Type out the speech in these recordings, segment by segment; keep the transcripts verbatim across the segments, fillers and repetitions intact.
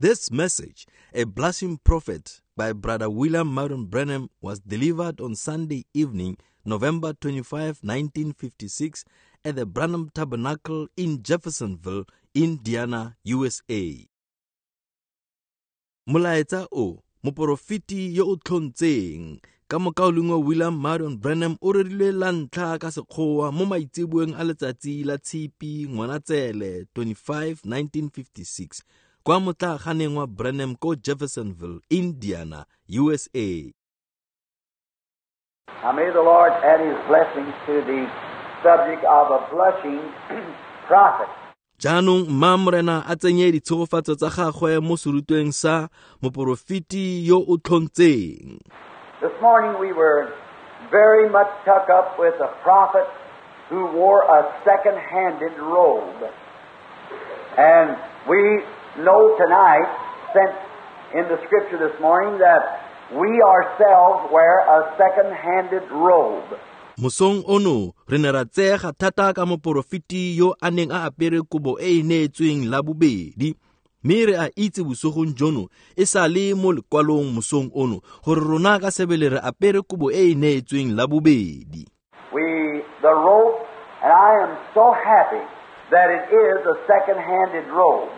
This message, A Blushing Prophet by Brother William Marion Branham, was delivered on Sunday evening, November twenty-fifth, nineteen fifty-six, at the Branham Tabernacle in Jeffersonville, Indiana, U S A. Molaetsa o, moporofeti yo o tlhontseng, ka mokaulengwe William Marion Branham o rerilwe la ntlha ka Sekgowa mo maitseboeng a letsatsi la Tshipi Ngwanatsele twenty-five, nineteen fifty-six, kwa motlaaganeng wa Branham ko Jeffersonville, Indiana, U S A. Now may the Lord add His blessings to the subject of a blushing prophet. Jaanong mma Morena a tsenye ditshegofatso tsa gagwe mo serutweng sa moporofeti yo o tlhontseng. This morning we were very much tucked up with a prophet who wore a second-handed robe. And we know tonight, since in the scripture this morning, that we ourselves wear a second-handed robe. Mosong ono re ne ra tseega thata ka moporofeti yo a neng a apere kobo e e neetsweng la bobedi. Mme re a itse bosegong jono e sa le mo lekwalong mosong ono gore rona ka sebele re apere kobo e e neetsweng la bobedi. We, the robe, and I am so happy that it is a second-handed robe.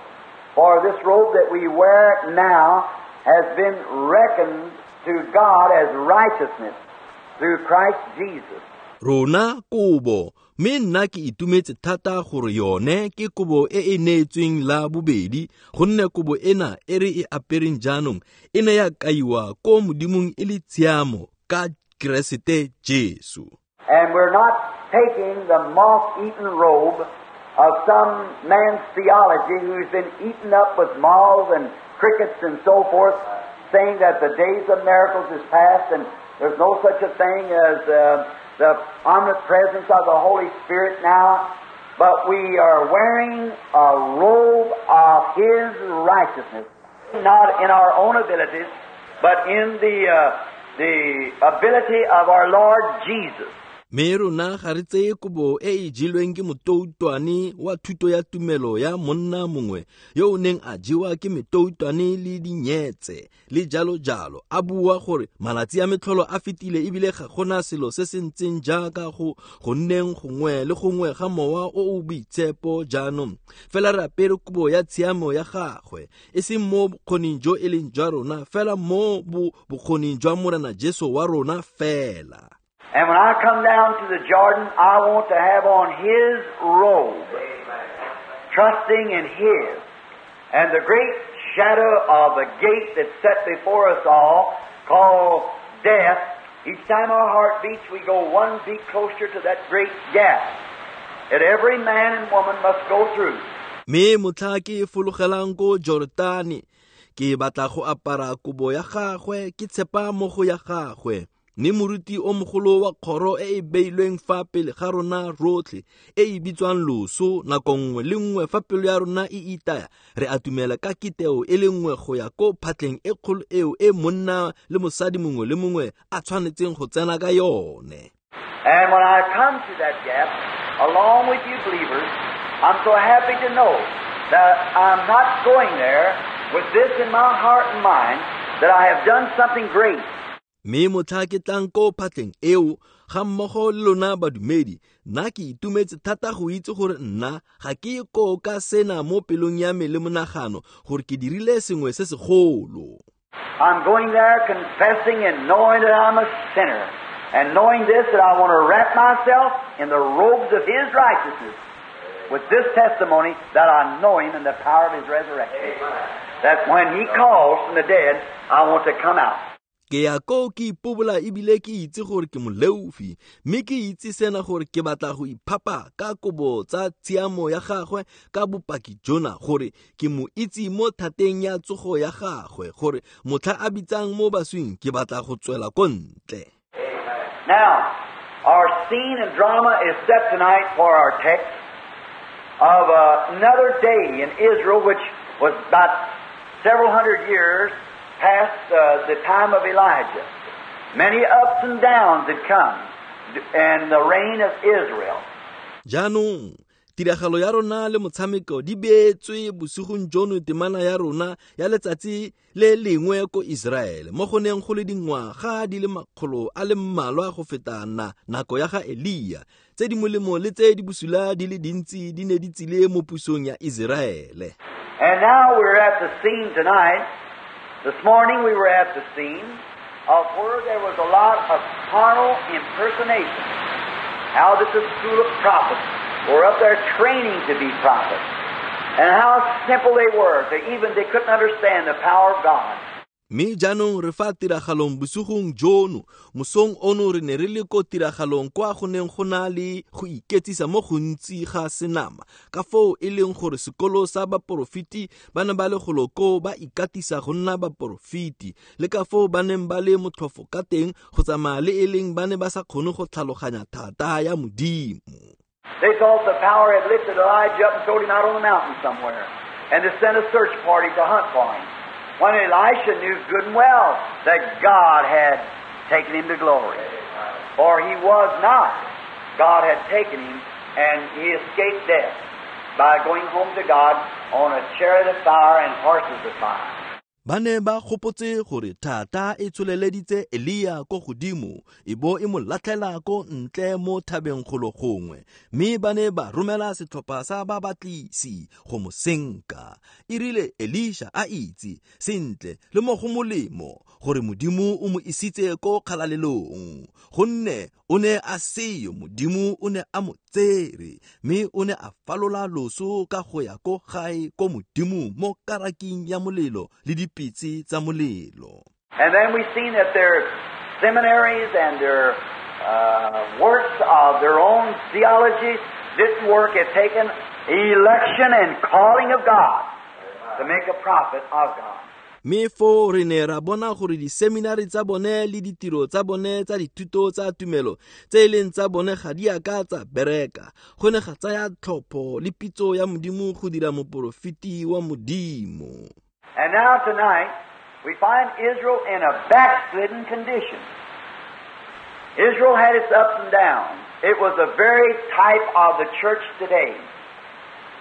For this robe that we wear now has been reckoned to God as righteousness through Christ Jesus. Rona kobo, mme nna ke itumetse thata gore yone ke kobo e e neetsweng la bobedi, gonne kobo ena e re e apereng jaanong e ne ya kaiwa ko Modimong e le tshiamo ka Keresete Jesu. And we're not taking the moth-eaten robe of some man's theology who's been eaten up with moths and crickets and so forth, saying that the days of miracles is past and there's no such a thing as uh, the omnipresence of the Holy Spirit now. But we are wearing a robe of His righteousness, not in our own abilities, but in the, uh, the ability of our Lord Jesus. Mme rona ga re tseye kobo e e jelweng ke motoutwane wa thuto ya tumelo ya monna mongwe yo o neng a jewa ke metoutwane le dinyetse le jalo jalo, a bua gore malatsi a metlholo a fetile ebile ga gona selo se se ntseng jaaka go go nneng gongwe le gongwe ga mowa o o boitshepo jaanong. Fela re apere kobo ya tshiamo ya gagwe, e seng mo bokgoning jo e leng jwa rona, fela mo bokgoning jwa Morena Jesu wa rona fela. And when I come down to the Jordan, I want to have on His robe, trusting in His. And the great shadow of the gate that's set before us all, called death, each time our heart beats, we go one beat closer to that great gap that every man and woman must go through. Me motlha ke fologelang ko Jordane, ke batla go apara kobo ya gagwe, ke tshepa mo go ya gagwe. Mme moruti o mogolo wa kgoro e e beilweng fa pele ga rona rotlhe e e bitswang loso, nako nngwe le nngwe fa pelo ya rona e itaya, re atumela ka kiteo e le nngwe go ya ko phatleng e kgolo eo e monna le mosadi mongwe le mongwe a tshwanetseng go tsena ka yone. And when I come to that gap, along with you believers, I'm so happy to know that I'm not going there with this in my heart and mind, that I have done something great. Mme motlha ke tlang ko phatleng eo ga mmogo le lona badumedi, nna ke itumetse thata go itse gore nna ga ke ko ka sena mo pelong ya me le monagano gore ke dirile sengwe se segolo. I'm going there confessing and knowing that I'm a sinner, and knowing this, that I want to wrap myself in the robes of His righteousness with this testimony that I know Him in the power of His resurrection. That when He calls from the dead, I want to come out. Ke ya ko ke ipobola ebile ke itse gore ke moleofi, mme ke itse sena gore ke batla go iphapa ka kobo tsa tshiamo ya gagwe ka bopaki jona gore ke mo itse mo thateng ya tsogo ya gagwe, gore motlha a bitsang mo baswing ke batla go tswela ko ntle. Now, our scene and drama is set tonight for our text of another day in Israel, which was about several hundred years past uh, the time of Elijah. Many ups and downs had come in the reign of Israel. Jaanong, Tiragalo ya rona le motshameko di beetswe bosigong jono temana ya rona ya letsatsi le lengwe ko Iseraele mo go neng go le dingwaga di le makgolo a le mmalwa go feta na nako ya ga Elia tse di molemo le tse di bosula di le dintsi di ne di tsile mo pusong ya Iseraele. And now we're at the scene tonight. This morning we were at the scene of where there was a lot of carnal impersonation. How that the school of prophets were up there training to be prophets. And how simple they were, to even they couldn't understand the power of God. Mme jaanong re fa tiragalong bosigong jono, mosong ono re ne re le ko tiragalong kwa go neng go na le go iketsisa mo gontsi ga senama, ka foo e leng gore sekolo sa baporofeti ba ne ba le golo koo ba ikatisa go nna baporofeti, le ka foo ba neng ba le motlhofo ka teng go tsamaya le e leng ba ne ba sa kgone go tlhaloganya thata ya Modimo. They thought the power had lifted Elijah up and thrown him out on the mountain somewhere, and to send a search party to hunt for him. When Elisha knew good and well that God had taken him to glory. For he was not. God had taken him, and he escaped death by going home to God on a chariot of fire and horses of fire. Ba ne ba gopotse gore thata e tsholeleditse Elia ko godimo e bo e mo latlhela ko ntle mo thabeng golo gongwe, mme ba ne ba romela setlhopha sa babatlisi go mo senka. E rile Elisha a itse sentle le mo go molemo gore Modimo o mo isitse ko kgalalelong, gonne o ne a seyo, Modimo o ne a mo tsere, mme o ne a falola loso ka go ya ko gae ko Modimo mo karaking ya molelo le dipitse tsa molelo. And then we've seen that their seminaries and their uh, works of their own theology didn't work. It taken election and calling of God to make a prophet of God. Mme foo re ne ra bona gore diseminari tsa bone le ditiro tsa bone tsa dithuto tsa tumelo tse e leng tsa bone ga di a ka tsa bereka. Go ne ga tsaya tlhopho le pitso ya Modimo go dira moporofeti wa Modimo. And now tonight, we find Israel in a backslidden condition. Israel had its ups and downs. It was the very type of the church today.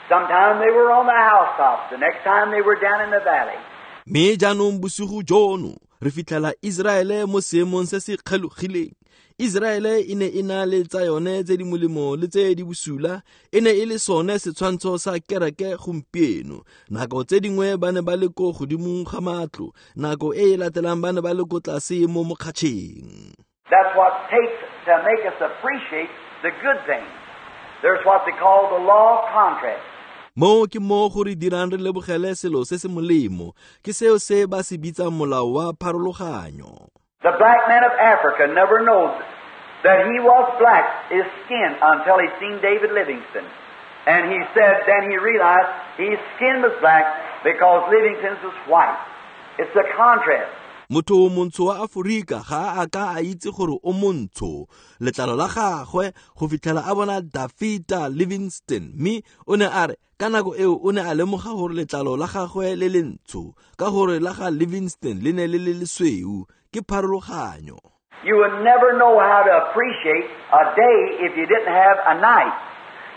Sometime they were on the housetops. The next time they were down in the valley. Mme jaanong bosigo jono re fitlhela Iseraele mo seemong se se kgelogileng. Iseraele e ne e na le tsa yone tse di molemo le tse di bosula, e ne e le sone setshwantsho sa kereke gompieno. Nako tse dingwe ba ne ba le ko godimong ga matlo, nako e e latelang ba ne ba le ko tlase mo mokgatšheng. That's what takes to make us appreciate the good things. There's what they call the law of contrast. Mo ke mo go re dirang re lebogele selo se se molemo, ke seo se ba se bitsang molao wa pharologanyo. The black man of Africa never knows that he was black, his skin, until he seen David Livingstone. And he said, then he realized his skin was black because Livingstone's was white. It's a contrast. Motho montsho wa Aforika ga a ka a itse gore o montsho letlalo la gagwe go fitlhela a bona Dafita Livingstone, mme o ne a re ka nako eo o ne a lemoga gore letlalo la gagwe le lentsho ka gore la ga Livingstone le ne le le lesweu. Ke pharologanyo. You would never know how to appreciate a day if you didn't have a night.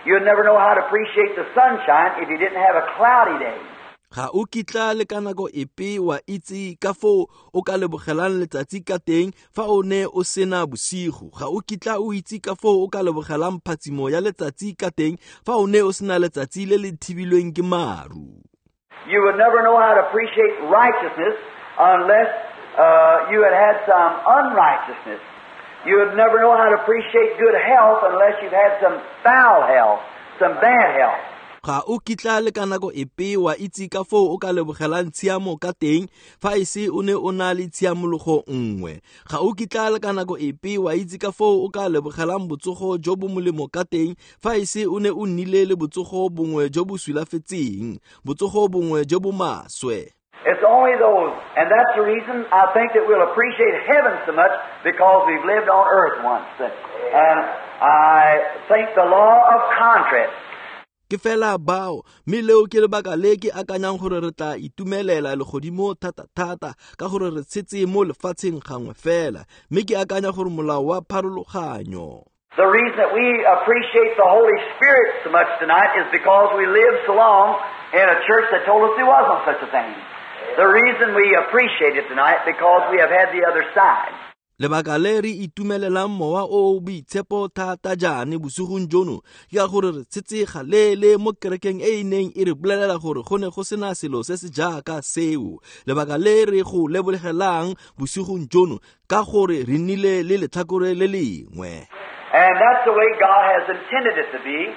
You would never know how to appreciate the sunshine if you didn't have a cloudy day. Ga o kitla le ka nako epe wa itse ka foo o ka lebogelang letsatsi ka teng fa o ne o sena bosigo. Ga o kitla o itse ka foo o ka lebogelang phatsimo ya letsatsi ka teng fa o ne o sena letsatsi le le thibilweng ke maru. You would never know how to appreciate righteousness unless uh, you had had some unrighteousness. You would never know how to appreciate good health unless you've had some foul health, some bad health. Ga o kitla le ka nako epe wa itse ka foo o ka lebogelang tshiamo ka teng fa e se o ne o na le tshiamologo nngwe. Ga o kitla le ka nako epe wa itse ka foo o ka lebogelang botsogo jo bo molemo ka teng fa e se o ne o nnile le botsogo bongwe jo bo sulafetseng, botsogo bongwe jo bo maswe. It's only those, and that's the reason I think that we'll appreciate heaven so much, because we've lived on earth once. And I think the law of contrast. Ke fela bao, mme leo ke lebaka le ke akanyang gore re tla itumelela legodimo thata-thata ka gore re tshetse mo lefatsheng gangwe fela, mme ke akanya gore molao wa pharologanyo. The reason that we appreciate the Holy Spirit so much tonight is because we lived so long in a church that told us there wasn't such a thing. The reason we appreciate it tonight because we have had the other side. Lebaka le re itumelelang mowa o o boitshepo thata jaane bosigong jono ke ka gore re tshetse galele mo kerekeng e e neng e re bolelela gore go ne go sena selo se se jaaka seo. Lebaka le re go lebogelang bosigong jono ka gore re nnile le letlhakore le lengwe. And that's the way God has intended it to be,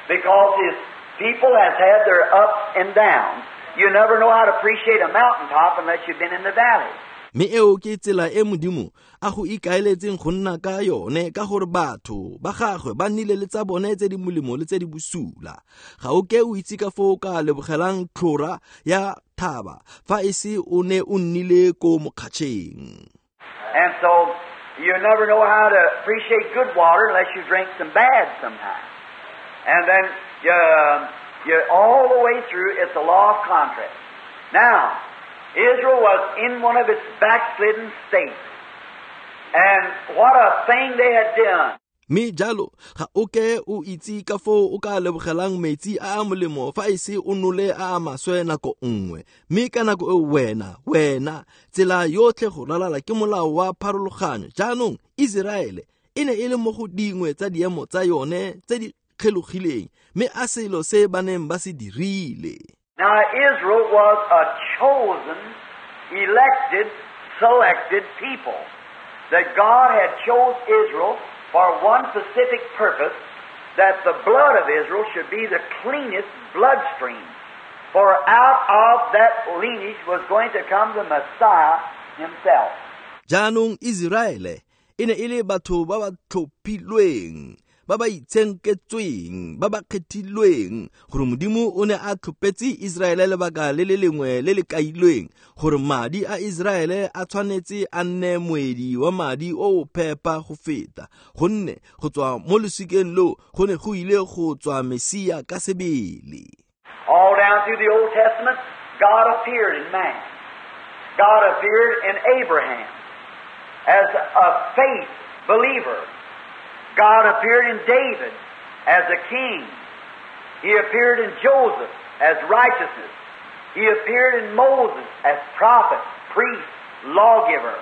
because His people has had their ups and downs. You never know how to appreciate a mountaintop unless you've been in the valley. Mme eo ke tsela e Modimo a go ikaeletseng go nna ka yone ka gore batho ba gagwe ba nnile le tsa bone tse di molemo le tse di bosula. Ga o ke o itse ka foo ka lebogelang tlhora ya thaba fa e se o ne o nnile ko mokgatšheng. And so you never know how to appreciate good water unless you drink some bad sometimes. And then you, you all the way through, it's a law of contrast. Now, Israel was in one of its backslidden states. And what a thing they had done. Mme jalo ga o ke o itse ka foo o ka lebogelang metsi a a molemo fa e se o nole a a maswe nako nngwe. Mme ka nako e wena, wena, tsela yotlhe go ralala ke molao wa pharologanyo. Jaanong Iseraele e ne e le mo go dingwe tsa diemo tsa yone tse di kgelogileng, mme a selo se ba neng ba se dirile. Now Israel was a chosen, elected, selected people. That God had chose Israel for one specific purpose, that the blood of Israel should be the cleanest bloodstream. For out of that lineage was going to come the Messiah himself. Jaanong Iseraele e ne e le batho ba ba tlhophilweng, ba ba itshenketsweng, ba ba kgethilweng, gore Modimo o ne a tlhophetse Iseraele lebaka le le lengwe le le kailweng, gore madi a Iseraele a tshwanetse a nne moedi wa madi o o phepa go feta, gonne go tswa mo losikeng loo go ne go ile go tswa Mesia ka sebele. All down through the Old Testament, God appeared in man. God appeared in Abraham as a faith believer. God appeared in David as a king. He appeared in Joseph as righteousness. He appeared in Moses as prophet, priest, lawgiver.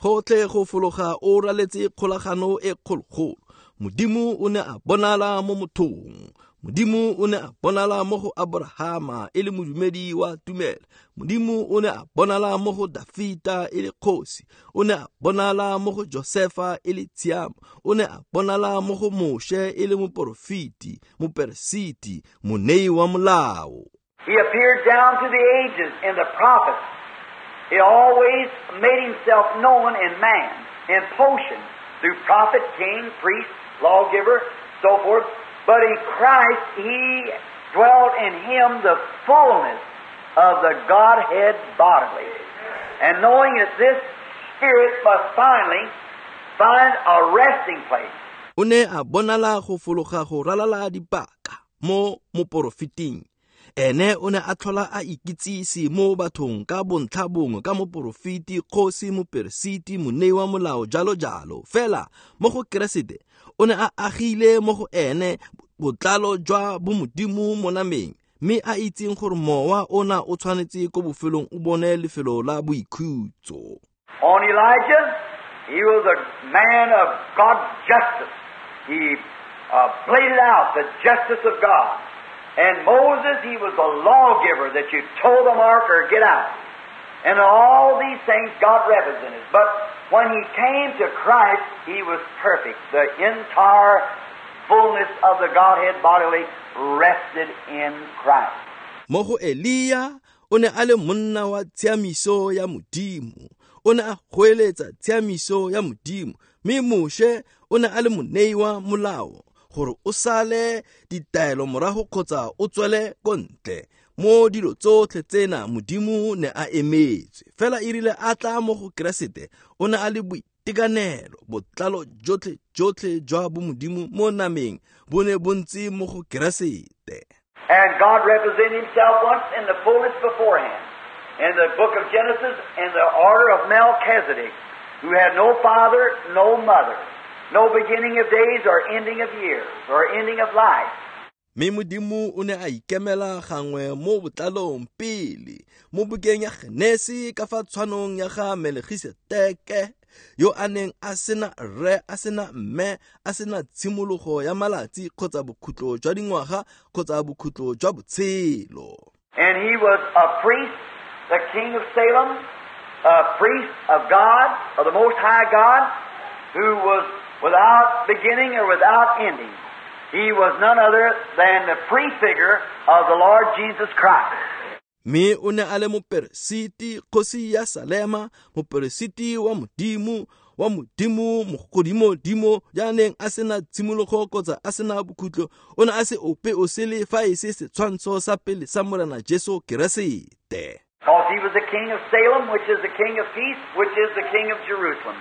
Gotlhe go fologa o raletse kgolagano e kgologolo. Modimo o ne a bonala mo mothong. Modimo o ne a bonala mo go Abrahama e le modumedi wa tumelo. Modimo o ne a bonala mo go Dafita e le kgosi. O ne a bonala mo go Josefa e le tshiamo. O ne a bonala mo go Moshe e le moporofeti, moperesiti, monei wa molao. He appeared down through the ages in the prophets. He always made himself known in man, in potion, through prophet, king, priest, lawgiver, so forth. But in Christ, He dwelt in Him the fullness of the Godhead bodily. And knowing that this Spirit must finally find a resting place. O ne a bonala go fologa go ralala dipaka mo moporofeting. Ene o ne a tlhola a ikitsise mo bathong ka bontlha bongwe ka moporofeti, kgosi, moperesiti, monei wa molao, jalo jalo. Fela mo go Keresete o ne a agile mo go ene botlalo jwa bomodimo mo nameng, mme a itseng gore mowa ona o tshwanetse ko bofelong o bone lefelo la boikhutso. On Elijah, he was a man of God's justice. He uh, bladed out the justice of God. And Moses, he was a lawgiver that you toe the mark or get out. And all these things God represented. But when he came to Christ, he was perfect. The entire fullness of the Godhead bodily rested in Christ. Mo go Elia, o ne a le monna wa tshiamiso ya Modimo. O ne a goeletsa tshiamiso ya Modimo. Mme Moshe o ne a le monei wa molao, gore o sale ditaelo morago kgotsa o tswele ko ntle. Mo dilo tsotlhe tsena Modimo ne a emetswe. Fela e rile a tla mo go Keresete, o ne a le boitekanelo, botlalo jotlhe jotlhe jwa bomodimo mo nameng bo ne bo ntse mo go Keresete. And God represented himself once in the fullness beforehand. In the book of Genesis, in the order of Melchizedek, who had no father, no mother, No beginning of days or ending of years or ending of life. Mme Modimo o ne a ikemela gangwe mo botlalong pele mo bukeng ya Genesi ka fa tshwanong ya ga Melkisedeke yo a neng a sena rre a sena mme a sena tshimologo ya malatsi kgotsa bokhutlo jwa dingwaga kgotsa bokhutlo jwa botshelo. And he was a priest, the king of Salem, a priest of God, of the Most High God, who was without beginning or without ending. He was none other than the prefigure of the Lord Jesus Christ. Mme o ne a le moperesiti kgosi ya Salema, moperesiti wa Modimo, wa Modimo mogodimodimo ya neng a sena tshimologo kgotsa a sena bokhutlo. O ne a se ope o sele fa e se setshwantsho sa pele sa Morena Jesu Keresete. Because he was the king of Salem, which is the king of peace, which is the king of Jerusalem.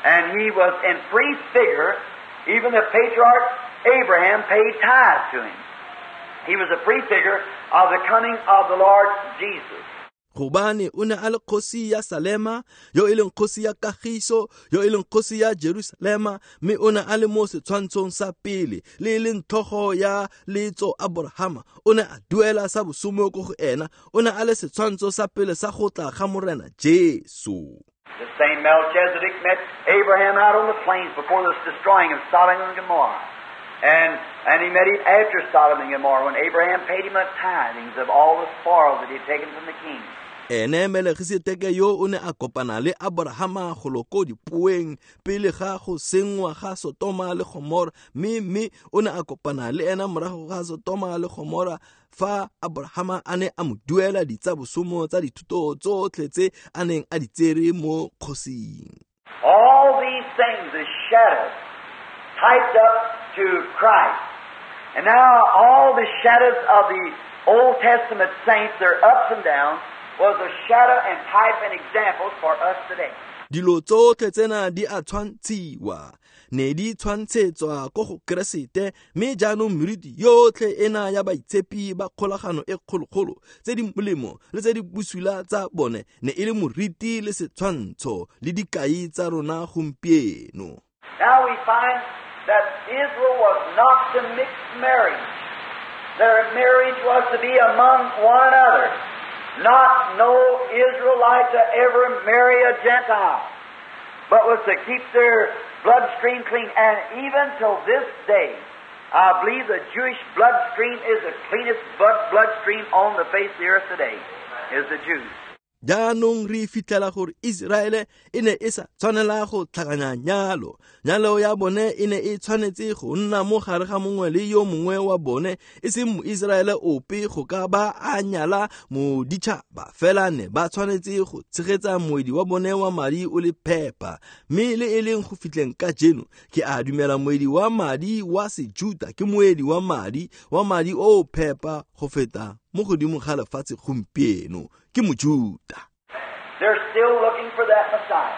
And he was in prefigure, even the patriarch Abraham paid tithes to him. He was a prefigure of the coming of the Lord Jesus. Gobane o ne a le kgosi ya Salema, yo e leng kgosi ya kagiso, yo e leng kgosi ya Jerusalema, mme o ne a le mo setshwantshong sa pele le e leng tlhogo ya letso Abrahama. O ne a duela sa bosome ko go ena, o ne a le setshwantsho sa pele sa go tla ga Morena Jesu. The same Melchizedek met Abraham out on the plains before the destroying of Sodom and Gomorrah. And, and he met him after Sodom and Gomorrah when Abraham paid him a tithings of all the spoils that he had taken from the king. Ene Melkisedeke yo o ne a kopana le Abrahama go ko dipoeng pele ga go sengwa ga Sotoma le Gomora, mme mme o ne a kopana le ena morago ga Sotoma le Gomora fa Abrahama a ne a mo duela ditsabosomo tsa dithuto tsotlhe tse a neng a di tsere mo kgosing. All these things is shadows typed up to Christ. And now all the shadows of the Old Testament saints, their ups and downs, was a shadow and type and examples for us today. Dilo tsotlhe tsena di a tshwantshiwa, ne di tshwantshetswa ko go Keresete, mme jaanong meriti yotlhe ena ya baitshepi ba kgolagano e kgologolo tse di molemo le tse di bosula tsa bone ne e le moriti le setshwantsho le dikai tsa rona gompieno. Now we find that Israel was not to mix marriage. Their marriage was to be among one another. Not no Israelite to ever marry a Gentile, but was to keep their bloodstream clean. And even till this day, I believe the Jewish bloodstream is the cleanest blood bloodstream on the face of the earth today, is the Jews. Jaanong re fitlhela gore Iseraele e ne e sa tshwanela go tlhakanya nyalo. Nyalo ya bone e ne e tshwanetse go nna mo gare ga mongwe le yo mongwe wa bone, e seng Moiseraele ope go ka ba a nyala moditšhaba, fela ne ba tshwanetse go tshegetsa moedi wa bone wa madi o le phepa. Mme le e leng go fitlheng ka jeno, ke a dumela moedi wa madi wa Sejuta ke moedi wa madi wa madi o phepa go feta mo godimo ga lefatshe gompieno, ke Mojuta. They're still looking for that Messiah.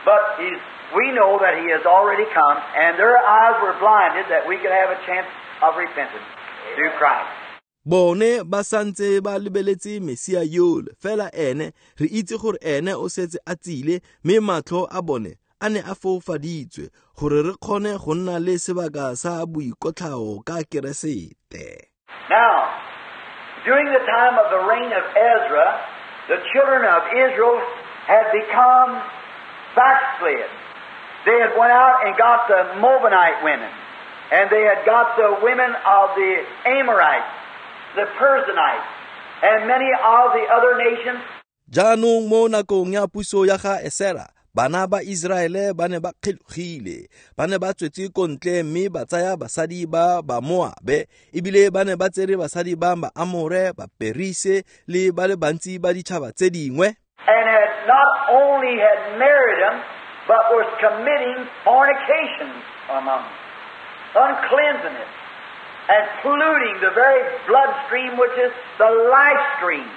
But he's, we know that he has already come, and their eyes were blinded that we could have a chance of repentance through Christ. Bone ba santse ba lebeletse Mesia yole, fela ene re itse gore ene o setse a tsile, mme matlho a bone a ne a foufaditswe gore re kgone go nna le sebaka sa boikotlhao ka Keresete. Now, during the time of the reign of Ezra, the children of Israel had become backslid. They had went out and got the Moabite women, and they had got the women of the Amorites, the Perizzites, and many of the other nations. Jaanong mo nakong ya puso ya ga Esera, bana ba Iseraele ba ne ba kgelogile, ba ne ba tswetse ko ntle mme ba tsaya basadi ba ba Moabe, ebile ba ne ba tsere basadi ba ba Amore, ba Perise le ba le bantsi ba ditšhaba tse dingwe. And had not only had married them, but was committing fornication among them, uncleansing it, and polluting the very bloodstream, which is the life stream.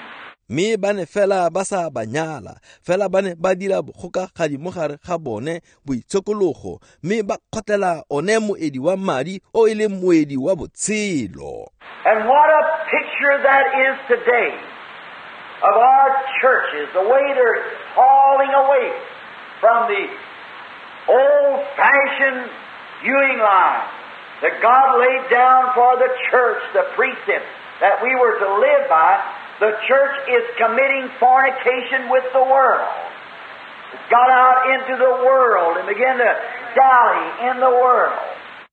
Mme ba ne fela ba sa ba nyala, fela ba ne ba dira bokgokagadi mo gare ga bone boitshokologo, mme ba kgotlela one moedi wa madi o e leng moedi wa botshelo. And what a picture that is today of our churches, the way they're falling away from the old-fashioned viewing line that God laid down for the church, the precepts that we were to live by, the church is committing fornication with the world. It's got out into the world and began to dally in the world.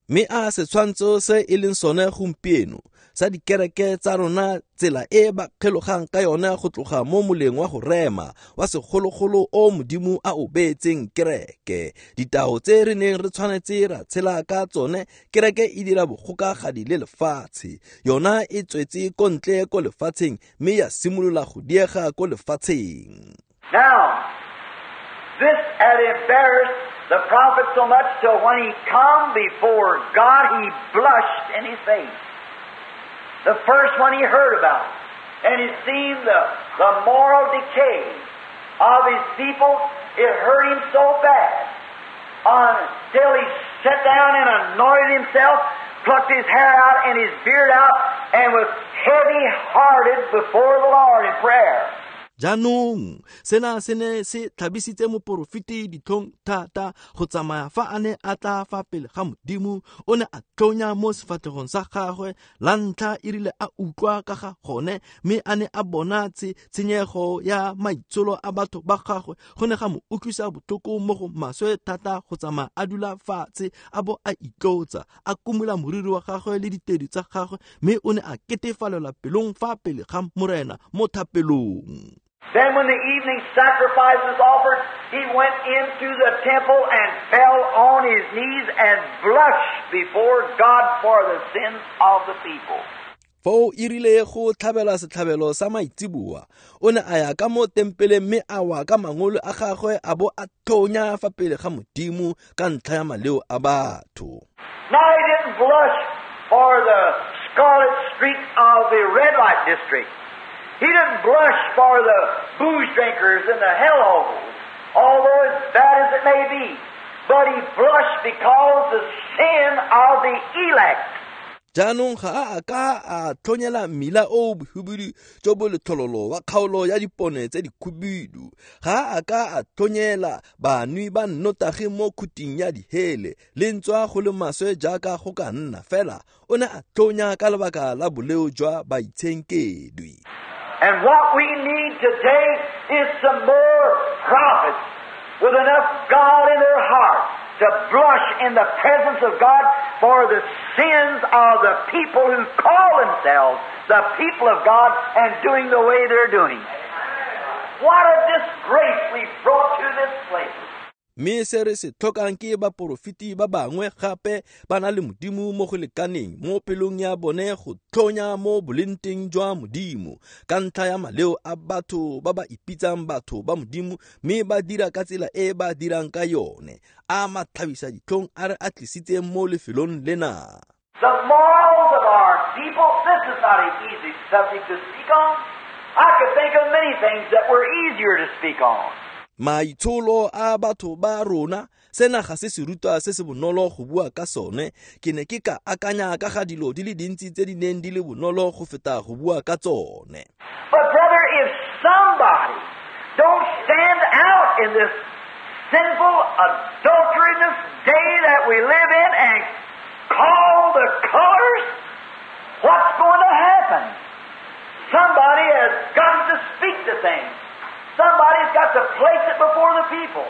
Mme a setshwantsho se e leng sone gompieno sa dikereke tsa rona, tsela e ba kgelogang ka yone go tloga mo moleng wa go rema wa segologolo o Modimo a o beetseng kereke. Ditao tse re neng re tshwanetse ra tshela ka tsone, kereke e dira bogokagadi le lefatshe. Yona e tswetse ko ntle ko lefatsheng mme ya simolola go diega ko lefatsheng. Now, this had embarrassed the prophet so much till when he come before God, he blushed in his face. The first one he heard about. And it seemed the, the moral decay of his people, it hurt him so bad until he sat down and anointed himself, plucked his hair out and his beard out, and was heavy-hearted before the Lord in prayer. Jaanong sena se ne se tlhabisitse moporofeti ditlhong thata go tsamaya fa a ne a tla fa pele ga Modimo. O ne a tlonya mo sefatlhegong sa gagwe la ntlha e rile a utlwa ka ga gone, mme a ne a bona tshenyego ya maitsholo a batho ba gagwe. Go ne ga mo utlwisa botlhoko mo go maswe thata go tsamaya a dula fatshe a bo a itlotsa, a kumola moriri wa gagwe le ditedu tsa gagwe, mme o ne a ketefalelwa pelong fa pele ga Morena mo thapelong. Then when the evening sacrifice was offered, he went into the temple and fell on his knees and blushed before God for the sins of the people. Foo e rile go tlhabela setlhabelo sa maitseboa, o ne a ya ka mo tempeleng mme a wa ka mangolo a gagwe a bo a thonya fa pele ga Modimo ka ntlha ya maleo a batho. Now he didn't blush for the scarlet streak of the red light district. He didn't blush for the booze drinkers and the hellholes, although as bad as it may be. But he blushed because the sin of the elect. Jaanong ga a ka a tlhonyela mmila o bohubidu jo bo letlhololo wa kgaolo ya dipone tse dikhubidu. Ga a ka a tlhonyela banwi ba nnotagi mo khuting ya dihele, le ntswa go le maswe jaaka go ka nna fela, o ne a tlhonya ka lebaka la boleo jwa baitshenkedwi. And what we need today is some more prophets with enough God in their heart to blush in the presence of God for the sins of the people who call themselves the people of God and doing the way they're doing. What a disgrace we've brought to this place. Mme se re se tlhokang ke baporofeti ba bangwe gape ba na le Modimo mo go lekaneng mo pelong ya bone go tlhonya mo bolenteng jwa Modimo ka ntlha ya maleo a batho ba ba ipitsang batho ba Modimo mme ba dira ka tsela e ba dirang ka yone. A matlhabisa ditlhong a re a tlisitseng mo lefelong lena. The morals of our people, this is not an easy subject to speak on. I could think of many things that were easier to speak on. Maitsholo a batho ba rona, sena ga se serutwa se se bonolo go bua ka sone. Ke ne ke ka akanya ka ga dilo di le dintsi tse di neng di le bonolo go feta go bua ka tsone. But brother, if somebody don't stand out in this sinful, adulterous day that we live in and call the colors, what's going to happen? Somebody has got to speak to things. Somebody's got to place it before the people.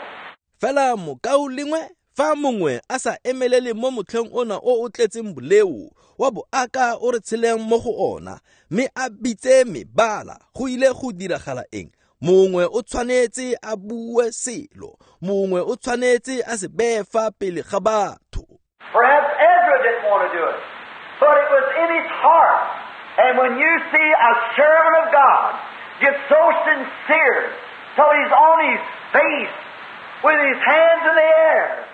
Fela mokaulengwe, fa mongwe a sa emelele mo motlheng ona o o tletseng boleo wa boaka o re tsheleng mo go ona, mme a bitse mebala, go ile go diragala eng? Mongwe o tshwanetse a bue selo, mongwe o tshwanetse a se beye fa pele ga batho. Perhaps Ezra didn't want to do it, but it was in his heart. And when you see a servant of God get so sincere till he's on his face with his hands in the air,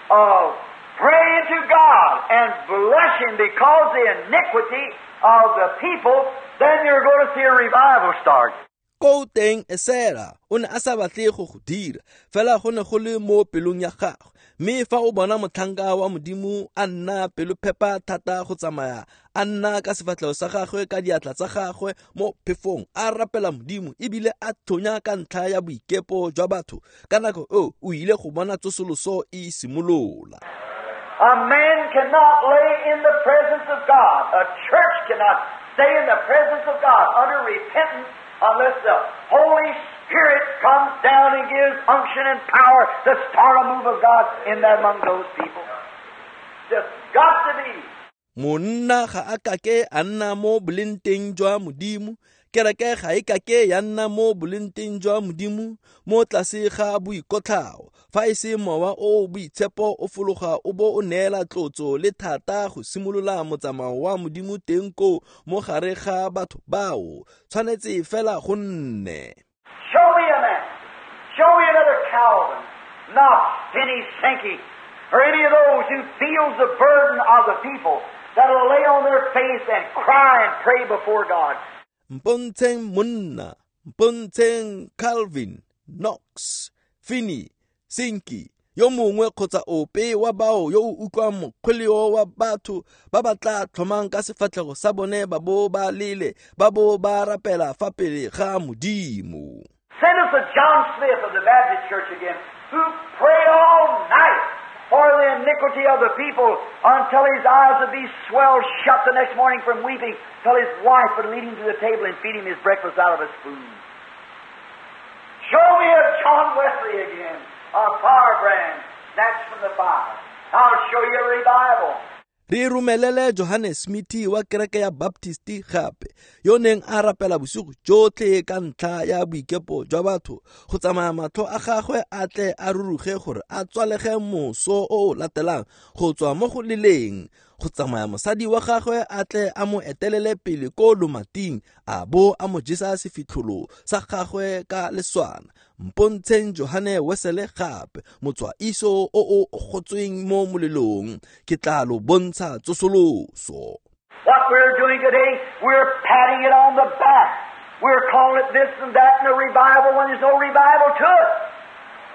uh, praying to God and blushing because the iniquity of the people, then you're going to see a revival start. Ko teng Esera o ne a sa batle go go dira, fela go ne go le mo pelong ya gagwe. Mme fa o bona motlhanka wa Modimo a nna pelophepa thata go tsamaya a nna ka sefatlhego sa gagwe ka diatla tsa gagwe mo phefong a rapela Modimo ebile a tlhonya ka ntlha ya boikepo jwa batho, ka nako eo o ile go bona tsosoloso e simolola. A man cannot lay in the presence of God. A church cannot stay in the presence of God under repentance unless the Holy Spirit comes down and gives unction and power to start a move of God in that among those people. Just got to be. Monna ga a kake a nna mo bolenteng jwa Modimo, kereke ga e kake ya nna mo bolenteng jwa Modimo mo tlase ga boikotlhao, fa e se mowa o boitshepo o fologa o bo o neela tlotso le thata go simolola motsamao wa Modimo teng koo mo gare ga batho bao, tshwanetse fela go nne. Show me a man. Show me another Calvin, Knox, Finney, Sankey, or any of those who feels the burden of the people that'll lay on their face and cry and pray before God. Mpontsheng monna, mpontsheng Calvin, Knox, Finney, Sankey, yo mongwe kgotsa ope wa bao yo o utlwang mokgweleo wa batho ba ba tla tlhomang ka sefatlhego sa bone ba bo ba lele ba bo ba rapela fa pele ga Modimo. Send us a John Smith of the Baptist Church again, who prayed all night for the iniquity of the people until his eyes would be swelled shut the next morning from weeping, till his wife would lead him to the table and feed him his breakfast out of a spoon. Show me a John Wesley again, a firebrand snatched from the fire. I'll show you a revival. Re romelele Johannes Smith wa kereke ya Baptist gape, yo neng a rapela bosigo jotlhe ka ntlha ya boikepo jwa batho, go tsamaya matlho a gagwe a tle a ruruge gore a tswalege moso o o latelang go tswa mo go leleng, go tsamaya mosadi wa gagwe a tle a mo etelele pele ko lomating a bo a mo jesa sefitlholo sa gagwe ka leswana. Mpontsheng Johane Wesele gape, motswaiso o o gotsweng mo molelong, ke tla lo bontsha tsosoloso. What we're doing today, we're patting it on the back. We're calling it this and that and a revival when there's no revival to it.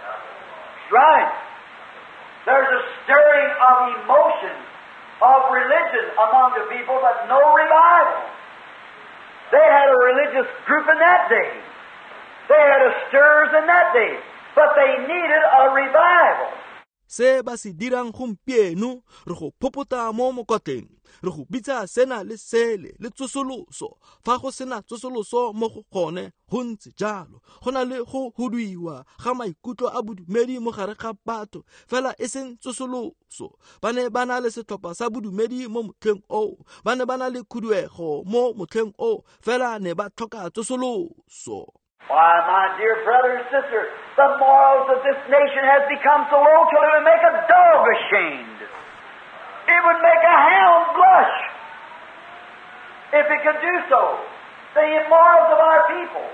That's right. There's a stirring of emotion, of religion among the people, but no revival. They had a religious group in that day. They had a stirs in that day, but they needed a revival. Se ba se dirang gompieno, re go phopota mo mokotleng, re go bitsa sena le sele le tsosoloso. Fa go sena tsosoloso mo go gone, go ntse jalo. Go na le go huduiwa ga maikutlo a bodumedi mo gare ga batho, fela e seng tsosoloso. Ba ne ba na le setlhopha sa bodumedi mo motlheng oo, ba ne ba na le khuduego mo motlheng oo, fela ne ba tlhoka tsosoloso. Why, my dear brother and sister, the morals of this nation has become so low till it would make a dog ashamed. It would make a hound blush if it could do so. The immorals of our people.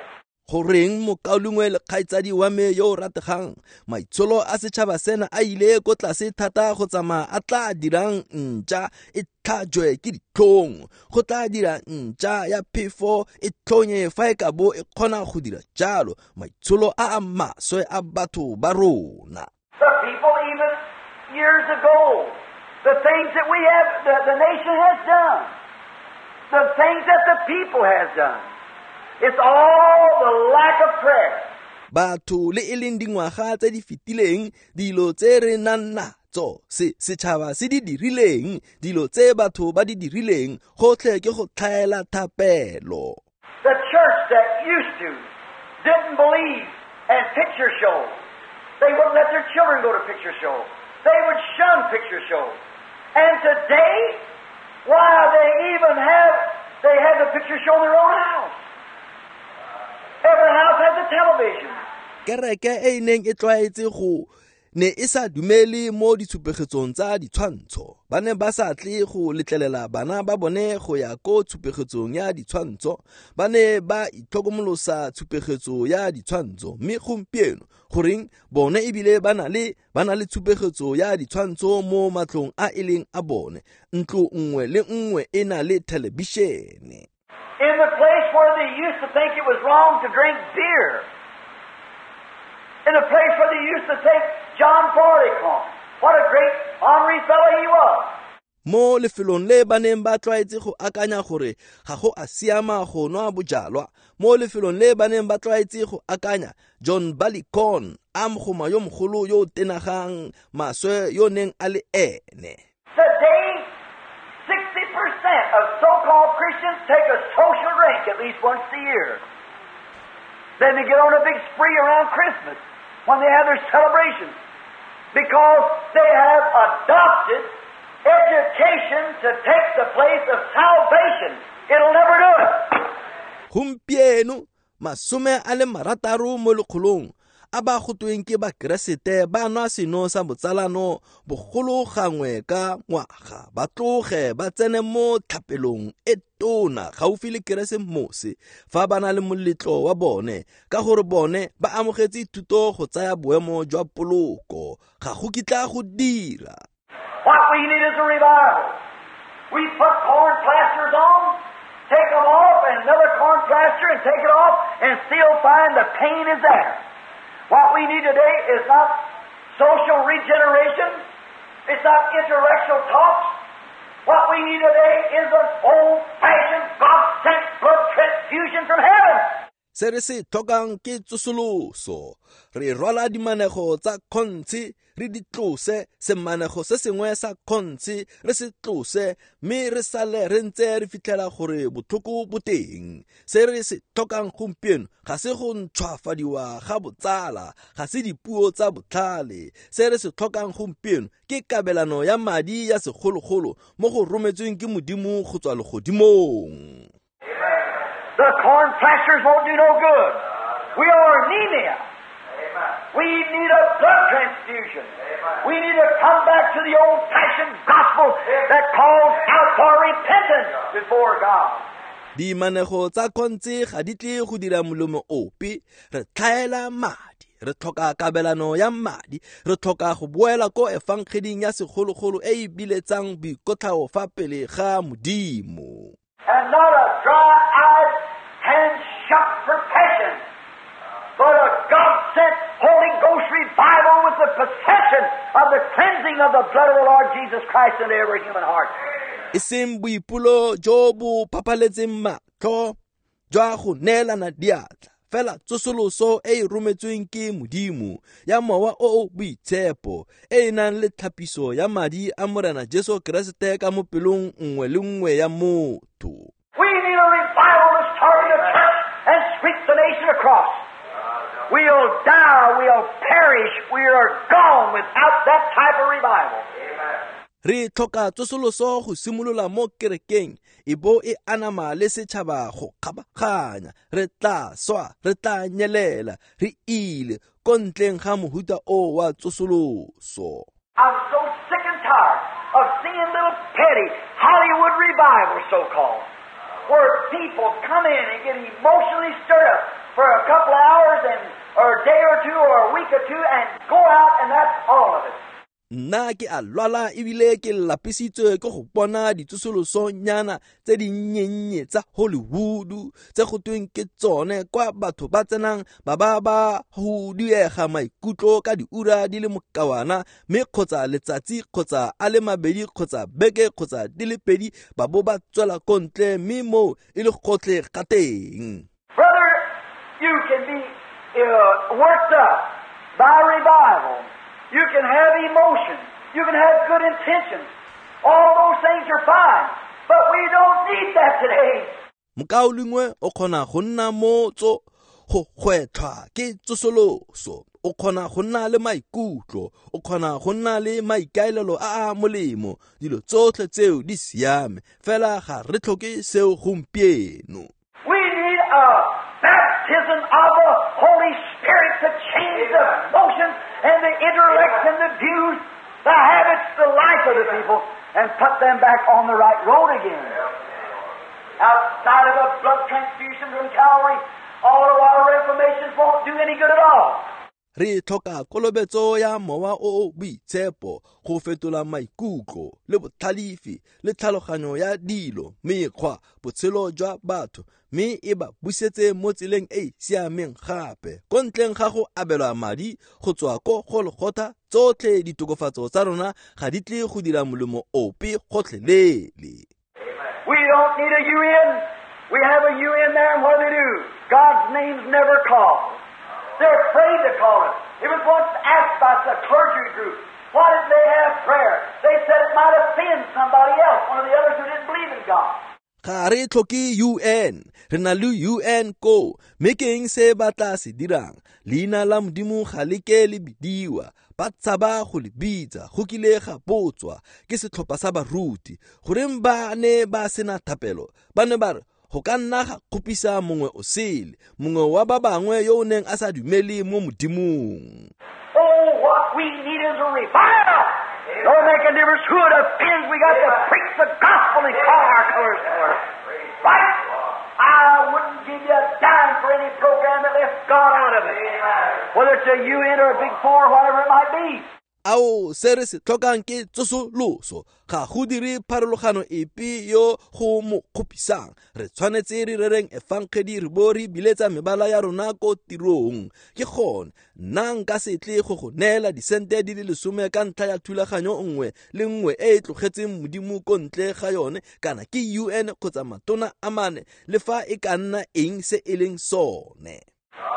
Goreng mokaulengwe le kgaitsadi wa me yo o rategang, maitsholo a setšhaba sena a ile ko tlase thata go tsamaya a tla dirang ntša e tlhajwe ke ditlhong, go tla dira ntša ya phefo e tlhonye fa e ka bo e kgona go dira jalo, maitsholo a a maswe a batho ba rona. The people even years ago, the things that we have, the, the nation has done, the things that the people has done. It's all the lack of prayer. Batho le e leng dingwaga tse di fetileng, dilo tse re nang natso, se setšhaba se di dirileng, dilo tse batho ba di dirileng, gotlhe ke go tlhaela thapelo. The church that used to didn't believe in picture shows. They wouldn't let their children go to picture shows. They would shun picture shows. And today, why they even have, they have the picture show in their own house. Every house has a television. Kereke e neng e tlwaetse go ne e sa dumele mo ditshupegetsong tsa ditshwantsho. Ba ne ba sa tle go letlelela bana ba bone go ya ko tshupegetsong ya ditshwantsho. Ba ne ba itlhokomolosa tshupegetso ya ditshwantsho. Mme gompieno goreng bone ebile ba na le ba na le tshupegetso ya ditshwantsho mo matlong a e leng a bone. Ntlo nngwe le nngwe e na le thelebišene. In the place where they used to think it was wrong to drink beer. In the place where they used to think John Barleycorn, what a great honorary fellow he was. Mo lefelong le ba neng ba tlwaetse go akanya gore ga go a siama go nwa bojalwa, mo lefelong le ba neng ba tlwaetse go akanya John Barleycorn, a mogoma yo mogolo yo o tenagang maswe yo neng a le ene. Today, sixty percent of so-called Christians take a social drink at least once a year. Then they get on a big spree around Christmas when they have their celebrations, because they have adopted education to take the place of salvation. It'll never do it. Gompieno masome a le marataro mo lekgolong a ba gotweng ke bakeresete ba nwa seno sa botsalano bogolo gangwe ka ngwaga, ba tloge ba tsene mo tlhapelong e tona gaufi le Keresemose fa ba na le moletlo wa bone, ka gore bone ba amogetse thuto go tsaya boemo jwa poloko. Ga go kitla go dira. What we need is a revival. We put corn plasters on, take them off, and another corn plaster and take it off, and still find the pain is there. What we need today is not social regeneration. It's not intellectual talks. What we need today is an old-fashioned, God-sent blood transfusion from heaven. Se re se tlhokang ke tsosoloso. Re rwala dimanego tsa kgontshi, re di tlose, semanego se sengwe sa kgontshi re se tlose, mme re sale re ntse re fitlhela gore botlhoko bo teng. Se re se tlhokang gompieno ga se go ntšhwafadiwa ga botsala, ga se dipuo tsa botlhale. Se re se tlhokang gompieno ke kabelano ya madi ya segologolo mo go rometsweng ke Modimo go tswa legodimong. The corn plasters won't do no good. We are anemia. Amen. We need a blood transfusion. Amen. We need to come back to the old-fashioned gospel that calls out for repentance before God. Dimanego tsa kgontse ga di tle go dira molemo ope. Re tlhaela madi, re tlhoka kabelano ya madi, re tlhoka go boela ko efangeding ya segologolo e e biletsang boikotlhao fa pele ga Modimo. And not a dry-eyed, hand-shut profession, but a God-sent Holy Ghost revival with the possession of the cleansing of the blood of the Lord Jesus Christ into every human heart. E seng boipolo jo bo phaphaletseng matlho jwa go neelana diatla, fela tsosoloso e e rometsweng ke Modimo ya mowa o o boitshepo e e nang le tlhapiso ya madi a Morena Jesu Keresete ka mo pelong nngwe le nngwe ya motho. We need a revival to start in the church and sweep the nation across. We'll die, we'll perish, we are gone without that type of revival. Re tlhoka tsosoloso go simolola mo kerekeng e bo e anama le setšhaba go kgabaganya. Re tla swa, re tla nyelela, re ile ko ntleng ga mohuta o wa tsosoloso. I'm so sick and tired of seeing little petty Hollywood revival, so-called, where people come in and get emotionally stirred up for a couple of hours and or a day or two or a week or two and go out, and that's all of it. Nna ke a lwala ebile ke lapisitswe ke go bona ditsosolosonyana tse dinnyennye tsa Hollywood tse go tweng ke tsone kwa batho ba tsenang ba ba ba go diega maikutlo ka diura di le mokawana, mme kgotsa letsatsi kgotsa a le mabedi kgotsa beke kgotsa di le pedi ba bo ba tswela ko ntle, mme moo e le gotlhe ga teng. Brother, you can be uh, worked up by revival. You can have emotion. You can have good intentions. All those things are fine. But we don't need that today. Mokaulengwe o kgona go nna mo tso go gwetlhwa ke tsosoloso. O kgona go nna le maikutlo, o kgona go nna le maikaelelo a a molemo. Dilo tsotlhe tseo di siame, fela ga re tlhoke seo gompieno. We need a baptism of the Holy Spirit to change the motions and the intellects and the views, the habits, the life of the people, and put them back on the right road again. Outside of a blood transfusion from Calvary, all of our reformations won't do any good at all. Re tlhoka kolobetso ya mowa o o boitshepo go fetola maikutlo le botlhalefi le tlhaloganyo ya dilo, mekgwa, botshelo jwa batho, mme e ba busetse mo tseleng e e siameng gape. Ko ntleng ga go abelwa madi go tswa ko Golgotha, tsotlhe ditokofatso tsa rona ga di tle go dira molemo ope gotlhelele. We don't need a U N. We have a U N there, and what do they do? God's name's never called. They're afraid to call it. It was once asked by the clergy group, why didn't they have prayer? They said it might offend somebody else, one of the others who didn't believe in God. Ga re tlhoke U N, re na le U N ko, mme ke eng se ba tla se dirang? Leina la Modimo ga le ke le bidiwa, ba tshaba go le bitsa, go kile ga botswa ke setlhopha sa baruti. Goreng ba ne ba sena thapelo? Ba ne ba re go ka nna ga kgopisa mongwe o sele, mongwe wa ba bangwe yo o neng a sa dumele mo Modimong. Oh, what we need is a revival. Don't make a difference who it offends. We got to preach the gospel and call our colors colors. Right? I wouldn't give you a dime for any program that left God out of it. Whether it's a U N or a Big Four or whatever it might be. Ao, se re se tlhokang ke tsosoloso. Ga go dire pharologano epe yo go mo kgopisang. Re tshwanetse re rereng efangedi re bo re biletsa mebala ya rona ko tirong. Ke gone nna nka se tle go go neela disente di le lesome ka ntlha ya thulaganyo nngwe le nngwe e e tlogetseng Modimo ko ntle ga yone, kana ke U N kgotsa matona a mane, le fa e ka nna eng se e leng sone.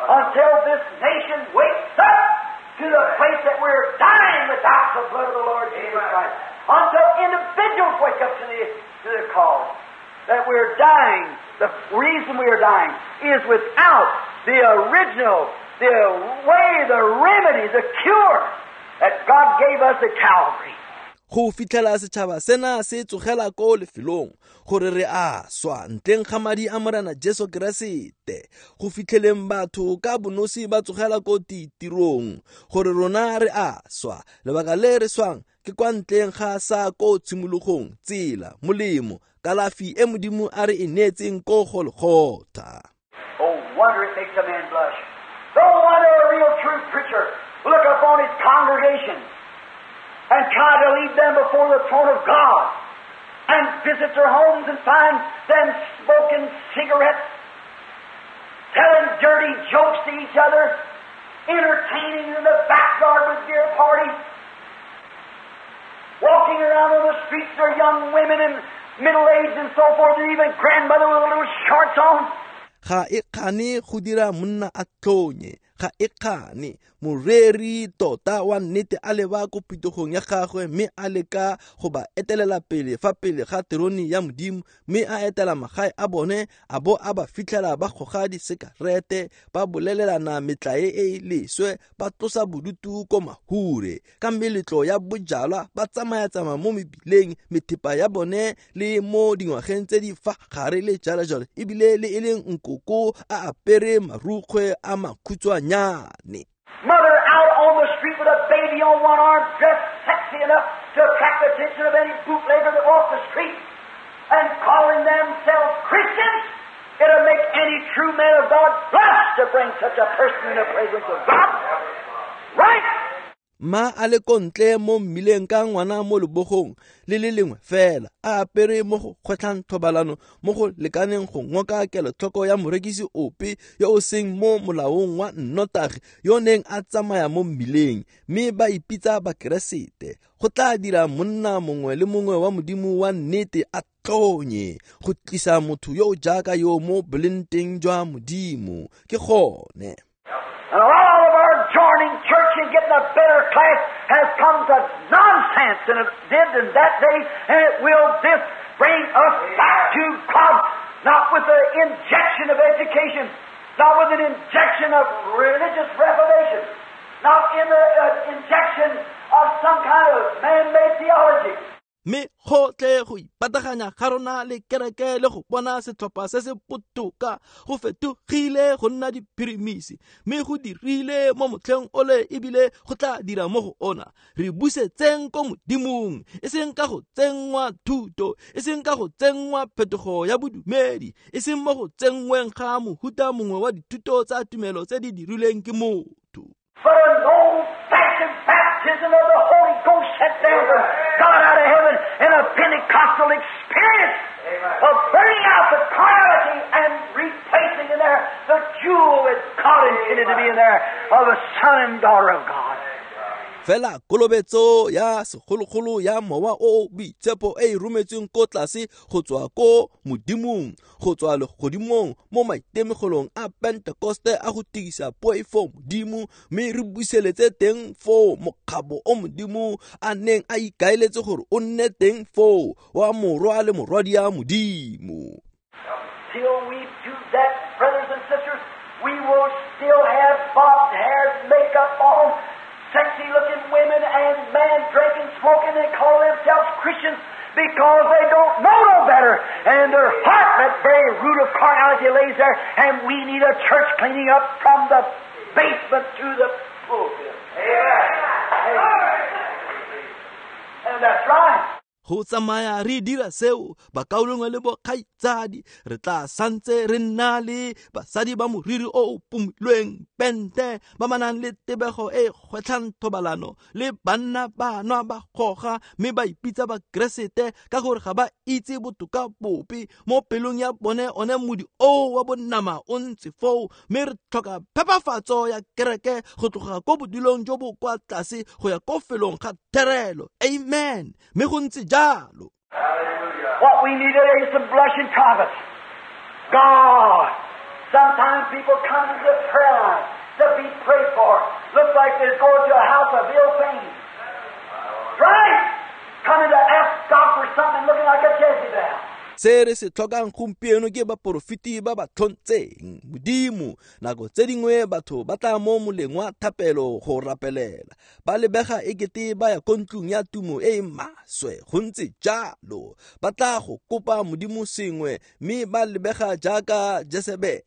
Until this nation wakes up to the place that we're dying without the blood of the Lord Jesus Christ. Until individuals wake up to the, to the call that we're dying. The reason we are dying is without the original, the way, the remedy, the cure that God gave us at Calvary. Go fitlhela setšhaba sena se tsogela ko lefelong gore re a swa ntleng ga madi a Morena Jesu Keresete. Go fitlheleng batho ka bonosi ba tsogela ko ditirong gore rona re a swa. Lebaka le re swang ke kwa ntleng ga sa ko tshimologong, tsela, molemo, kalafi e Modimo a re e neetseng ko Golgotha. Oh, wonder it makes a man blush. No wonder a real true preacher look upon his congregation and try to lead them before the throne of God, and visit their homes and find them smoking cigarettes, telling dirty jokes to each other, entertaining in the backyard with beer parties, walking around on the streets, their young women and middle-aged and so forth, and even grandmother with little shorts on. Ga e kgane go dira monna a tlonye, ga e kgane moreri tota wa nnete a leba ko pitogong ya gagwe mme a leka go ba etelela pele fa pele ga terone ya Modimo, mme a etela magae a bone a bo a ba fitlhela ba goga disekarete, ba bolelelana metlae e e leswe, ba tlosa bodutu ko mahure ka meletlo ya bojalwa, ba tsamaya-tsamaya mo mebileng, methepa ya bone le mo dingwageng tse di fa gare le jalo-jalo, ebile le e leng nkoko a apere marukgwe a makhutshwanyane. Mother out on the street with a baby on one arm, dressed sexy enough to attract the attention of any bootlegger that walks the street, and calling themselves Christians. It'll make any true man of God blush to bring such a person in the presence of God. Right? Ma a le ko ntle mo mmileng ka ngwana mo lebogong le le lengwe fela, a apere mo go kgwetlhang thobalano mo go lekaneng go ngoka kelotlhoko ya morekisi ope yo o seng mo molaong wa nnotagi yo neng a tsamaya mo mmileng, mme ba ipitsa Bakeresete. Go tla dira monna mongwe le mongwe wa Modimo wa nnete a tlonye go tlisa motho yo o jaaka yo mo bolenteng jwa Modimo. Ke gone. And all of our joining church and getting a better class has come to nonsense than it did in that day, and it will this bring us back to God, not with an injection of education, not with an injection of religious reformation, not in the uh, injection of some kind of man-made theology. Mme gotlhe go ipataganya ga rona le kereke le go bona setlhopha se se botoka go fetogile go nna diphirimisi, mme go dirile mo motlheng ole ebile go tla dira mo go ona. Re busetseng ko Modimong, e seng ka go tsenngwa thuto, e seng ka go tsenngwa phetogo ya bodumedi, e seng mo go tsenngweng ga mohuta mongwe wa dithuto tsa tumelo tse di dirilweng ke motho. but an old-fashioned baptism of the Holy Ghost sent down from God out of heaven in a Pentecostal experience of burning out the carnality and replacing in there the jewel that God intended to be in there of a son and daughter of God. Fela kolobetso ya segologolo ya mowa o o boitshepo e e rometsweng ko tlase go tswa ko modimong, go tswa legodimong mo maitemogelong a Pentekoste a go tigisa poifo modimo, mme re buseletse teng foo mokgabo o modimo a neng a ikaeletse gore o nne teng foo wa morwa le morwadia modimo. Till we do that, brothers and sisters, we will still have bobbed hairs, makeup on, sexy-looking women and men drinking, smoking, and call themselves Christians because they don't know no better. And in their heart, that very root of carnality lays there, and we need a church cleaning up from the basement to the pulpit. Amen. Amen. And that's right. Go tsamaya re dira seo bakaulengwe le bokgaitsadi re tla santse re nna le basadi ba moriri o o pumilweng pente ba ba nang le tebego e gwetlhang thobalano le banna ba nwa ba goga mme ba ipitsa bakeresete ka gore ga ba itse botoka bope mo pelong ya bone one modi o wa bonama o ntse foo mme re tlhoka phepafatso ya kereke go tloga ko bodilong jo bo kwa tlase go ya ko felong ga therelo. Amen. Mme go ntse jalo. What we need today is some blushing prophets. God. Sometimes people come to the prayer line to be prayed for. Looks like they're going to a house of ill fame. Right? Coming to ask God for something looking like a Jezebel. Se re se tlhokang gompieno ke baporofeti ba ba tlhontseng modimo. Nako tse dingwe batho ba tla mo moleng wa thapelo go rapelela ba lebega ekete ba ya ko ntlong ya tumo e e maswe. Go ntse jalo, ba tla go kopa modimo sengwe mme ba lebega jaaka Jesebele.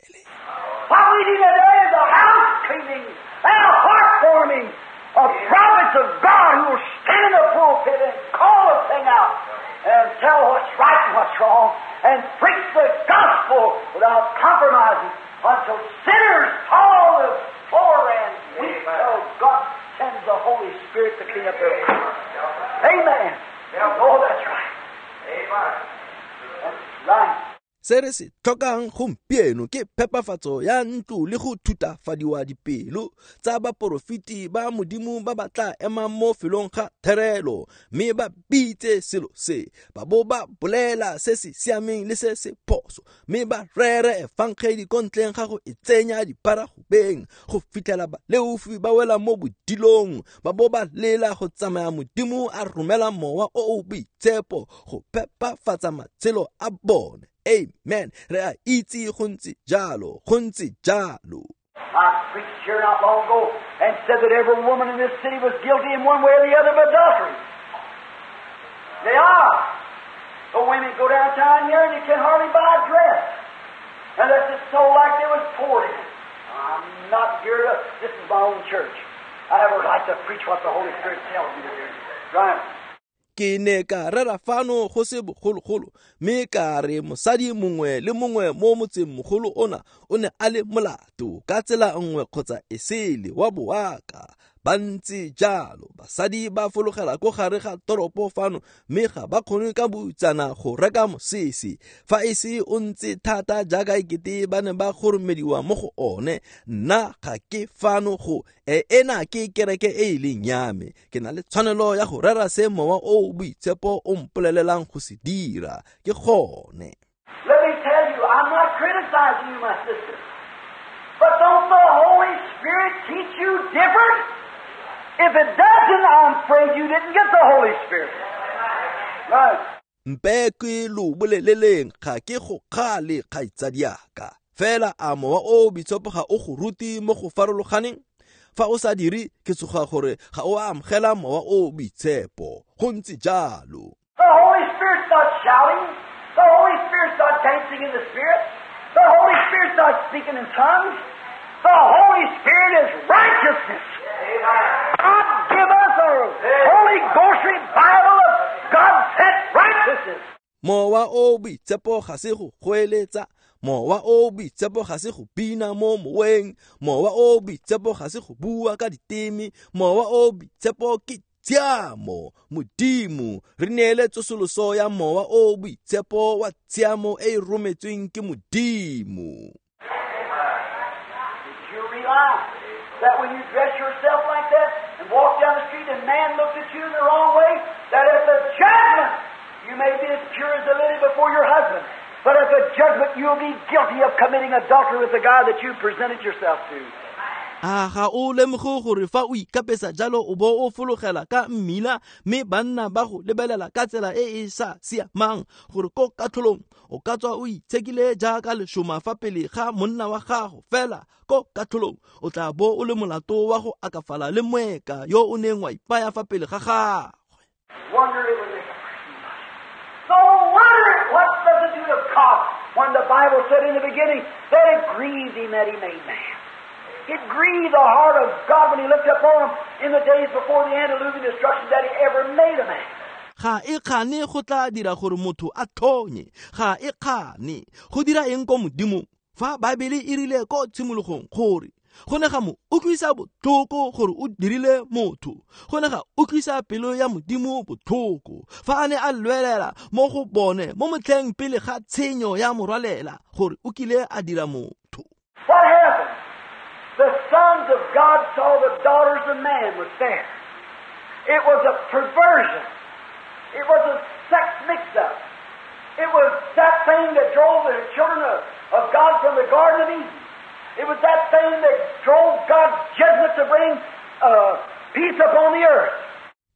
What we need today is a house cleaning and a heart forming of prophets of God who will stand in the pulpit and call the thing out and tell what's right and what's wrong and preach the gospel without compromising until sinners fall to the floor and weep till God sends the Holy Spirit to clean up their lives. Amen. Oh, that's right. Amen. That's right. Se re se tlhokang gompieno ke phepafatso ya ntlo le go thutafadiwa dipelo tsa baporofeti ba modimo ba ba tla emang mo felong ga therelo mme ba bitse selo se ba bo ba bolela se se siameng le se se phoso mme ba rere efangedi ko ntleng ga go e tsenya diparagobeng go fitlhela baleofi ba wela mo bodilong ba bo ba lela go tsamaya modimo a romela mowa o o boitshepo go phepafatsa matshelo a bone. Amen. Re a itse go ntse jalo, go ntse jalo. I preached here not long ago and said that every woman in this city was guilty in one way or the other of adultery. They are. The women go downtown here and you can hardly buy a dress unless it's so like they was poured in it. I'm not here to, this is my own church. I have a right to preach what the Holy Spirit tells me to do. Right. Ke ne ka rera fano go se bogologolo mme ka re mosadi mongwe le mongwe mo motseng mogolo ona o ne a le molato ka tsela nngwe kgotsa e sele wa boaka. Ba ntse jalo, basadi ba fologela ko gare ga toropo fano mme ga ba kgone ka boutsana go reka mosese fa e se o ntse thata jaaka ekete ba ne ba goromediwa mo go one. Nna ga ke fano go e ena ke kereke e e leng ya me, ke na le tshwanelo ya go rera se mowa o o boitshepo o mpolelelang go se dira. Ke gone. Let me tell you, I'm not criticizing you, my sister. But don't the Holy Spirit teach you different? If it doesn't, I'm afraid you didn't get the Holy Spirit. Right. Mpe ke lo boleleleng ga ke go kgale kgaitsadiaka. Fela a mowa o boitshepo ga o go rute mo go farologaneng? Fa o sa dire ke tsoga gore ga o a amogela mowa o boitshepo. Go ntse jalo. The Holy Spirit's not shouting. The Holy Spirit's not dancing in the Spirit. The Holy Spirit's not speaking in tongues. The Holy Spirit is righteousness. God give us a Holy Ghost revival of God sent righteousness. Mowa o boitshepo ga se go goeletsa, Mowa o boitshepo ga se go bina mo moweng, mowa o boitshepo ga se go bua ka diteme, mowa o boitshepo ke tshiamo. Modimo re neele tsosoloso ya mowa o boitshepo wa tshiamo e e rometsweng ke Modimo. Did you realize that when you dress yourself like that and walk down the street and man looks at you in the wrong way, that at the judgment you may be as pure as a lily before your husband, but at the judgment you'll be guilty of committing adultery with the guy that you presented yourself to. A ga o lemoge gore fa o ikapesa jalo o bo o fologela ka mmila mme banna ba go lebelela ka tsela e e sa siamang, gore ko katlholong o ka tswa o itshekile jaaka leshoma fa pele ga monna wa gago, fela ko katlholong o tla bo o le molato wa go akafala le moeka yo o neng wa ipaya fa pele ga gagwe. Wonder it would make a person blush. No wonder what does it do to God when the Bible said in the beginning that it grieved him that he made man. It grieved the heart of God when he looked upon him in the days before the antediluvian destruction that he ever made a man. Ga e kgane go tla dira gore motho a tlhonye, ga e kgane go dira eng ko Modimo fa Baebele e rile ko tshimologong gore go ne ga mo utlwisa botlhoko gore o dirile motho, go ne ga utlwisa pelo ya Modimo botlhoko fa a ne a lwelela mo go bone mo motlheng pele ga tshenyo ya morwalela gore o kile a dira motho. What happened? The sons of God saw the daughters of man was fair. It was a perversion. It was a sex mix-up. It was that thing that drove the children of, of God from the Garden of Eden. It was that thing that drove God's judgment to bring uh, peace upon the earth.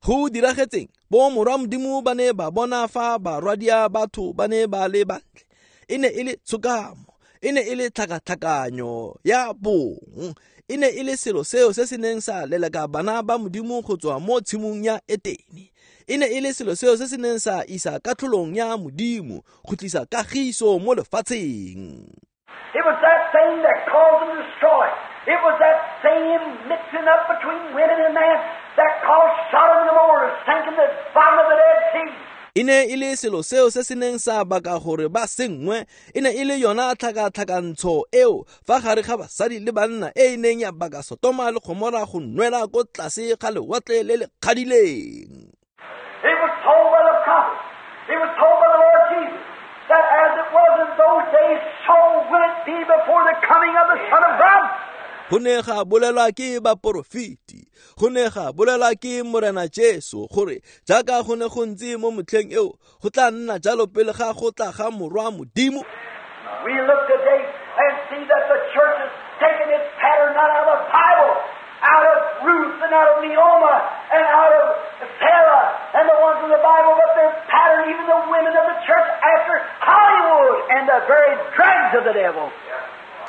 Go diragetseng bo morwa Modimo ba ne ba bona fa barwadia batho ba ne ba le bantle. E ne e le tshokamo, e ne e le tlhakatlhakanyo ya bong, e ne e le selo seo se se neng sa leleka bana ba Modimo go tswa mo tshimong ya Etene. E ne e le selo seo se se neng sa isa katlholong ya Modimo go tlisa kagiso mo lefatsheng. It was that thing that caused them to destroy. It was that same mixing up between women and men that caused Sodom and Gomorrah to sink in the bottom of the Dead Sea. E ne e le selo seo se se neng sa baka gore ba sengwe, e ne e le yona tlhakatlhakantsho eo fa gare ga basadi le banna e e neng ya baka Sotoma le Gomora go nwela ko tlase ga lewatle le le kgadileng. It was told by the prophets, it was told by the Lord Jesus, that as it was in those days, so will it be before the coming of the Son of God. Go ne ga bolelwa ke baporofeti, go ne ga bolelwa ke Morena Jesu gore jaaka go ne go ntse mo motlheng eo go tla nna jalo pele ga go tla ga morwa Modimo. We look today and see that the church has taken its pattern not out of the Bible, out of Ruth and out of Naomi and out of Sarah and the ones in the Bible, but their pattern, even the women of the church, after Hollywood and the very dregs of the devil.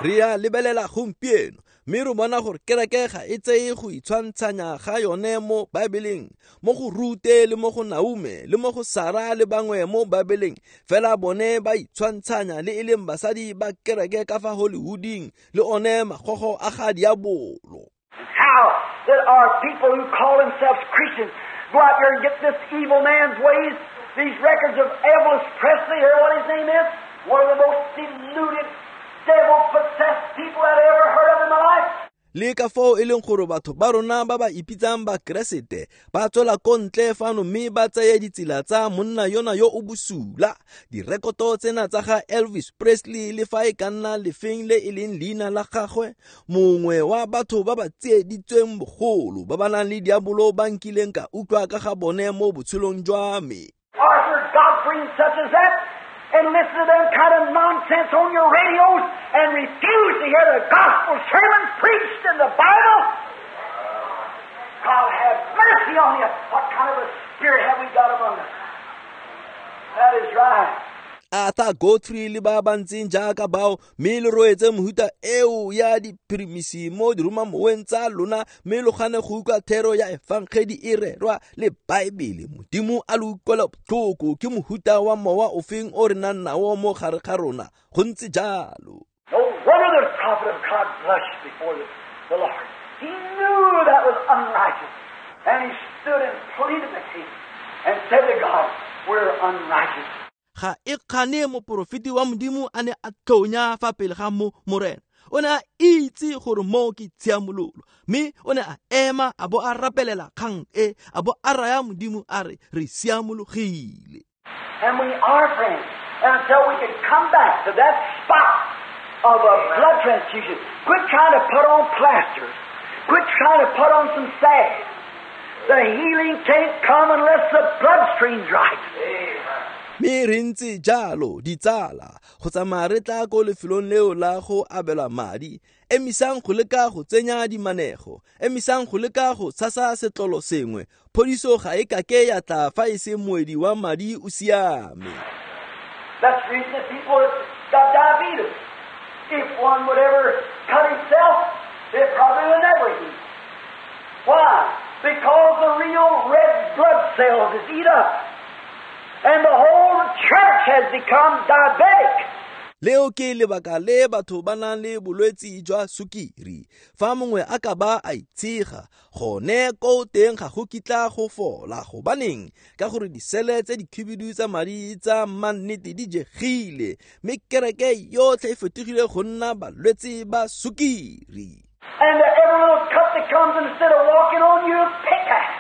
Re a lebelela gompieno mme re bona gore kereke ga e tseye go itshwantshanya ga yone mo Baebeleng, mo go Rute le mo go Naume le mo go Sara le bangwe mo Baebeleng, fela bone ba itshwantshanya le e leng basadi ba kereke ka fa Hollywooding le one magogo a ga diabolo. How that our people who call themselves Christians go out here and get this evil man's ways, these records of Elvis Presley, or what his name is, one of the most deluded, devil-possessed people I've ever heard of in my life. Le ka foo e leng gore batho ba rona ba ba ipitsang ba Keresete ba tswela ko ntle fano mme ba tseye ditsela tsa monna yona yo o bosula, direkoto tsena tsa ga Elvis Presley le fa e ka nna lefeng le e leng leina la gagwe, mongwe wa batho ba ba tsieditsweng bogolo ba ba nang le diabolo ba nkileng ka utlwa ka ga bone mo botshelong jwa me. Arthur Godfrey, such as that, and listen to them kind of nonsense on your radios and refuse to hear the gospel sermons preached in the Bible? God have mercy on you. What kind of a spirit have we got among us? That is right. Arthur Godfrey le ba ba ntseng jaaka bao, mme le roetse mohuta eo ya diphirimisi mo diromamoweng tsa lona, mme lo gane go utlwa thero ya efangedi e rerwa le Baebele. Modimo a lo utlwela botlhoko, ke mohuta wa mowa ofeng o re nang nao mo gare ga rona, go ntse jalo. No wonder the prophet of God blushed before the, the Lord. He knew that was unrighteous, and he stood and pleaded the case and said to God, we're unrighteous. Ga e kgane moporofeti wa Modimo a ne a tlonya fa pele ga mo Morena. O ne a itse gore mo ke tshiamololo, mme o ne a ema a bo a rapelela kgang e, a bo a raya Modimo a re re siamologile. And we are friends until we can come back to that spot of a blood transfusion. Quit trying to put on plasters. Quit trying to put on some salve. The healing can't come unless the bloodstream's right. Mme re ntse jalo ditsala go tsamaya re tla ko lefelong leo la go abelwa madi. Emisang go leka go tsenya dimanego, emisang go leka go tshasa setlolo sengwe. Phodiso ga e kake ya tla fa e se moedi wa madi o siame. That's the reason that people have got diabetes. If one would ever cut himself, they probably would never heal. Why? Because the real red blood cells is eat up. And the whole church has become diabetic. Leo ke lebaka le batho ba nang le bolwetsi jwa sukiri. Fa mongwe a ka ba a itshega, gone ko teng ga go kitla go fola. Gobaneng? Ka gore disele tse dikhibidu tsa madi tsa mannete di jegile, mme kereke yotlhe e fetogile go nna balwetsi ba sukiri. And every little cut that comes, instead of walking on you, pickaxe.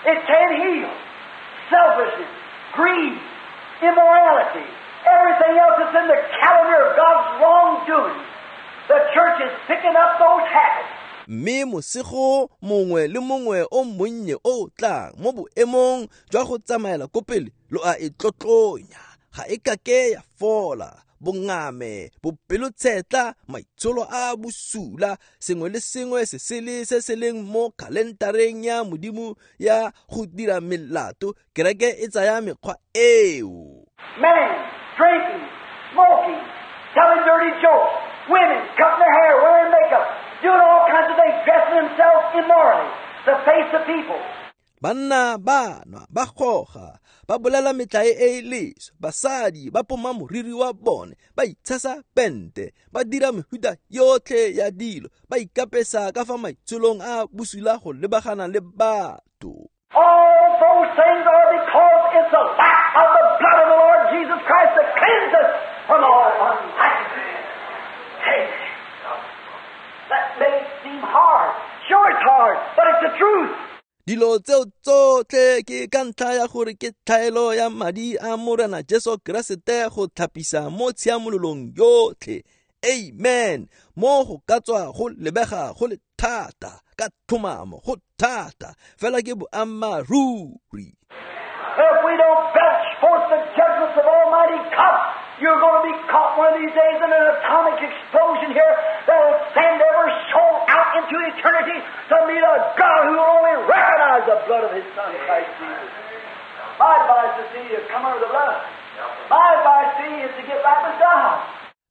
It can't heal. Selfishness, greed, immorality, everything else that's in the calendar of God's wrongdoing. The church is picking up those habits. Mme mosego mongwe le mongwe o monnye o tlang mo boemong jwa go tsamaela ko pele lo a e tlotlonya, ga e kake ya fola. Bongame, bopelotshetla, maitsholo a bosula, sengwe le sengwe se sele se se leng mo kalentareng ya Modimo ya go dira melato, kereke e tsaya mekgwa eo. Men drinking, smoking, telling dirty jokes, women cutting their hair, wearing makeup, doing all kinds of things, dressing themselves immorally to face the people. Banna ba nwa, ba goga, ba bolela metlae e e leswe, basadi ba poma moriri wa bone, ba itshasa pente, ba dira mehuta yotlhe ya dilo, ba ikapesa ka fa maitsholong a bosula go lebagana le batho. All those things are because it's the lack of the blood of the Lord Jesus Christ that cleanses us from all unrighteousness. Amen. That may seem hard. Sure it's hard, but it's the truth. Dilo tseo tsotlhe ke ka ntlha ya gore ke tlhaelo ya madi a Morena Jesu Keresete go tlhapisa mo tshiamololong yotlhe. Amen. Mo go ka tswa go lebega go le thata, ka tlhomamo go thata, fela ke boammaaruri. If we don't belch forth the judgments of Almighty God, you're going to be caught one of these days in an atomic explosion here that will send every soul out into eternity to meet a God who will only recognize the blood of His Son, Christ Jesus. My advice is to you, come under the blood. My advice to you is to get right with God.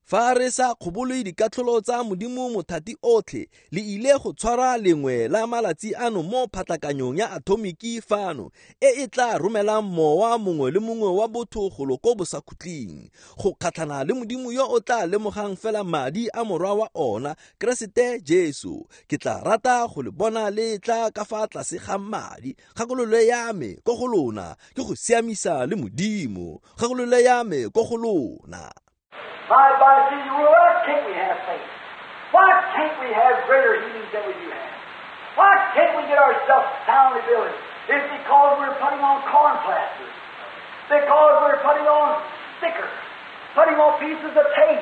Fa re sa kgobole dikatlholo tsa Modimo mothati otlhe, le ile go tshwara lengwe la malatsi ano mo phatlakanyong ya atomiki fano e e tla romelang mowa mongwe le mongwe wa botho golo ko bosakhutleng go kgatlhana le Modimo yo o tla lemogang fela madi a morwa wa ona Keresete Jesu. Ke tla rata go le bona le tla ka fa tlase ga madi. Kgakololo ya me ko go lona ke go siamisa le Modimo. Kgakololo ya me ko go lona. My advice to you, why can't we have faith? Why can't we have greater healings than we do have? Why can't we get ourselves soundly built? It's because we're putting on corn plasters. Because we're putting on stickers. Putting on pieces of tape.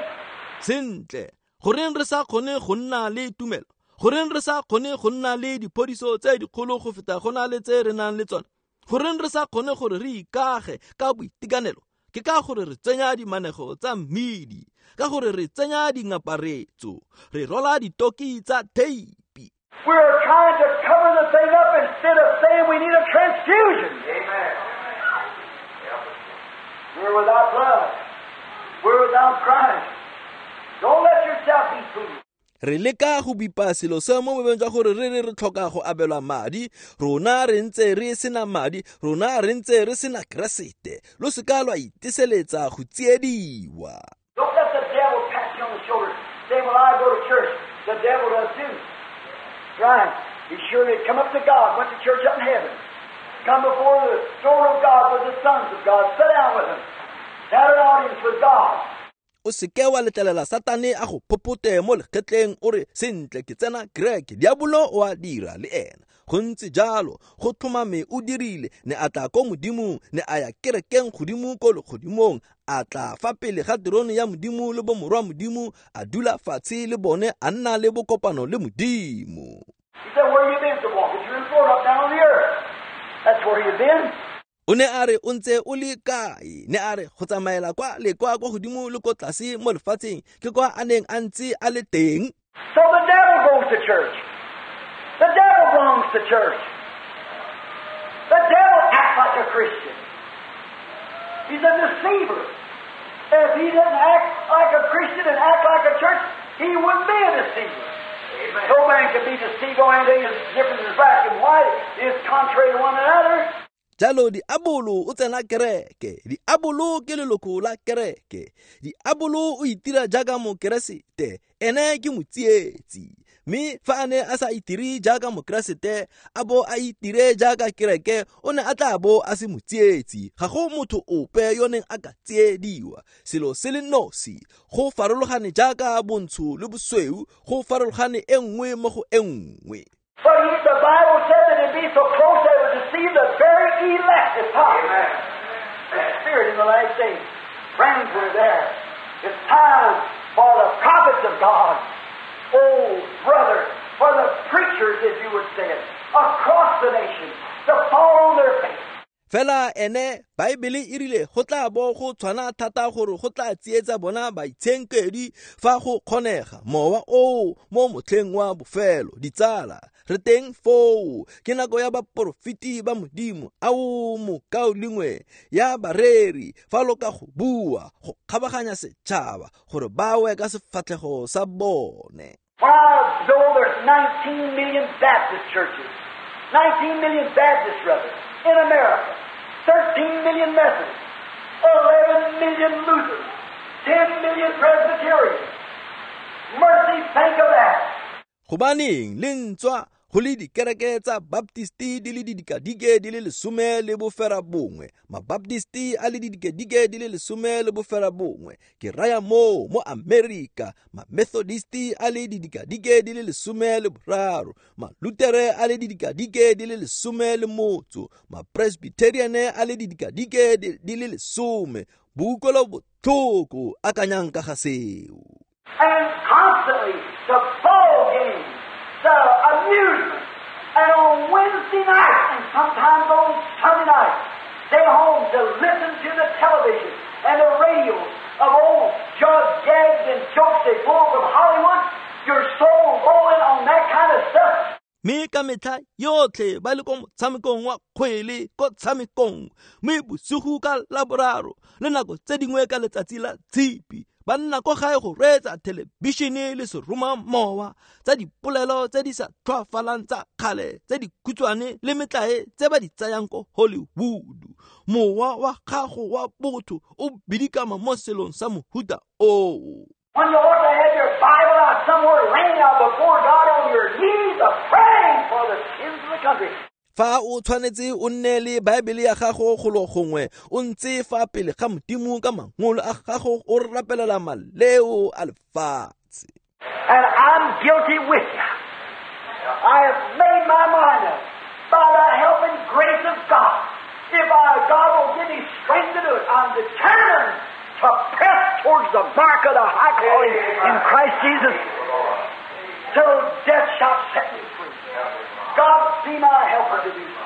Sentle, goreng re sa kgone go nna le tumelo? Goreng re sa kgone go nna le diphodiso tse dikgolo go feta go na le tse re nang le tsone? Goreng re sa kgone gore re ikage ka boitekanelo? Ke ka gore re tsenya dimanego tsa mmidi, ka gore re tsenya dingaparetso, re rola ditoki tsa theipi. We're trying to cover the thing up instead of saying we need a transfusion. Amen. We're without blood. We're without Christ. Don't let yourself be fooled. Re leka go bipa selo se mo boemong jwa gore re re re tlhoka go abelwa madi, rona re ntse re sena madi, rona re ntse re sena Keresete. Lo seka lwa iteseletsa go tsiediwa. Don't let the devil pat you on the shoulder. Say, well, I go to church. The devil does too. Right. He sure did. Come up to God. Went to church up in heaven. Come before the throne of God with the sons of God. Sit down with them. Had an audience with God. O seke wa letlelela Satane a go phophothe mo legetleng o re sentle ke tsena kereke. Diabolo o a dira le ena. Go ntse jalo, go tlhomame o dirile, ne a tla ko Modimong, ne a ya kerekeng godimo ko legodimong, a tla fa pele ga terone ya Modimo le bomorwa Modimo, a dula fatshe le bone, a nna le bokopano le Modimo. He said, where you been? To walk through and float up down on the earth. That's where you been. O ne a re o ntse o le kae? Ne a re go tsamaela kwa le kwa kwa godimo le ko tlase mo lefatsheng, ke kwa a neng a ntse a le teng. So the devil goes to church. The devil belongs to church. The devil acts like a Christian. He's a deceiver. If he didn't act like a Christian and act like a church, he wouldn't be a deceiver. Amen. No man can be deceived on anything that's different than black and white. It's contrary to one another. Jalo diabolo o tsena kereke, diabolo ke leloko la kereke, diabolo o itira jaaka mokeresete, ene ke motsietsi. Mme fa a ne a sa itire jaaka mokeresete, a bo a itire jaaka kereke, o ne a tla bo a se motsietsi. Ga go motho ope yo neng a ka tsiediwa. Selo se le nosi, go farologane jaaka bontsho le bosweu, go farologane e nngwe mo go e nngwe. But he, the Bible said that it'd be so close that it would deceive the very elect if possible. The Spirit in the last days. Friends, we're there. It's time for the prophets of God. Oh, brother, for the preachers, if you would say it, across the nation, to fall on their face. Fela ene Baebele e rile go tla bo go tshwana thata gore go tla tsietsa bona baitshenkedi fa go kgonega mowa oo mo motlheng wa bofelo. Ditsala, re teng foo, ke nako ya baporofeti ba Modimo, ao mokaulengwe ya bareri fa lo ka go bua go kgabaganya setšhaba gore ba we ka sefatlhego sa bone. Why, though there's nineteen million Baptist churches, nineteen million Baptists, brothers, in America, thirteen million Methodists, eleven million Lutherans, ten million Presbyterians. Mercy, think of that. Gobaneng le ntswa go le dikereke tsa Baptisti di le didikadike di le lesome le bofera bongwe, Mabaptisti a le didikadike di le lesome le bofera bongwe, ke raya moo mo Amerika, Mamethodisti a le didikadike di le lesome le boraro, Malutere a le didikadike di le lesome le motso, Mapresbyteriane a le didikadike di le lesome. Boutlwelo botlhoko, akanyang ka ga seo. And constantly the ball game, the amusement, and on Wednesday night and sometimes on Sunday night, stay home to listen to the television and the radio of old jug gags and jokes they pull from Hollywood. Your soul rolling on that kind of stuff. Mme ka metlha yotlhe ba le ko motshamekong wa kgwele ko tshamekong, mme bosigo ka Laboraro le nako tse dingwe ka letsatsi la Tshipi ba nna ko gae go reetsa thelebišene le seromamowa tsa dipolelo tse di sa tlhoafalang tsa kgale tse dikhutshwane le metlae tse ba di tsayang ko Hollywood. Mowa wa gago wa botho o bidikama mo selong sa mohuta oo. When you ought to have your Bible out somewhere laying out before God on your knees, praying for the sins of the country. Fa o tshwanetse o nne le Baebele ya gago golo gongwe o ntse fa pele ga Modimo ka mangolo a gago o rapelela maleo a lefatshe. And I'm guilty with you. I have made my mind up by the help and grace of God. If I, God will give me strength to do it, I'm determined to press towards the mark of the high calling in Christ Jesus till death shall set me free. God be my helper to do so.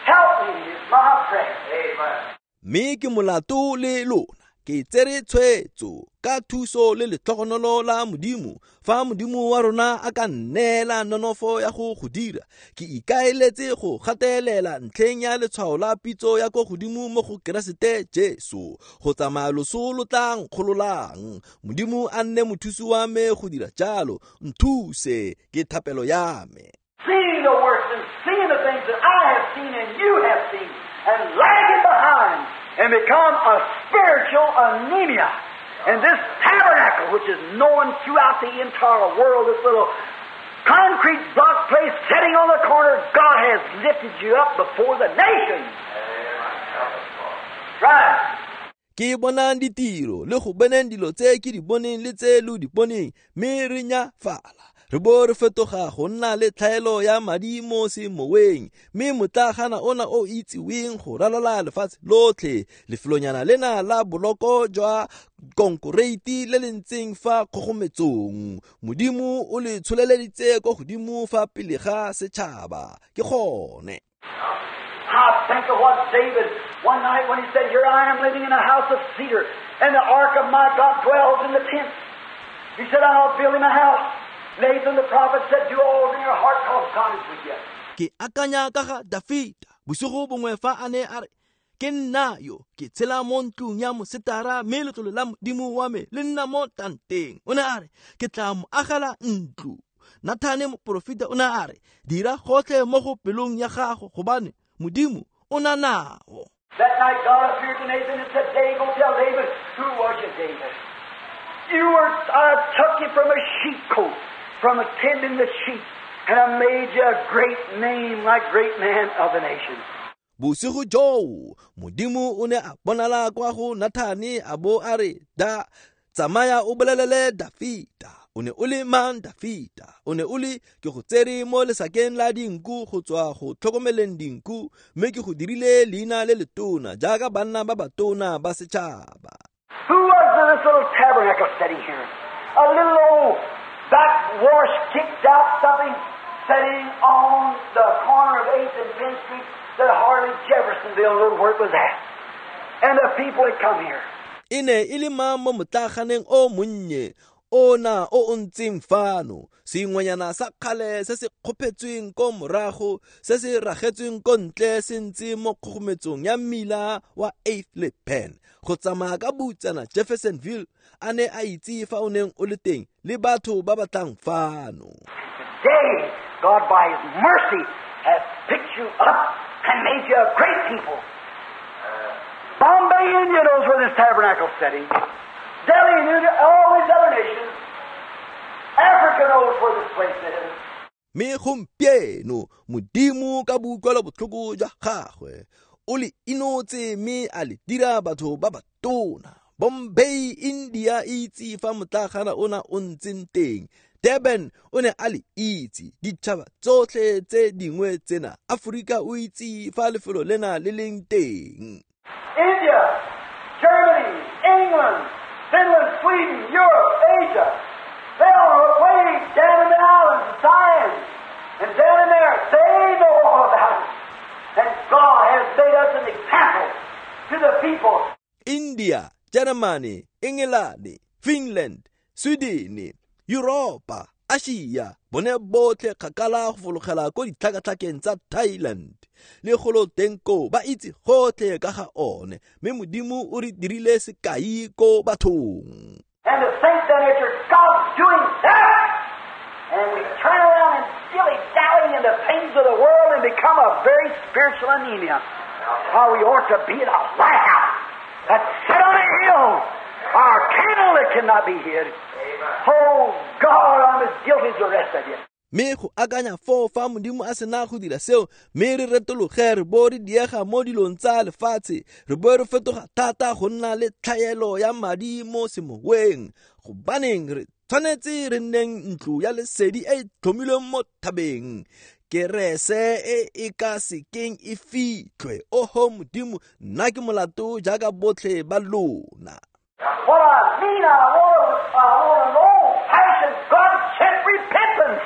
Help me is my prayer. Amen. Mme ke molato le lona, ke tsere tshwetso ka thuso le letlhogonolo la Modimo. Fa Modimo wa rona a ka nneela nonofo ya go go dira, ke ikaeletse go gatelela ntlheng ya letshwao la pitso ya ko godimo mo go Keresete Jesu, go tsamaya loso lo tla nkgololang. Modimo a nne mothusi wa me go dira jalo, nthuse ke thapelo ya me. Seeing the works and seeing the things that I have seen and you have seen, and lagging behind and become a spiritual anemia. And this tabernacle, which is known throughout the entire world, this little concrete block place sitting on the corner, God has lifted you up before the nations. Right. Ke bonang ditiro le go boneng dilo tse ke di boneng le tse lo di boneng, mme re nyafala re bo re fetoga go nna le tlhaelo ya madi mo semoweng, mme motlagana ona o itsiweng go ralala lefatshe lotlhe, lefelonyana lena la boloko jwa konkoreiti le le ntseng fa kgogometsong, Modimo o le tsholeleditse ko godimo fa pele ga setšhaba. Ke gone. I think of what David, one night when he said, "Here I am living in a house of cedar, and the ark of my God dwells in the tent." He said, "I'll build him a house." Nathan the prophet said, "Do all in your heart, because God is with you." Ke akanya ka ga Dafita bosigo bongwe fa a ne a re, ke nna yo ke tshela mo ntlong ya mosetara, mme letlole la Modimo wa me le nna mo tanteng. O ne a re, ke tla mo agela ntlo. Nathane moporofeta o ne a re, dira gotlhe mo go pelong ya gago, gobane Modimo o na nao. That night God appeared to Nathan and said, "Dave, go tell David, who was you, David? You were, I took you from a sheepcote, from attending the sheep, and I made you a great name, like great man of the nation." Bosigo joo, Modimo o ne a bonala kwa go Nathane a bo a re, da tsamaya o bolelele Dafita. O ne o le mang Dafita? O ne o le ke go tsere mo lesakeng la dinku go tswa go tlhokomeleng dinku, mme ke go dirile leina le letona jaaka banna ba batona ba setšhaba. Who was this little tabernacle sitting here? A little old backwash kicked out something sitting on the corner of eighth and Penn Street that hardly Jeffersonville knew where it was at. And the people had come here. E ne e le mang mo motlaganeng o monnye ona o o ntseng fano, sengwenyana sa kgale se se kgophetsweng ko morago, se se ragetsweng ko ntle se ntse mo kgogometsong ya mmila wa eighth le Penn, go tsamaya ka butsana Jeffersonville a ne a itse fa o neng o le teng le batho ba batlang fano. Today, God by His mercy has picked you up and made you a great people. Bombay, India knows where this tabernacle's sitting. Delhi and all these other nations. Africa knows where this place is. Me gompieno Modimo ka boutlwelo botlhoko jwa gagwe o le inotse mme a le dira batho ba batona. Bombay, India itse fa motlagana ona o ntseng teng. Durban o ne a le itse, ditšhaba tsotlhe tse dingwe tsena. Afrika o itse fa lefelo lena le leng teng. India, Germany, England, Finland, Sweden, Europe, Asia, they all way down in the islands of Siam and down in there, they know all about it. And God has made us an example to the people. India, Germany, England, Finland, Sweden, Europa, Asia, bone botlhe kgakala go fologela ko ditlhakatlhakeng tsa Thailand le golo teng ko ba itse gotlhe ka ga one, mme Modimo o re dirile sekai ko bathong. And to think that after God's doing that, and we turn around and dilly-dally in the things of the world and become a very spiritual anemia. How we ought to be the lighthouse that's set on a hill, our candle that cannot be hid. Oh God, I'm as guilty as the rest of you. Mme go akanya foo fa Modimo a sena go dira seo, mme re retologe re bo re diega mo dilong tsa lefatshe, re bo re fetoga thata go nna le tlhaelo ya madi mo semoweng. Gobaneng re tshwanetse re nneng ntlo ya lesedi e e tlhomilweng mo thabeng, kerese e e ka sekeng e fitlhwe. Oho Modimo, nna ke molato jaaka botlhe ba lona. What I mean, I want, I want an old-fashioned God-sent repentance.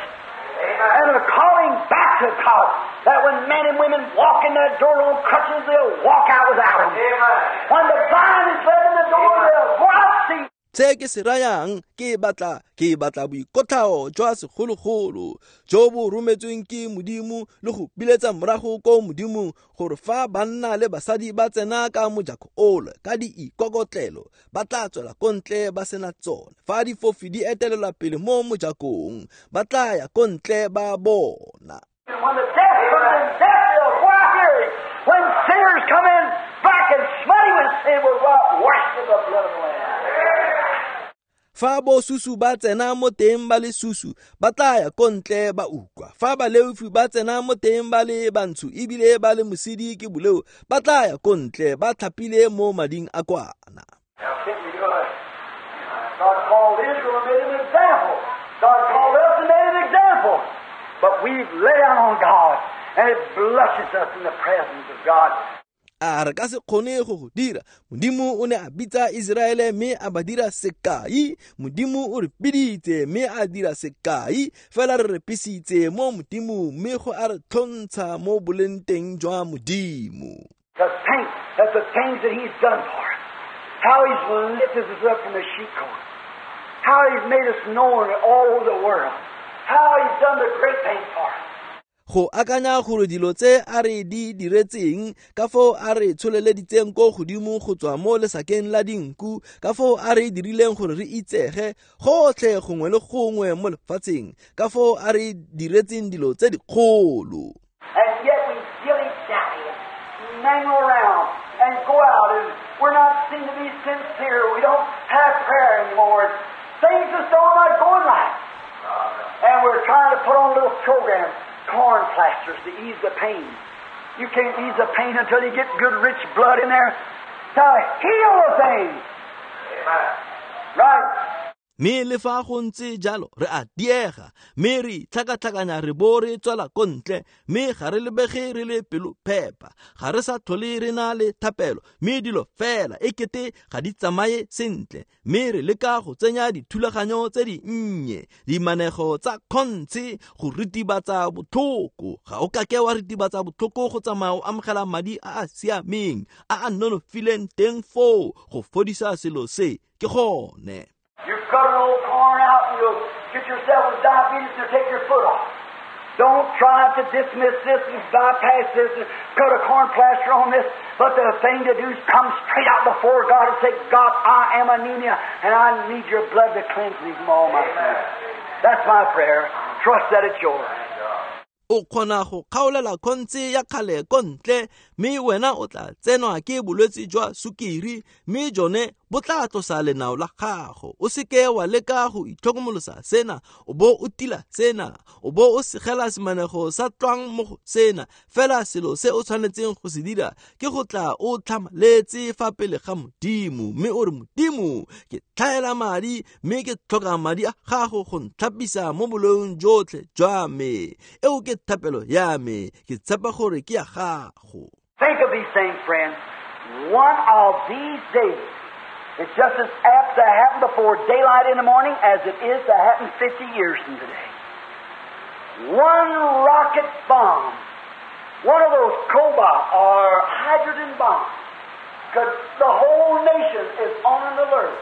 And a calling back to God, that when men and women walk in that door on crutches, they'll walk out without them. Amen. When the blind is led in the door, they'll go out see. Se ke se rayang, ke batla ke batla boikotlhao jwa segologolo jo bo rometsweng ke Modimo le go biletsa morago ko Modimong, gore fa banna le basadi ba tsena ka mojako ole ka diikokotlelo ba tla tswela ko ntle ba sena tsone. Fa difofi di etelelwa pele mo mojakong ba tla ya ko ntle ba bona. When the deaf comes in, deaf they'll go out hearing. When sinners come in black and smutty with sin, will go out washed in the blood of the Lamb. Fa bosusu ba tsena mo teng ba le susu, ba tla ya ko ntle ba utlwa. Fa baleofi ba tsena mo teng ba le bantsho ebile ba le mosidi ke boleo, ba tla ya ko ntle ba tlhapile mo mading a kwana. God called Israel and made an example. God called us and made an example. But we've lay down on God, and it blushes us in the presence of God. A re ka se kgone go go dira. Modimo o ne a bitsa Iseraele mme a ba dira sekai. Modimo o re biditse mme a dira sekai. Fela re repisitse mo Modimo mme go a re tlhontsha mo boleng teng jwa Modimo. To think that the things that He's done for us, how He's lifted us up from the sheepcote, how He's made us known all over the world, how He's done the great things for us. Go akanya gore dilo tse a re di diretseng, ka foo a re tsholeleditseng ko godimo go tswa mo lesakeng la dinku, ka foo a re dirileng gore re itsege gotlhe gongwe le gongwe mo lefatsheng, ka foo a re diretseng dilo tse dikgolo. And yet we dilly-dally, mangle around and go out, and we're not seen to be sincere. We don't have prayer anymore. Things just are not going right. And we're trying to put on little programs, corn plasters to ease the pain. You can't ease the pain until you get good rich blood in there to heal the thing. Amen. Right. Mme le fa go ntse jalo re a diega, mme re tlhakatlhakanya re bo re tswela ko ntle, mme ga re lebege re le pelo phepa, ga re sa tlhole re na le thapelo, mme dilo fela e kete ga di tsamaye sentle, mme re leka go tsenya dithulaganyo tse di nnye, dimanego tsa kgontshe go ritibatsa botlhoko. Ga o kake wa ritibatsa botlhoko go tsamaya o amogela madi a a siameng a a nonofileng teng foo go fodisa selo se ke gone. You cut an old corn out and you'll get yourself with diabetes and you'll take your foot off. Don't try to dismiss this and bypass this and cut a corn plaster on this. But the thing to do is come straight out before God and say, God, I am anemia and I need your blood to cleanse me from all my sins. That's my prayer. Trust that it's yours. O kgona go kgaolela khontse ya kgale ko ntle, mme wena o tla tsenwa ke bolwetse jwa sukiri, mme jone bo tla tlosa lenao la gago. O seke wa leka go itlhokomolosa sena, o bo o tila sena, o bo o segela semanego sa tlwang mo go sena. Fela selo se o tshwanetseng go se dira ke go tla o tlhamaletse fa pele ga Modimo, mme o re, Modimo, ke tlhaela madi, mme ke tlhoka madi a gago go ntlhapisa mo boleong jotlhe jwa me. Eo ke thapelo ya me, ke tshepa gore ke ya gago. Think of these things, friends. One of these days, it's just as apt to happen before daylight in the morning as it is to happen fifty years from today. One rocket bomb, one of those cobalt or hydrogen bombs, could, the whole nation is on an alert.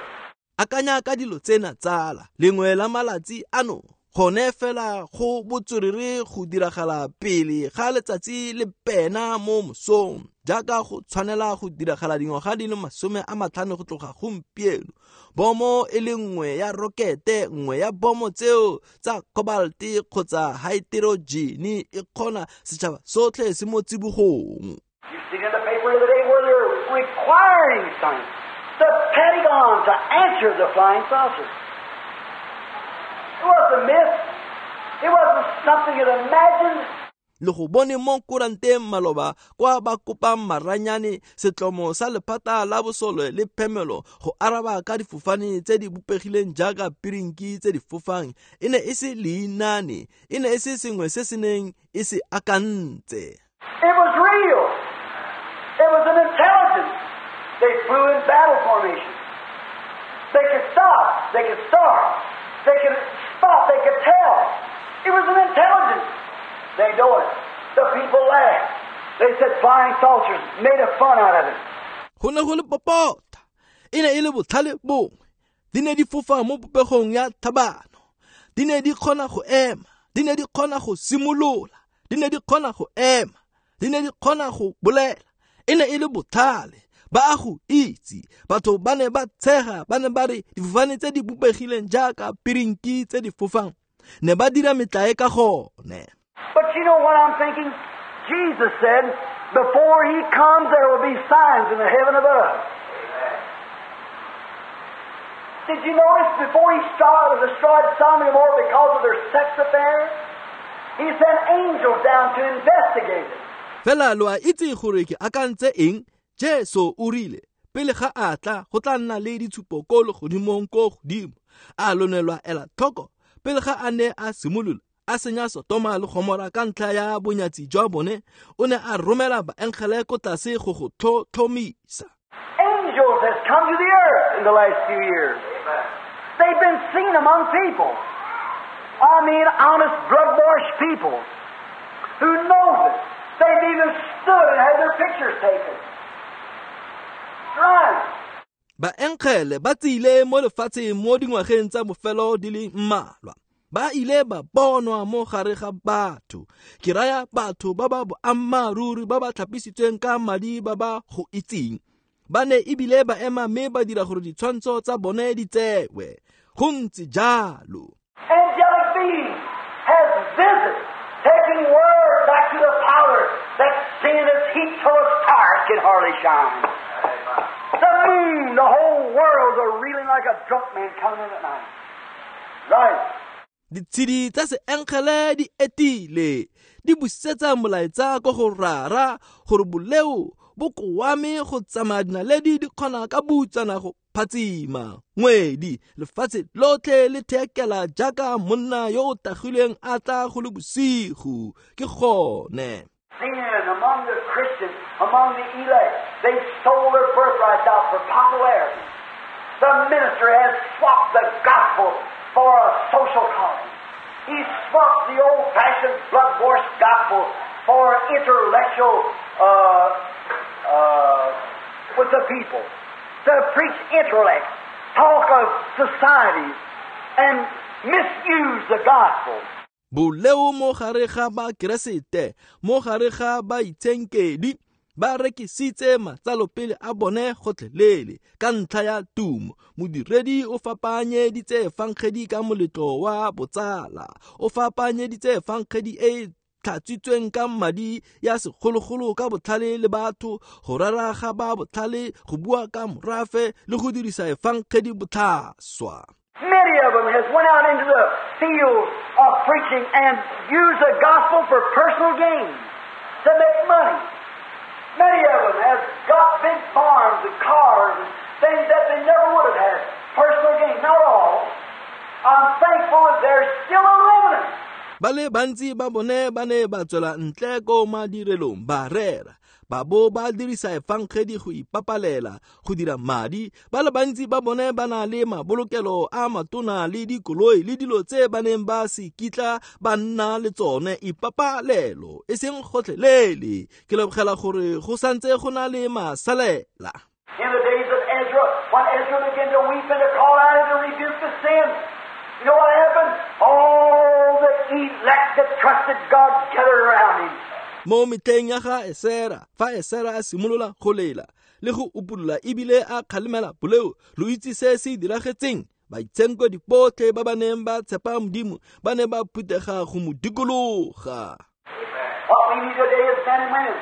Akanya ka dilo tsena tsala, lengwe la malatsi ano, gone fela go botswerere go diragala pele ga letsatsi le pena mo mosong, jaaka go tshwanela go diragala dingwaga di le masome a matlhano go tloga gompieno. Bomo e le nngwe ya rokete, nngwe ya bomo tseo tsa cobalte kgotsa haeterojene e kgona setšhaba sotlhe se mo tsibogong. You see in the paper the other day where they're requiring science, the Pentagon to answer the flying saucers. It wasn't a myth. It wasn't something you imagined. Le go bone mo kuranteng maloba kwa ba kopang maranyane setlomo sa lephata la bosole le phemelo go araba ka difofane tse di bopegileng jaaka pirinki tse di fofang. E ne e se leinane, e ne e se sengwe se se neng e se akantse. It was real. It was an intelligence. They flew in battle formation. They could stop. They could start. They could spot. They could tell. It was an intelligence. They know it. The people laughed. They said flying saucers, made a fun out of it. Go ne go le popota. E ne e le botlhale bongwe. Di ne di fofa mo popegong ya thabano. Di ne di kgona go ema. Di ne di kgona go simolola. Di ne di kgona go ema. Di ne di kgona go bolela. E ne e le botlhale. Ba a go itse. Batho ba ne ba tshega, ba ne ba re difofane tse di bopegileng jaaka pirinki tse di fofang ne ba dira metlae ka gone. But you know what I'm thinking? Jesus said, before He comes, there will be signs in the heaven above. Did you notice before he started, destroyed Sodom and Gomorrah because of their sex affair? He sent angels down to investigate it. Fela lo a itse gore ke akantse eng? Jesu o rile pele ga a tla go tla nna le ditshupo ko legodimong ko godimo. A lo ne lwa ela tlhoko pele ga a ne a simolola a senya Sotoma le Gomora ka ntlha ya bonyatsi jwa bone, o ne a romela baengele ko tlase go go tlhotlhomisa. Angels has come to the earth in the last few years. They've been seen among people. I mean honest, blood-washed people who knows it. They've even stood and had their pictures taken. Right. Baengele ba tsile mo lefatsheng mo dingwageng tsa bofelo di le mmalwa. Ba ile ba bonwa mo gare ga batho. Ke raya batho ba ba boammaaruri ba ba tlhapisitsweng ka madi ba ba go itseng. Ba ne ebile ba ema mme ba dira gore ditshwantsho tsa bone di tsewe. Go ntse jalo. Angelic beings has visited, taking word back to the Father that sin is heat till a star can hardly shine. The moon, the whole world's are reeling like a drunk man coming in at night. Right. Ditshedi tsa seengele di etile, di busetsa molaetsa ko go rara gore boleo bo koame go tsamaya dinaledi di kgona ka butsana go phatsima. Ngwedi lefatshe lotlhe le thekela jaaka monna yo o tagilweng a tla go le bosigo. Ke gone. Sin among the Christians, among the elect, they sold their birthrights out for popularity. The minister has swapped the gospel for a social calling. He swapped the old-fashioned blood-washed gospel for intellectual uh, uh, with the people. To preach intellect, talk of societies, and misuse the gospel. Boleo mo gare ga ba Keresete, mo gare ga ba itshenkedi, ba rekisitse matsalopele a bone gotlhelele ka ntlha ya tumo. Modiredi o fapanyeditse efangedi ka moletlo wa botsala, o fapanyeditse efangedi e tlhatswitsweng ka madi ya segologolo ka botlhale le batho, go rera ga ba botlhale, go bua ka morafe le go dirisa efangedi botlhaswa. Many of them has went out into the field of preaching and used the gospel for personal gain, to make money. Many of them have got big farms and cars and things that they never would have had. Personal gain. Not all. I'm thankful that there's still a remnant. Ba le bantsi ba bone ba ne ba tswela ntle ko madirelong ba rera, ba bo ba dirisa efangedi go ipapalela go dira madi. Ba le bantsi ba bone ba na le mabolokelo a matona le dikoloi le dilo tse ba neng ba se kitla ba nna le tsone, ipapalelo e seng gotlhelele. Ke lebogela gore go santse go na le masalela. In the days of Ezra, when Ezra began to weep and to call out and to rebuke the sin, you know what happened? All the elect that trusted God gathered around him. Mo metlheng ya ga Esera, fa Esera a simolola go lela le go upolola ebile a kgalemela boleo, lo itse se se diragetseng. Baitshenkedi botlhe ba ba neng ba tshepa Modimo ba ne ba phuthega go mo dikologa. What we need today is men and women.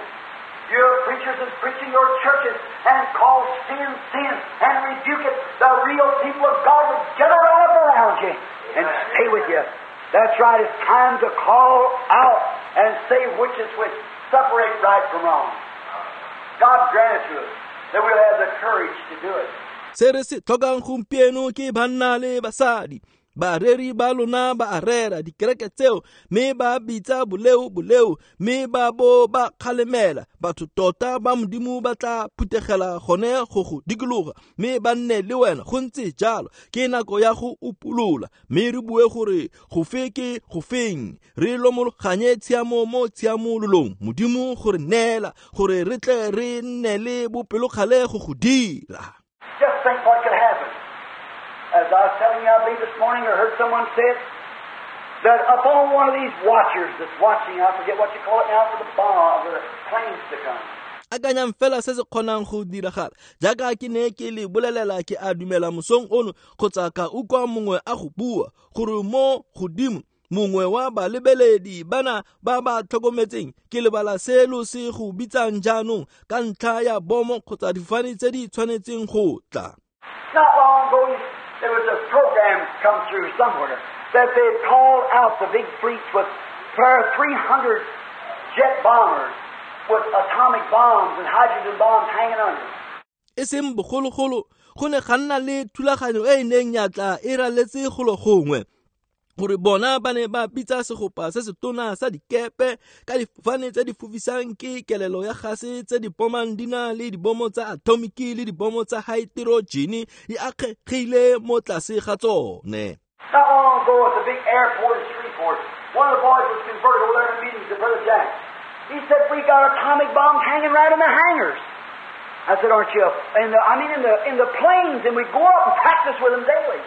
Your preachers is preaching your churches and call sin sin and rebuke it. The real people of God will gather right up around you and stay with you. That's right. It's time to call out and say which is which. Separate right from wrong. God grant it to us that we'll have the courage to do it. Se re se tlhokang gompieno ke banna le basadi. Bareri ba lona ba a rera dikereke tseo mme ba bitsa boleo boleo mme ba bo ba kgalemela. Batho tota ba Modimo ba tla phuthegela gone go go dikologa mme ba nne le wena. Go ntse jalo. Ke nako ya go upolola mme re bue gore go fe ke go feng, re lomologanye tshiamo mo tshiamololong. Modimo gore neela gore re tle re nne le bopelokgale go go dira. Just think what could happen. As I was telling you, I believe this morning, or heard someone say it, that upon one of these watchers that's watching, I forget what you call it now, for the bomb, the planes to come. Akanyang fela se se kgonang go diragala. Jaaka ke ne ke le bolelela ke a dumela mosong ono, kgotsa ka utlwa mongwe a go bua gore mo godimo mongwe wa balebeledi bana ba ba tlhokometseng, ke lebala selo se go bitsang jaanong ka ntlha ya bomo kgotsa difofane tse di tshwanetseng go tla. Not long ago, There was a program come through somewhere that they had called out the big fleets with three hundred jet bombers with atomic bombs and hydrogen bombs hanging under. E seng bogologolo go ne ga nna le thulaganyo e e neng ya tla e raletse golo gongwe gore bona ba ne ba bitsa segopa se se tona sa dikepe ka difofane tse di fofisang ke kelelo ya gase tse di bomang di na le dibomo tsa atomiki le dibomo tsa haeterojene di akgegile mo tlase ga tsone. Not long ago at the big airport in Shreveport, one of the boys was converted over there in meetings with Brother Jack. He said, "We got atomic bombs hanging right in the hangars." I said, "Aren't you?" In the, I mean, in the in the planes, and we go up and practice with them daily.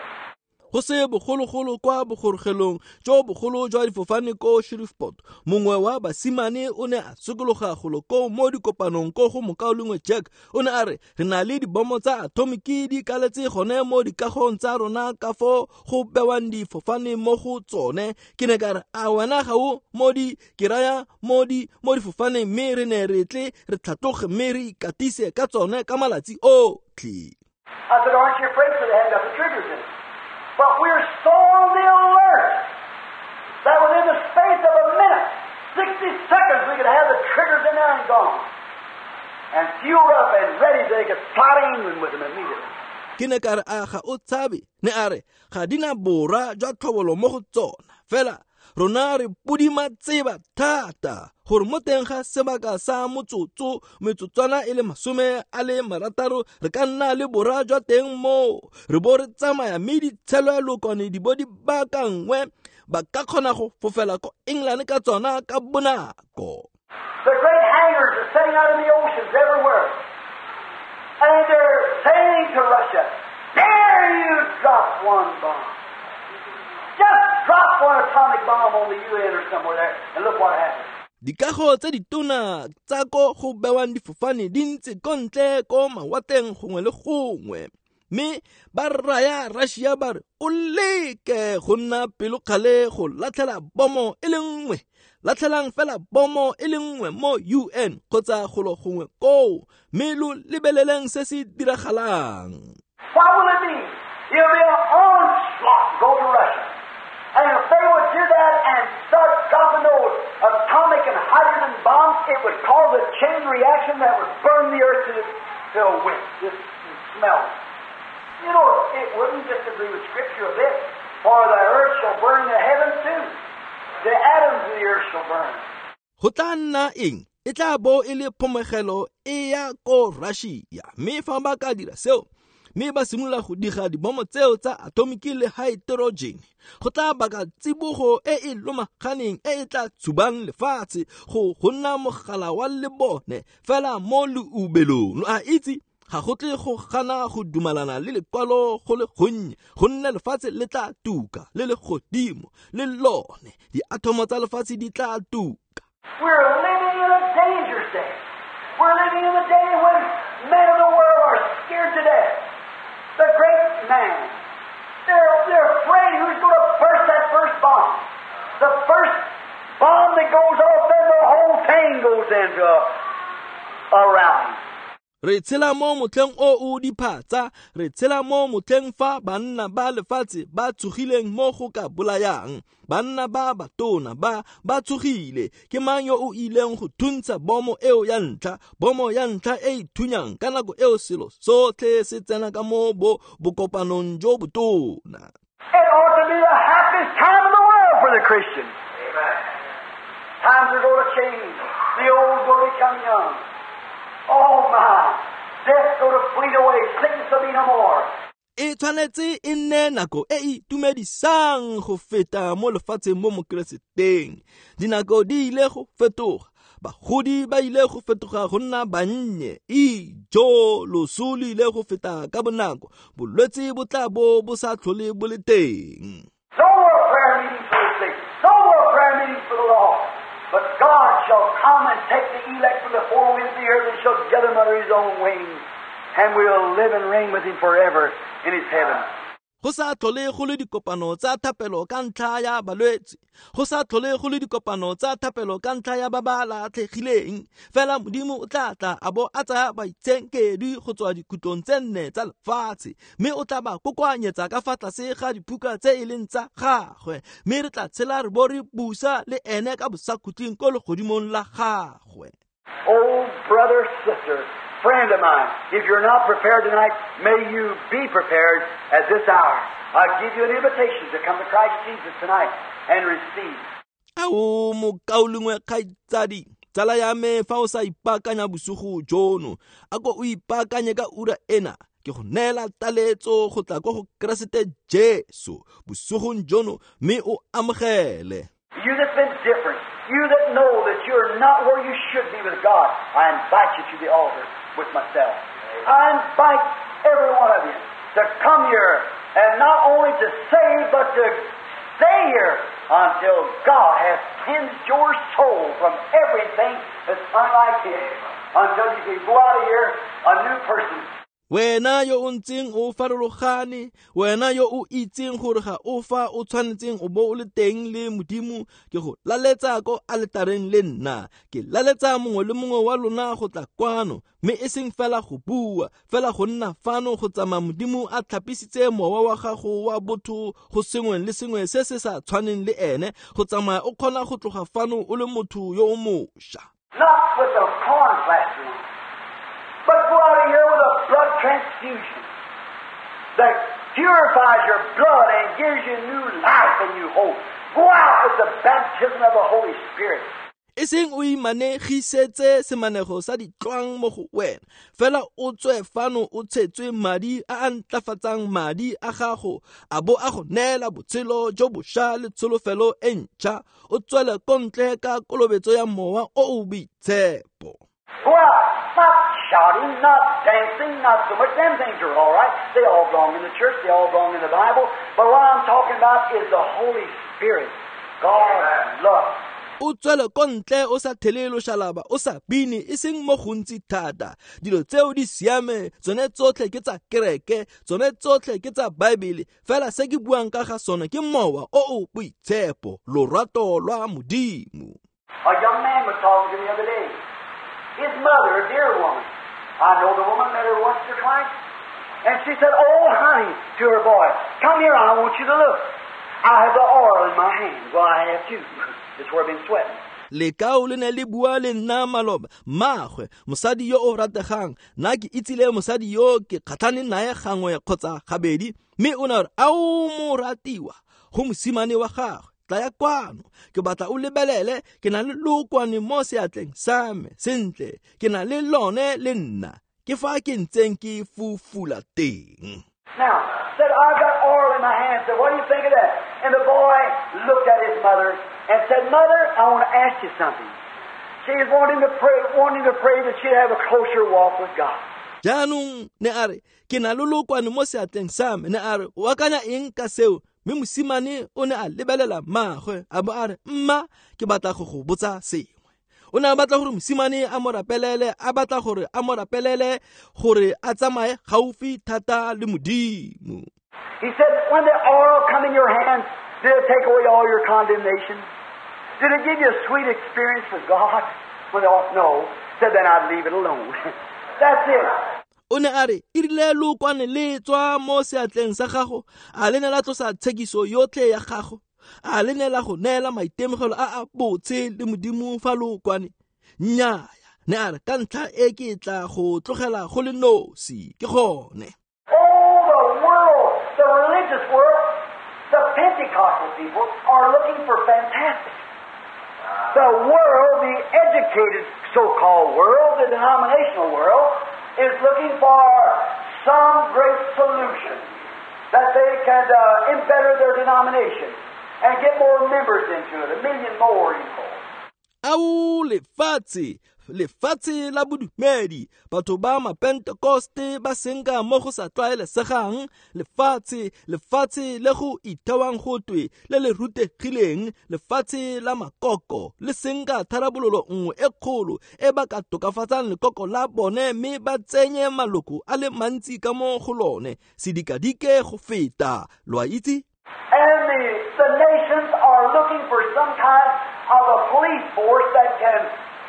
Go se bogologolo kwa bogorogelong jo bogolo jwa difofane ko Shreveport, mongwe wa basimane o ne a sokologa golo ko mo dikopanong ko go mokaulengwe Jack. O ne a re re na le dibomo tsa atomiki di kaletse gone mo dikagong tsa rona ka fo go bewang difofane mo go tsone. Ke ne ka re a wena ga o mo di ke raya mo di mo difofaneng, mme re ne re tle re tlhatloge mme re ikatise ka tsone ka malatsi otlhe. I said, "Aren't you afraid?" So they had got the triggers in it. But we're so on the alert that within the space of a minute, sixty seconds, we could have the triggers in there and gone. And fueled up and ready so they could fly to England with them immediately. Ke ne ka re a ga o tshabe, ne a re ga di na bora jwa tlhobolo mo go tsona. Fela rona re pudima tseba thata gore mo teng ga sebaka sa motsotso metsotswana e le masome a le marataro re ka nna le bora jwa teng moo re bo re tsamaya mme ditshelwelokwane di bo di baakangwe ba ka kgona go fofela ko England ka tsona ka bonako. The great hangars are setting out in the oceans everywhere. And they're saying to Russia, "Dare you drop one bomb? Just drop one atomic bomb on the U N or somewhere there, and look what happens." Dikago tse ditona tsa ko go bewang difofane di ntse ko ntle ko mawatleng gongwe le gongwe, mme ba raya Russia ba re o leke go nna pelokgale go latlhela bomo e le nngwe, latlhelang fela bomo e le nngwe mo U N kgotsa golo gongwe koo, mme lo lebeleleng se se diragalang. What will it be? It'll be an onslaught go to Russia. And if they would do that and start dropping those atomic and hydrogen bombs, it would cause a chain reaction that would burn the earth to, the, to a wick, just smell. You know, it wouldn't disagree with Scripture a bit. For the earth shall burn, the heavens too. The atoms of the earth shall burn. Go tla nna eng? E tla bo e le phomegelo e ya ko Russia. Mme fa ba ka dira seo, mme ba simolola go diga dibomo tseo tsa atomiki le haeterojene, go tla baka tsibogo e e lomaganeng e e tla tshubang lefatshe go go nna mogala wa lebone fela mo leubelong. Lo a itse ga go tle go gana go dumalana le lekwalo go le gonnye, gonne lefatshe le tla tuka le le godimo le lone diathomo tsa lefatshe di tla tuka. We're living in a dangerous day. We're living in a day when men of the world are scared to death. The great man, they're, they're afraid who's going to burst that first bomb. The first bomb that goes off, then the whole thing goes into a, a rally. Re tshela mo motlheng o o diphatsa, re tshela mo motlheng fa banna ba lefatshe ba tshogileng mo go ka bolayang. Banna ba batona ba ba tshogile. Ke mang yo o ileng go thuntsha bomo eo ya ntlha, bomo ya ntlha e e thunyang ka nako eo selo sotlhe se tsena ka mo bo bokopanong jo botona. It ought to be the happiest time in the world for the Christian. Amen. Times are going to change. The old going to become young. Oh my, death's going to flee away, sickness will be no more. E tshwanetse e nne nako e e itumedisang go feta mo lefatsheng mo mokereseteng. Dinako di ile go fetoga, bagodi ba ile go fetoga go nna bannye, ijo loso le ile go feta ka bonako, bolwetse bo tla bo bo sa tlhole bo le teng. No more prayer meetings for the sick, no more prayer meetings for the lost. But God shall come and take the elect from the four winds of the earth and shall gather them under His own wings, and we'll live and reign with Him forever in His heaven. Go sa tlhole go le dikopano tsa thapelo ka ntlha ya balwetse, go sa tlhole go le dikopano tsa thapelo ka ntlha ya ba ba latlhegileng. Fela Modimo o tla tla a bo a tsaya baitshenkedwi go tswa dikhutlong tse nne tsa lefatshe, mme o tla ba kokoanyetsa ka fa tlase ga diphuka tse e leng tsa gagwe, mme re tla tshela re bo re busa le ene ka bosakhutleng ko legodimong la gagwe. Oh, brother, sister, friend of mine, if you're not prepared tonight, may you be prepared at this hour. I give you an invitation to come to Christ Jesus tonight and receive. Ao mokaulengwe kgaitsadi, tsala ya me, fa o sa ipaakanya bosigo jono, a ko o ipaakanye ka ura ena. Ke go neela taletso go tla ko go Keresete Jesu bosigong jono, mme o amogele. You that's been different, you that know that you're not where you should be with God, I invite you to the altar with myself. I invite every one of you to come here, and not only to save, but to stay here until God has cleansed your soul from everything that's unlike Him, until you can go out of here a new person. Wena yo o ntseng o farologane, wena yo o itseng gore ga o fa o tshwanetseng o bo o le teng le Modimo, ke go laletsa ko aletareng le nna. Ke laletsa mongwe le mongwe wa lona go tla kwano, mme e seng fela go bua, fela go nna fano go tsamaya Modimo a tlhapisitse mowa wa gago wa botho go sengwe le sengwe se se sa tshwaneng le ene, go tsamaya o kgona go tloga fano o le motho yo o mošwa. Not with the corn plastering, but go out of here with a blood transfusion that purifies your blood and gives you new life and new hope. Go out with the baptism of the Holy Spirit. E seng o imanegisetse semanego sa ditlwang mo go wena, fela o tswe fano o tshetswe madi a a ntlafatsang madi a gago, a bo a go neela botshelo jo bošwa le tsholofelo e ntšha. O tswele ko ntle ka kolobetso ya mowa o o boitshepo. Go out, not shouting, not dancing, not so much. Them things are all right. They all belong in the church. They all belong in the Bible. But what I'm talking about is the Holy Spirit, God's love. O tswele ko ntle o sa thele loshalaba, o sa bine, e seng mo gontsi thata. Dilo tseo di siame, tsone tsotlhe ke tsa kereke, tsone tsotlhe ke tsa Baebele. Fela se ke buang ka ga sone ke mowa o o boitshepo, lorato lwa Modimo. A young man was talking to me the other day. His mother, a dear woman. I know the woman, met her once or twice. And she said, "Oh, honey," to her boy, "come here, I want you to look. I have the oil in my hand." Well, I have too. It's where I've been sweating. Lekao le ne le bua le nna maloba, mmagwe, mosadi yo o rategang, nna ke itsile mosadi yo ke kgatlhane nae gangwe kgotsa gabedi, mme o ne a re, "Ao moratiwa," go mosimane wa gagwe, "tla ya kwano, ke batla o lebelele, ke na le lookwane mo seatleng sa me, sentle, ke na le lone le nna, ke fa ke ntseng ke fufula teng." Now, said, "I've got oil in my hand." Said, "What do you think of that?" And the boy looked at his mother and said, "Mother, I want to ask you something." She was wanting to pray, wanting to pray that she'd have a closer walk with God. Jaanong ne a re, "Ke na le lookwane mo seatleng sa me." Ne a re, "O akanya eng ka seo?" Mme mosimane o ne a lebelela mmagwe a bo a re, "Mma, ke batla go go botsa sengwe." O ne a batla gore mosimane a mo rapelele, a batla gore a mo rapelele gore a tsamaye gaufi thata le Modimo. He said, "When the oil come in your hands, did it take away all your condemnation? Did it give you a sweet experience with God?" When the oil, no. Said, "Then I'd leave it alone." That's it. O ne a re, "E rile lookwane le tswa mo seatleng sa gago, a le ne la tlosa tshekiso yotlhe ya gago, a le ne la go neela maitemogelo a a botse le Modimo fa lookwane? Nnyaya." Ne a re, "Ka ntlha e ke tla go tlogela go le nosi, ke gone." Oh, the world, the religious world, the Pentecostal people are looking for fantastic. The world, the educated so-called world, the denominational world, is looking for some great solution that they can uh, embetter their denomination and get more members into it, a million more, you know. Ao lefatshe, Lefatshe la bodumedi, batho ba mapentekoste ba senka mo go sa tlwaelesegang, lefatshe, lefatshe le go ithewang go twe le le rutegileng, lefatshe la makoko le senka tharabololo nngwe e kgolo e ba ka tokafatsang lekoko la bone mme ba tsenye maloko a le mantsi ka mo go lone, sedikadike go feta, lo a itse? And the, the nations are looking for some kind of a police force that can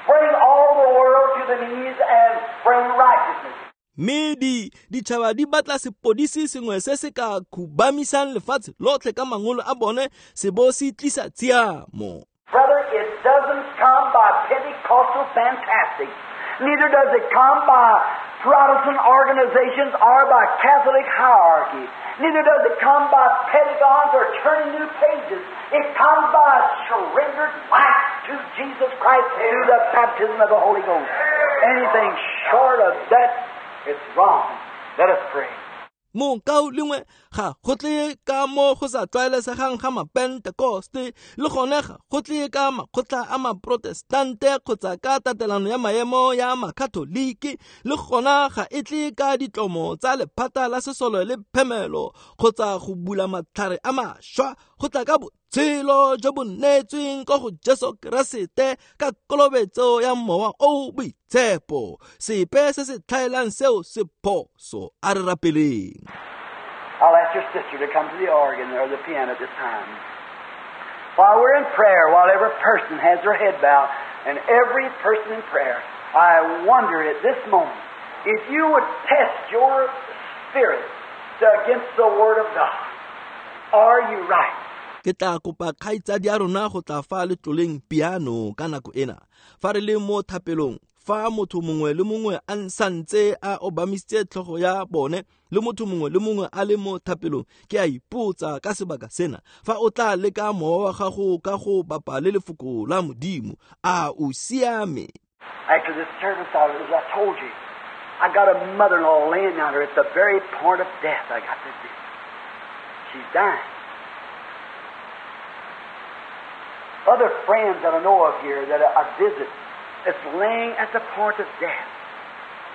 bring all the world to the knees and bring righteousness. Mme di ditšhaba di batla sepodisi sengwe se se ka khubamisang lefatshe lotlhe ka mangolo a bone se bo se tlisa tshiamo. Brother, it doesn't come by Pentecostal fantastic. Neither does it come by Protestant organizations or by Catholic hierarchy. Neither does it come by pentagons or turning new pages. It comes by a surrendered life to Jesus Christ through the baptism of the Holy Ghost. Anything short of that, it's wrong. Let us pray. Mokao lengwe ga go tle ka mo go sa tlwaelesegang ga mapentekoste, le gone ga go tle ka makgotla a maprotestante kgotsa ka tatelano ya maemo ya makatholiki, le gona ga e tle ka ditlomo tsa lephata la sesole le phemelo kgotsa go bula matlhare a mašwa, go tla ka botshelo jo bo neetsweng ko go Jesu Keresete ka kolobetso ya Mowa o o Boitshepo. Sepe se se tlhaelang seo se phoso. A re rapeleng. I'll ask your sister to come to the organ or the piano at this time. While we're in prayer, while every person has their head bowed, and every person in prayer, I wonder at this moment if you would test your spirit against the Word of God. Are you right? Ke tla kopa kgaitsadi ya rona go tla fa letloleng piano ka nako ena. Fa re le mo thapelong, fa motho mongwe le mongwe a santse a obamisitse tlhogo ya bone, le motho mongwe le mongwe a le mo thapelong, ke a ipotsa ka sebaka sena, fa o tla leka mowa wa gago ka go bapa le lefoko la Modimo, a o siame? After this service, I, as I told you, I got a mother-in-law laying down there at the very point of death. I got this. She's dying. Other friends that I know of here that I visit, it's laying at the point of death.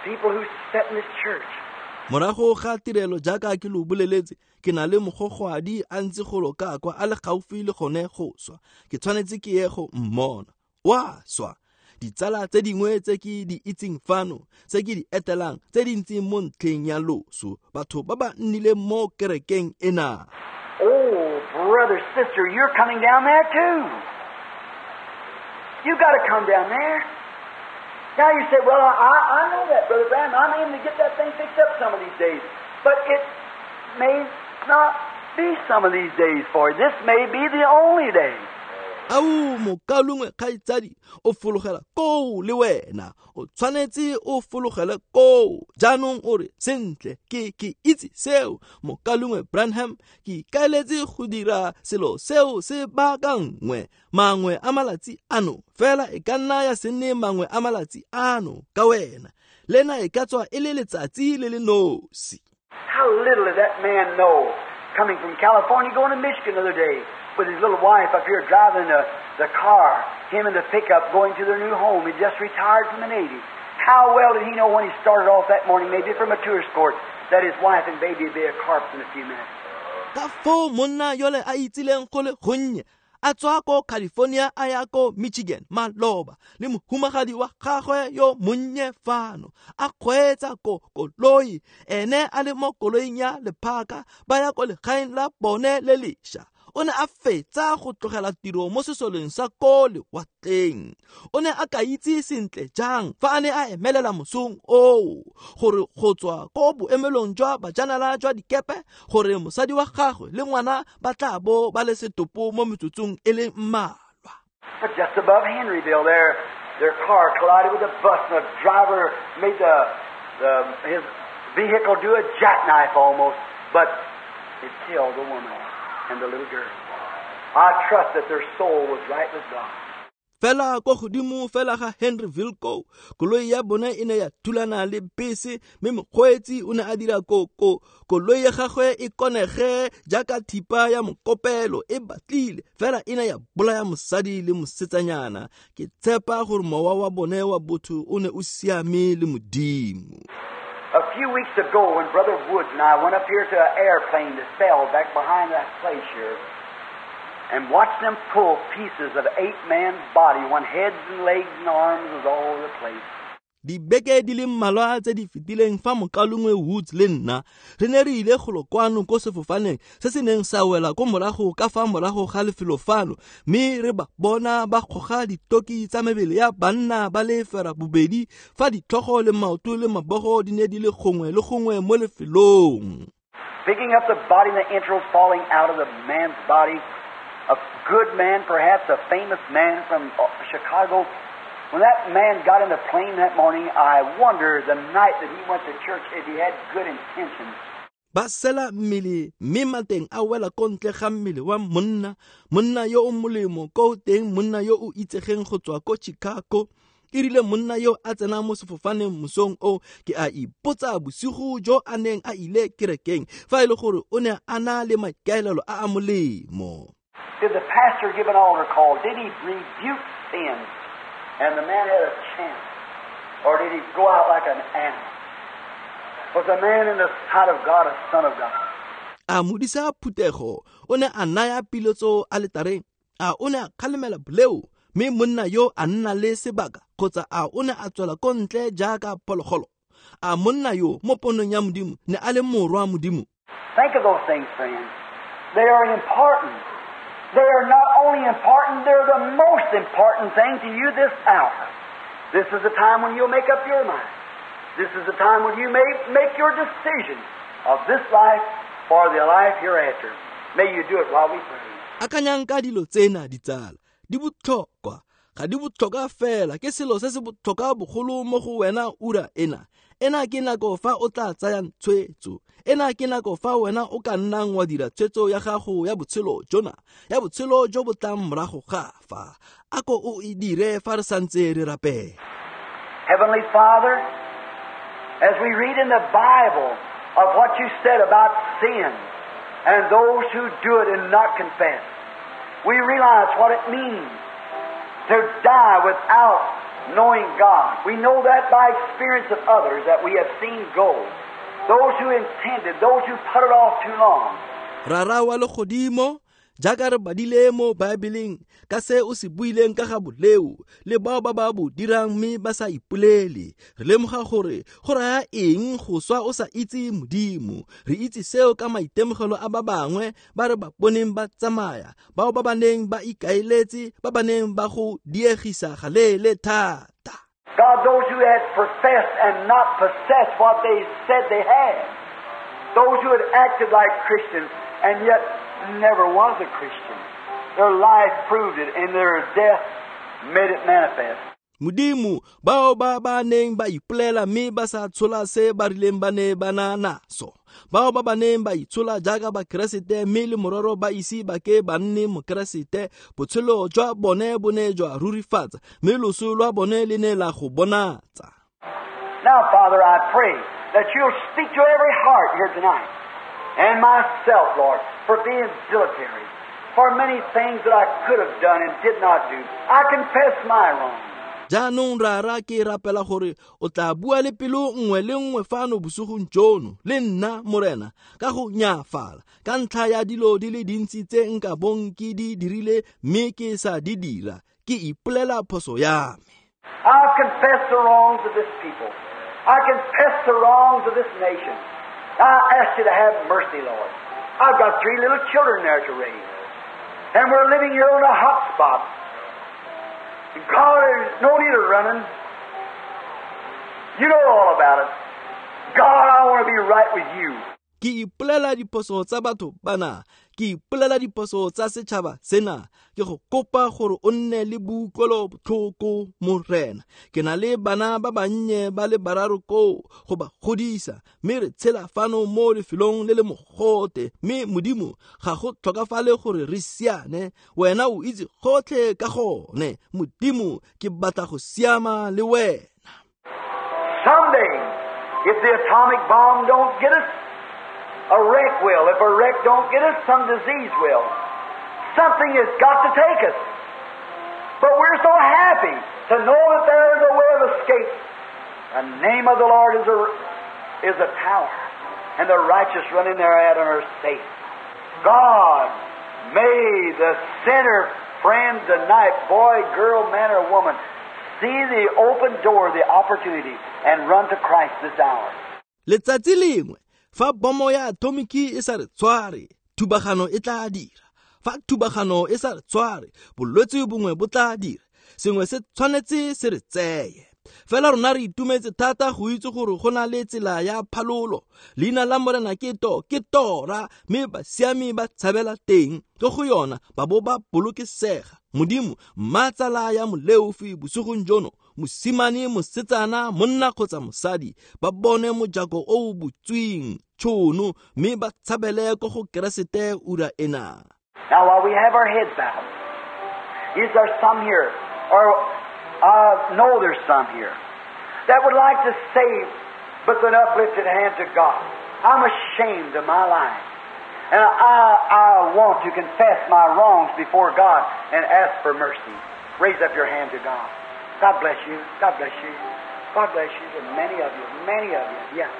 People who sit in this church. Morago ga tirelo jaaka ke lo boleletse, ke na le mogogwadi a ntse golo ka kwa a le gaufi le gone go swa. Ke tshwanetse ke ye go mmona. Wa swa. Ditsala tse dingwe tse ke di itseng fano, tse ke di etelang, tse di ntseng mo ntlheng ya loso, batho ba ba nnileng mo kerekeng ena. Oh, brother, sister, you're coming down there too. You got to come down there. Now you say, well, I, I know that, Brother Branham. I'm aiming to get that thing fixed up some of these days. But it may not be some of these days for you. This may be the only day. Au mokalungwe kgaitsadi, o fologela koo le wena, o tshwanetse o fologele koo. Jaanong o re, sentle, ke ke itse seo, mokalungwe Branham, ke ikaeletse go dira selo seo se baakangwe mangwe a malatsi ano, fela e ka nna ya se nne mangwe a malatsi ano ka wena. Lena e ka tswa e le letsatsi le le nosi. How little did that man know, coming from California going to Michigan the other day, with his little wife up here driving the, the car, him in the pickup going to their new home. He just retired from the Navy. How well did he know when he started off that morning, maybe from a tourist court, that his wife and baby would be a corpse in a few minutes? Ka foo monna yole a itsileng go le gonnye, a tswa ko California a ya ko Michigan maloba, le mohumagadi wa gagwe yo monnye fano, a kgweetsa ko koloi, ene a le mo koloing ya lephaka, ba ya ko legaeng la bone le lešwa. O ne a fetsa go tlogela tiro mo sesoleng sa ko lewatleng. O ne a ka itse sentle jang fa a ne a emelela mosong oo, gore go tswa ko boemelong jwa bajanala jwa dikepe, gore mosadi wa gagwe le ngwana ba tla bo ba le setopo mo metsotsong e le mmalwa. But just above Henryville there, their car collided with a bus and the driver made the, the, his vehicle do a jackknife almost, but it killed the woman and the little girl. I trust that their soul was right with God. Fela ko godimo fela ga Henryville ko koloi ya bone e ne ya thulana le bese mme mokgweetsi o ne a dira ko ko koloi ya gagwe e konege jaaka thipa ya mokopelo e batlile fela e ne ya bolaya mosadi le mosetsanyana. Ke tshepa gore mowa wa bone wa botho o ne o siame le Modimo. A few weeks ago when Brother Woods and I went up here to an airplane that fell back behind that place here and watched them pull pieces of eight man's body when heads and legs and arms was all over the place. Dibeke di le mmalwa tse di fetileng fa mokalongwe Woods le nna re ne re ile golo kwano ko sefofaneng se se neng sa wela ko morago ka fa morago ga lefelo fano mme re ba bona ba goga ditoki tsa mebele ya banna ba le fera bobedi fa ditlhogo le maoto le mabogo di ne di le gongwe le gongwe mo lefelong. Picking up the body and the entrails falling out of the man's body, a good man, perhaps a famous man from Chicago. When that man got in the plane that morning, I wonder the night that he went to church if he had good intentions. Ba sela mmele mme mateng a wela ko ntle ga mmele wa monna, monna yo o molemo ko teng, monna yo o itsegeng go tswa ko Chicago. E rile monna yo a tsena mo sefofaneng mosong o, ke a ipotsa bosigo jo a neng a ile kerekeng fa e le gore o ne a na le maikaelelo a a molemo. Did the pastor give an altar call? Did he rebuke sin? And the man had a chance. Or did he go out like an animal? Was the man in the sight of God a son of God? A modisa phuthego o ne a naya piletso aletareng, a o ne a kgalemela boleo mme monna yo a nna le sebaka, kgotsa a o ne a tswela ko ntle jaaka phologolo? A monna yo mo ponong ya Modimo ne a le morwa Modimo? Think of those things, friends. They are important. They are not only important, they're the most important thing to you this hour. This is the time when you'll make up your mind. This is the time when you may make your decision of this life for the life hereafter. May you do it while we pray. Akanyang ka dilo tsena ditsala, di botlhokwa, ga di botlhokwa fela, ke selo se se botlhokwa bogolo mo go wena ura ena. Ena ke nako fa o tla tsayang tshwetso. Ena ke nako fa wena o ka nnang wa dira tshwetso ya gago ya botshelo jona, ya botshelo jo bo tlang morago ga fa. A ko o e dire fa re santse re rapela. Heavenly Father, as we read in the Bible of what you said about sin and those who do it and not confess, we realize what it means to die without knowing God. We know that by experience of others that we have seen go. Those who intended, those who put it off too long. Rara wa legodimo, jaaka re badile mo Baebeleng ka se o se buileng ka ga boleo le bao ba ba bo dirang mme ba sa ipolele, re lemoga gore go raya eng go swa o sa itse Modimo. Re itse seo ka maitemogelo a ba bangwe ba re ba boneng ba tsamaya, bao ba ba neng ba ikaeletse, ba ba neng ba go diegisa galeele thata. God, those who had professed and not possessed what they said they had, those who had acted like Christians and yet never was a Christian. Their life proved it, and their death made it manifest. Modimo, bao ba ba neng ba ipolela mme ba sa tshola se ba rileng ba ne ba na naso, bao ba ba neng ba itshola jaaka Bakeresete mme le mororo ba ise ba ke ba nne Mokeresete, botshelo jwa bone bo ne jwa rurifatsa mme loso lwa bone le ne la go bonatsa. Now, Father, I pray that you'll speak to every heart here tonight, and myself, Lord, for being dilatory, for many things that I could have done and did not do. I confess my wrong. Jaanong Rara, ke rapela gore o tla bua le pelo nngwe le nngwe fano bosigong jono le nna Morena ka go nyaafala ka ntlha ya dilo di le dintsi tse nka bong ke di dirile mme ke sa di dira, ke ipolela phoso ya me. I confess the wrongs of this people. I confess the wrongs of this nation. I ask you to have mercy, Lord. I've got three little children there to raise, and we're living here on a hot spot. God, there's no need of running. You know all about it. God, I want to be right with you. Ke ipolela diphoso tsa batho bana, Ke ipolela diphoso tsa setšhaba sena. Ke go kopa gore o nne le boutlwelo botlhoko, Morena. Ke na le bana ba bannye ba le bararo koo go ba godisa, mme re tshela fano mo lefelong le le mogote. Mme Modimo, ga go tlhokafale gore re siane, wena o itse gotlhe ka gone. Modimo, ke batla go siama le wena. Someday, if the atomic bomb don't get us, a wreck will. If a wreck don't get us, some disease will. Something has got to take us. But we're so happy to know that there is a way of escape. The name of the Lord is a, is a tower, and the righteous run in thereat and are safe. God, may the sinner friend tonight, boy, girl, man, or woman, see the open door, the opportunity, and run to Christ this hour. Letsatsi lengwe, fa bomo ya atomiki e sa re tshware, thubagano e tla dira. Fa thubagano e sa re tshware, bolwetse bongwe bo tla dira. Sengwe se tshwanetse se re tseye. Fela rona re itumetse thata go itse gore go na le tsela ya phalolo. Leina la Morena ke to, ke tora, mme basiami ba tshabela teng. Ke go yona ba bo ba bolokesega. Modimo, mmatsala ya moleofi bosigong jono, mosimane, mosetsana, monna kgotsa mosadi, ba bone mojako o o butsweng tšhono, mme ba tshabele ko go Keresete ura ena. Now while we have our heads bowed, is there some here, or I know there's some here, that would like to say with an uplifted hand to God, I'm ashamed of my life, and I, I want to confess my wrongs before God and ask for mercy. Raise up your hand to God. God bless you. God bless you. God bless you. There are many of you. Many of you. Yeah.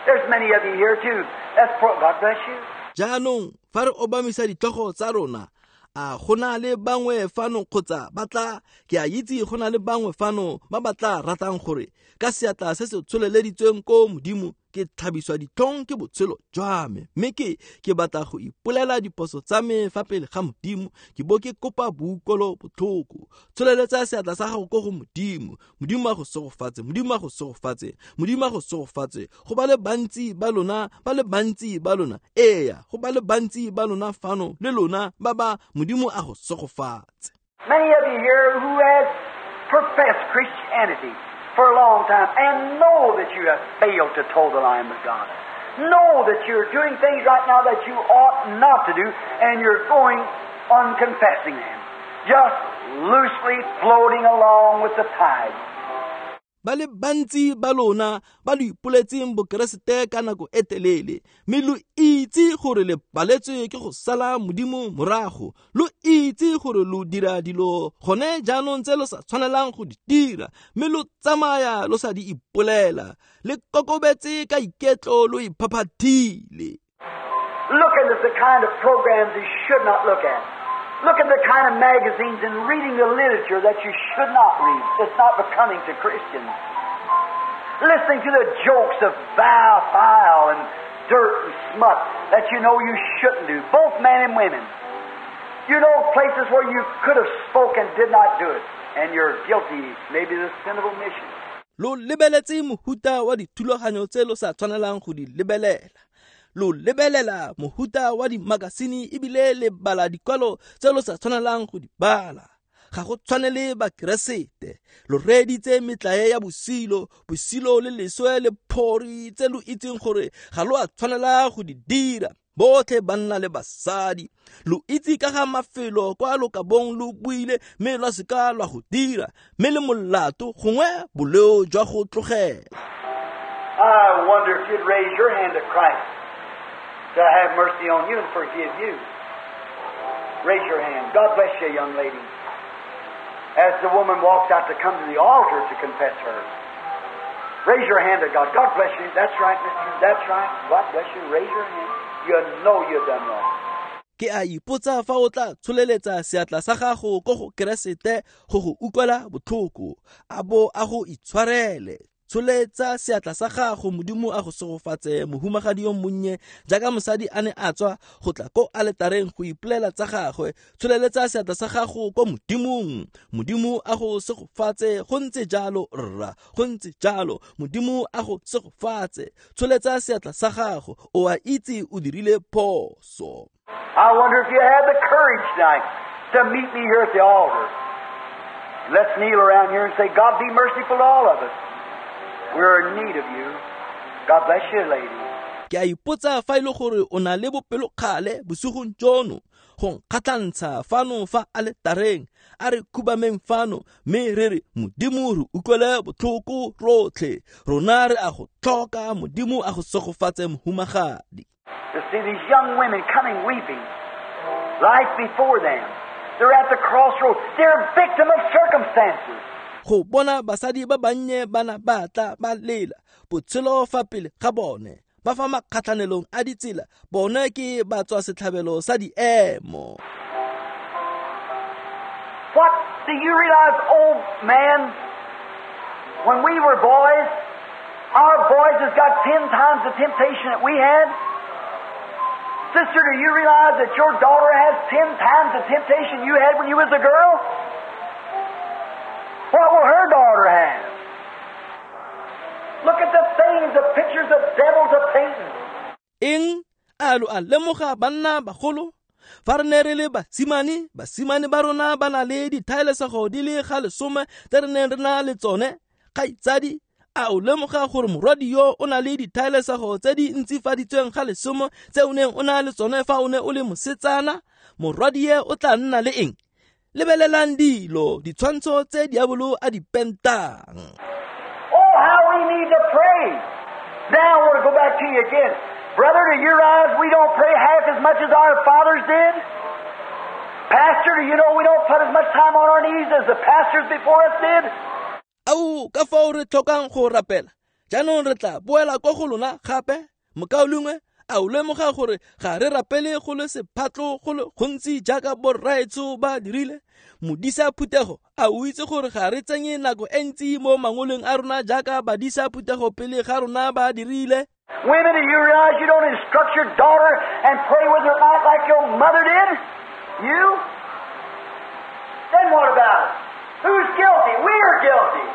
There's many of you here too. That's pro- God bless you. Jaanong fa re obamisa ditlhogo tsa rona, a go na le bangwe fano kgotsa ba tla, ke a itse go na le bangwe fano ba ba tla ratang gore ka seatla se se tsholeleditsweng ko Modimo, ke tlhabiswa ditlhong ke botshelo jwa me, mme ke ke batla go ipolela diphoso tsa me fa pele ga Modimo, ke bo ke kopa boutlwelo botlhoko. Tsholeletsa seatla sa gago ko go Modimo. Modimo a go segofatse, Modimo a go segofatse, Modimo a go segofatse. Go ba le bantsi ba lona, ba le bantsi ba lona, eya, go ba le bantsi ba lona fano le lona ba ba, Modimo a go segofatse. Many of you here who has professed Christianity for a long time and know that you have failed to toe the line with God. Know that you're doing things right now that you ought not to do, and you're going unconfessing them, just loosely floating along with the tide. Ba le bantsi ba lona ba lo ipoletseng bokeresete ka nako e telele, mme lo itse gore le paletswe ke go sala Modimo morago. Lo itse gore lo dira dilo gone jaanong tse lo sa tshwanelang go di dira, mme lo tsamaya lo sa di ipolela. Le kokobetse ka iketlo, lo iphaphathile. Looking at the kind of programs you should not look at. Look at the kind of magazines and reading the literature that you should not read. It's not becoming to Christians. Listening to the jokes of vile, foul, and dirt and smut that you know you shouldn't do, both men and women. You know places where you could have spoken, did not do it, and you're guilty, maybe the sin of omission. Lo lebeletse mohuta wa dithulaganyo tse lo sa tshwanelang go di lebelela. Lo lebelela mohuta wa dimakasine ebile le bala dikwalo tse lo sa tshwanelang go di bala. Ga go tshwanele bakeresete. Lo reeditse metlae ya bosilo, bosilo le leswe le phori tse lo itseng gore ga lo a tshwanela go di dira. Botlhe banna le basadi, lo itse ka ga mafelo kwa lo ka bong lo buile, mme lwa se ka lwa go dira, mme le molato gongwe boleo jwa go tlogela. I wonder if you'd raise your hand to Christ to have mercy on you and forgive you. Raise your hand. God bless you, young lady. As the woman walks out to come to the altar to confess her. Raise your hand to God. God bless you. That's right, mister. That's right. God bless you. Raise your hand. You know you've done wrong. Ke a ipotsa fa o tla tsholeletsa seatla sa gago ko go Keresete go go utlwela botlhoko, a bo a go itshwarele. Tsholetsa seatla sa gago, Modimo a go segofatse, mohumagadi yo monnye, jaaka mosadi a ne a tswa go tla ko aletareng go ipolela tsa gagwe. Tsholeletsa seatla sa gago ko Modimong. Modimo a go segofatse, go ntse jalo rra, go ntse jalo. Modimo a go segofatse. Tsholetsa seatla sa gago, o a itse o dirile phoso. I wonder if you have the courage tonight to meet me here at the altar. Let's kneel around here and say, God be merciful to all of us. We're in need of you. God bless you, lady. Ke a ipotsa fa ile gore o na le bopelokgale bosigong jono go nkgatlhantsha fano fa aletareng, a re khubameng fano mme re re Modimo re utlwele botlhoko rotlhe, rona re a go tlhoka, Modimo a go segofatse mohumagadi. To see these young women coming weeping, life before them. They're at the crossroads. They're a victim of circumstances. Go bona basadi ba bannye bana ba tla ba lela botshelo fa pele ga bone, ba fa makgatlhanelong a ditsela, bone ke ba tswa setlhabelo sa diemo. What do you realize, old man, when we were boys, our boys has got ten times the temptation that we had? Sister, do you realize that your daughter has ten times the temptation you had when you was a girl? What will her daughter have? Look at the things, the pictures the devils are painting. Eng a lo a lemoga banna bagolo fa re ne re le basimane, basimane ba rona ba na le dithaelesego di le ga lesome tse re neng re na le tsone. Kgaitsadi, a o lemoga gore morwadi yo o na le dithaelesego tse di ntsifaditsweng ga lesome tse o neng o na le tsone fa o ne o le mosetsana? Morwadi ye o tla nna le eng? Lebelelang dilo, ditshwantsho tse diabolo a di pentang. Oh, how we need to pray. Now I want to go back to you again. Brother, do you realize we don't pray half as much as our fathers did? Pastor, do you know we don't put as much time on our knees as the pastors before us did? Au, ka fao re tlhokang go rapela. Jaanong re tla boela kwa go lona gape. Mokaulengwe, a o lemoga gore ga re rapele go le sephatlo go le gontsi jaaka borraetsho ba dirile? Modisa phuthego, a o itse gore ga re tsenye nako e ntsi mo mangolong a rona jaaka badisa phuthego pele ga rona ba dirile? Women, do you realize you don't instruct your daughter and pray with her night like your mother did? You? Then what about it? Who's guilty? We're guilty.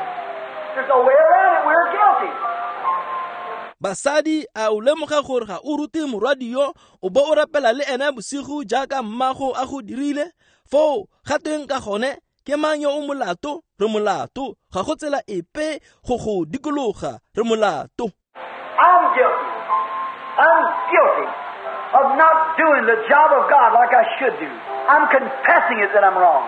There's no way around it. We're guilty. Basadi, a o lemoga gore ga o rute morwadi yo o bo o rapela le ene bosigo jaaka mmago a go dirile? Foo ga teng ka gone ke mang yo o molato? Re molato. Ga go tsela epe go go dikologa, re molato. I'm guilty. I'm guilty of not doing the job of God like I should do. I'm confessing it that I'm wrong.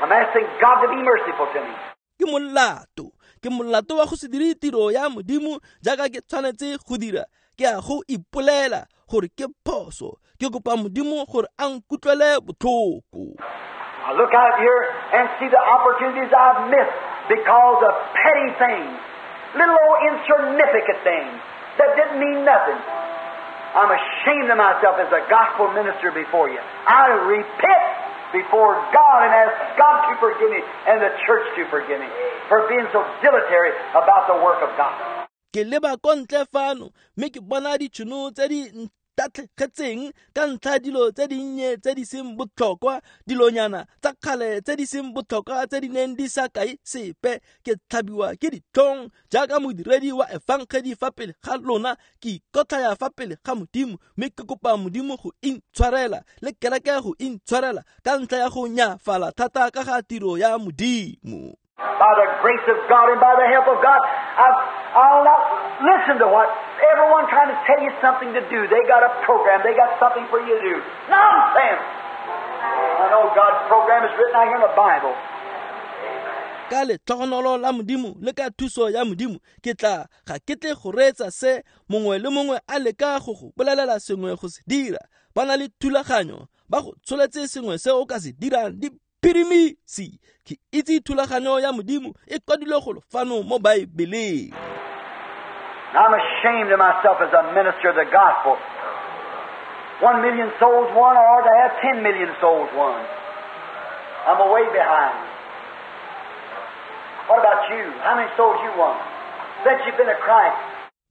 I'm asking God to be merciful to me. Ke molato. Ke molato wa go se dire tiro ya Modimo jaaka ke tshwanetse go dira. Ke a go ipolela gore ke phoso. Ke kopa Modimo gore a nkutlwele botlhoko. I look out here and see the opportunities I've missed because of petty things, little old insignificant things that didn't mean nothing. I'm ashamed of myself as a gospel minister before you. I repent before God and ask God to forgive me and the church to forgive me for being so dilatory about the work of God. Ke leba ko ntle fano mme ke bona ditšhono tse di ntatlhegetseng ka ntlha dilo tse dinnye tse di seng botlhokwa, dilonyana tsa kgale tse di seng botlhokwa tse di neng di sa kae sepe. Ke tlhabiwa ke ditlhong jaaka modiredi wa efangedi fa pele ga lona. Ke ikotlhaya fa pele ga Modimo mme ke kopa Modimo go intshwarela le kereke go intshwarela ka ntlha ya go nyafala thata ka ga tiro ya Modimo. By the grace of God and by the help of God, I've, I'll not listen to what everyone trying to tell you something to do. They got a program. They got something for you to do. Nonsense! I know God's program is written out here in the Bible. Ka letlhogonolo la Modimo le ka thuso ya Modimo, ke tla ga ke tle go reetsa se mongwe le mongwe a leka go go bolelela sengwe go se dira. Ba na le thulaganyo, ba go tsholetse sengwe se o ka se dirang. Di phirimisi, ke itse thulaganyo ya Modimo e kwadilwe go fano mo Baebeleng. I'm ashamed of myself as a minister of the gospel. One million souls won, or to have ten million souls won. I'm away behind. What about you? How many souls you won? Since you've been a Christ.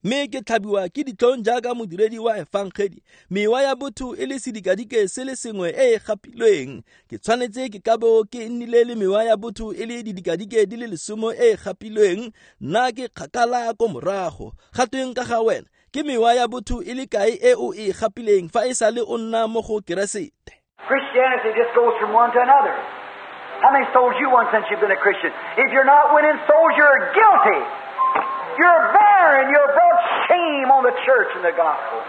Mme ke tlhabiwa ke ditlhong jaaka modiredi wa efangedi, mewa ya botho e le sedikadike se le sengwe e e gapilweng. Ke tshwanetse ke ka bo ke nnile le mewa ya botho e le didikadike di le lesomo e e gapilweng. Nna ke kgakala ko morago. Ga tweng ka ga wena? Ke mewa ya botho e le kae e o e gapileng fa e sale o nna mo go Keresete? Christianity just goes from one to another. How many souls you won since you've been a Christian? If you're not winning souls, you're guilty. You're barren. You're brought shame on the church and the gospel.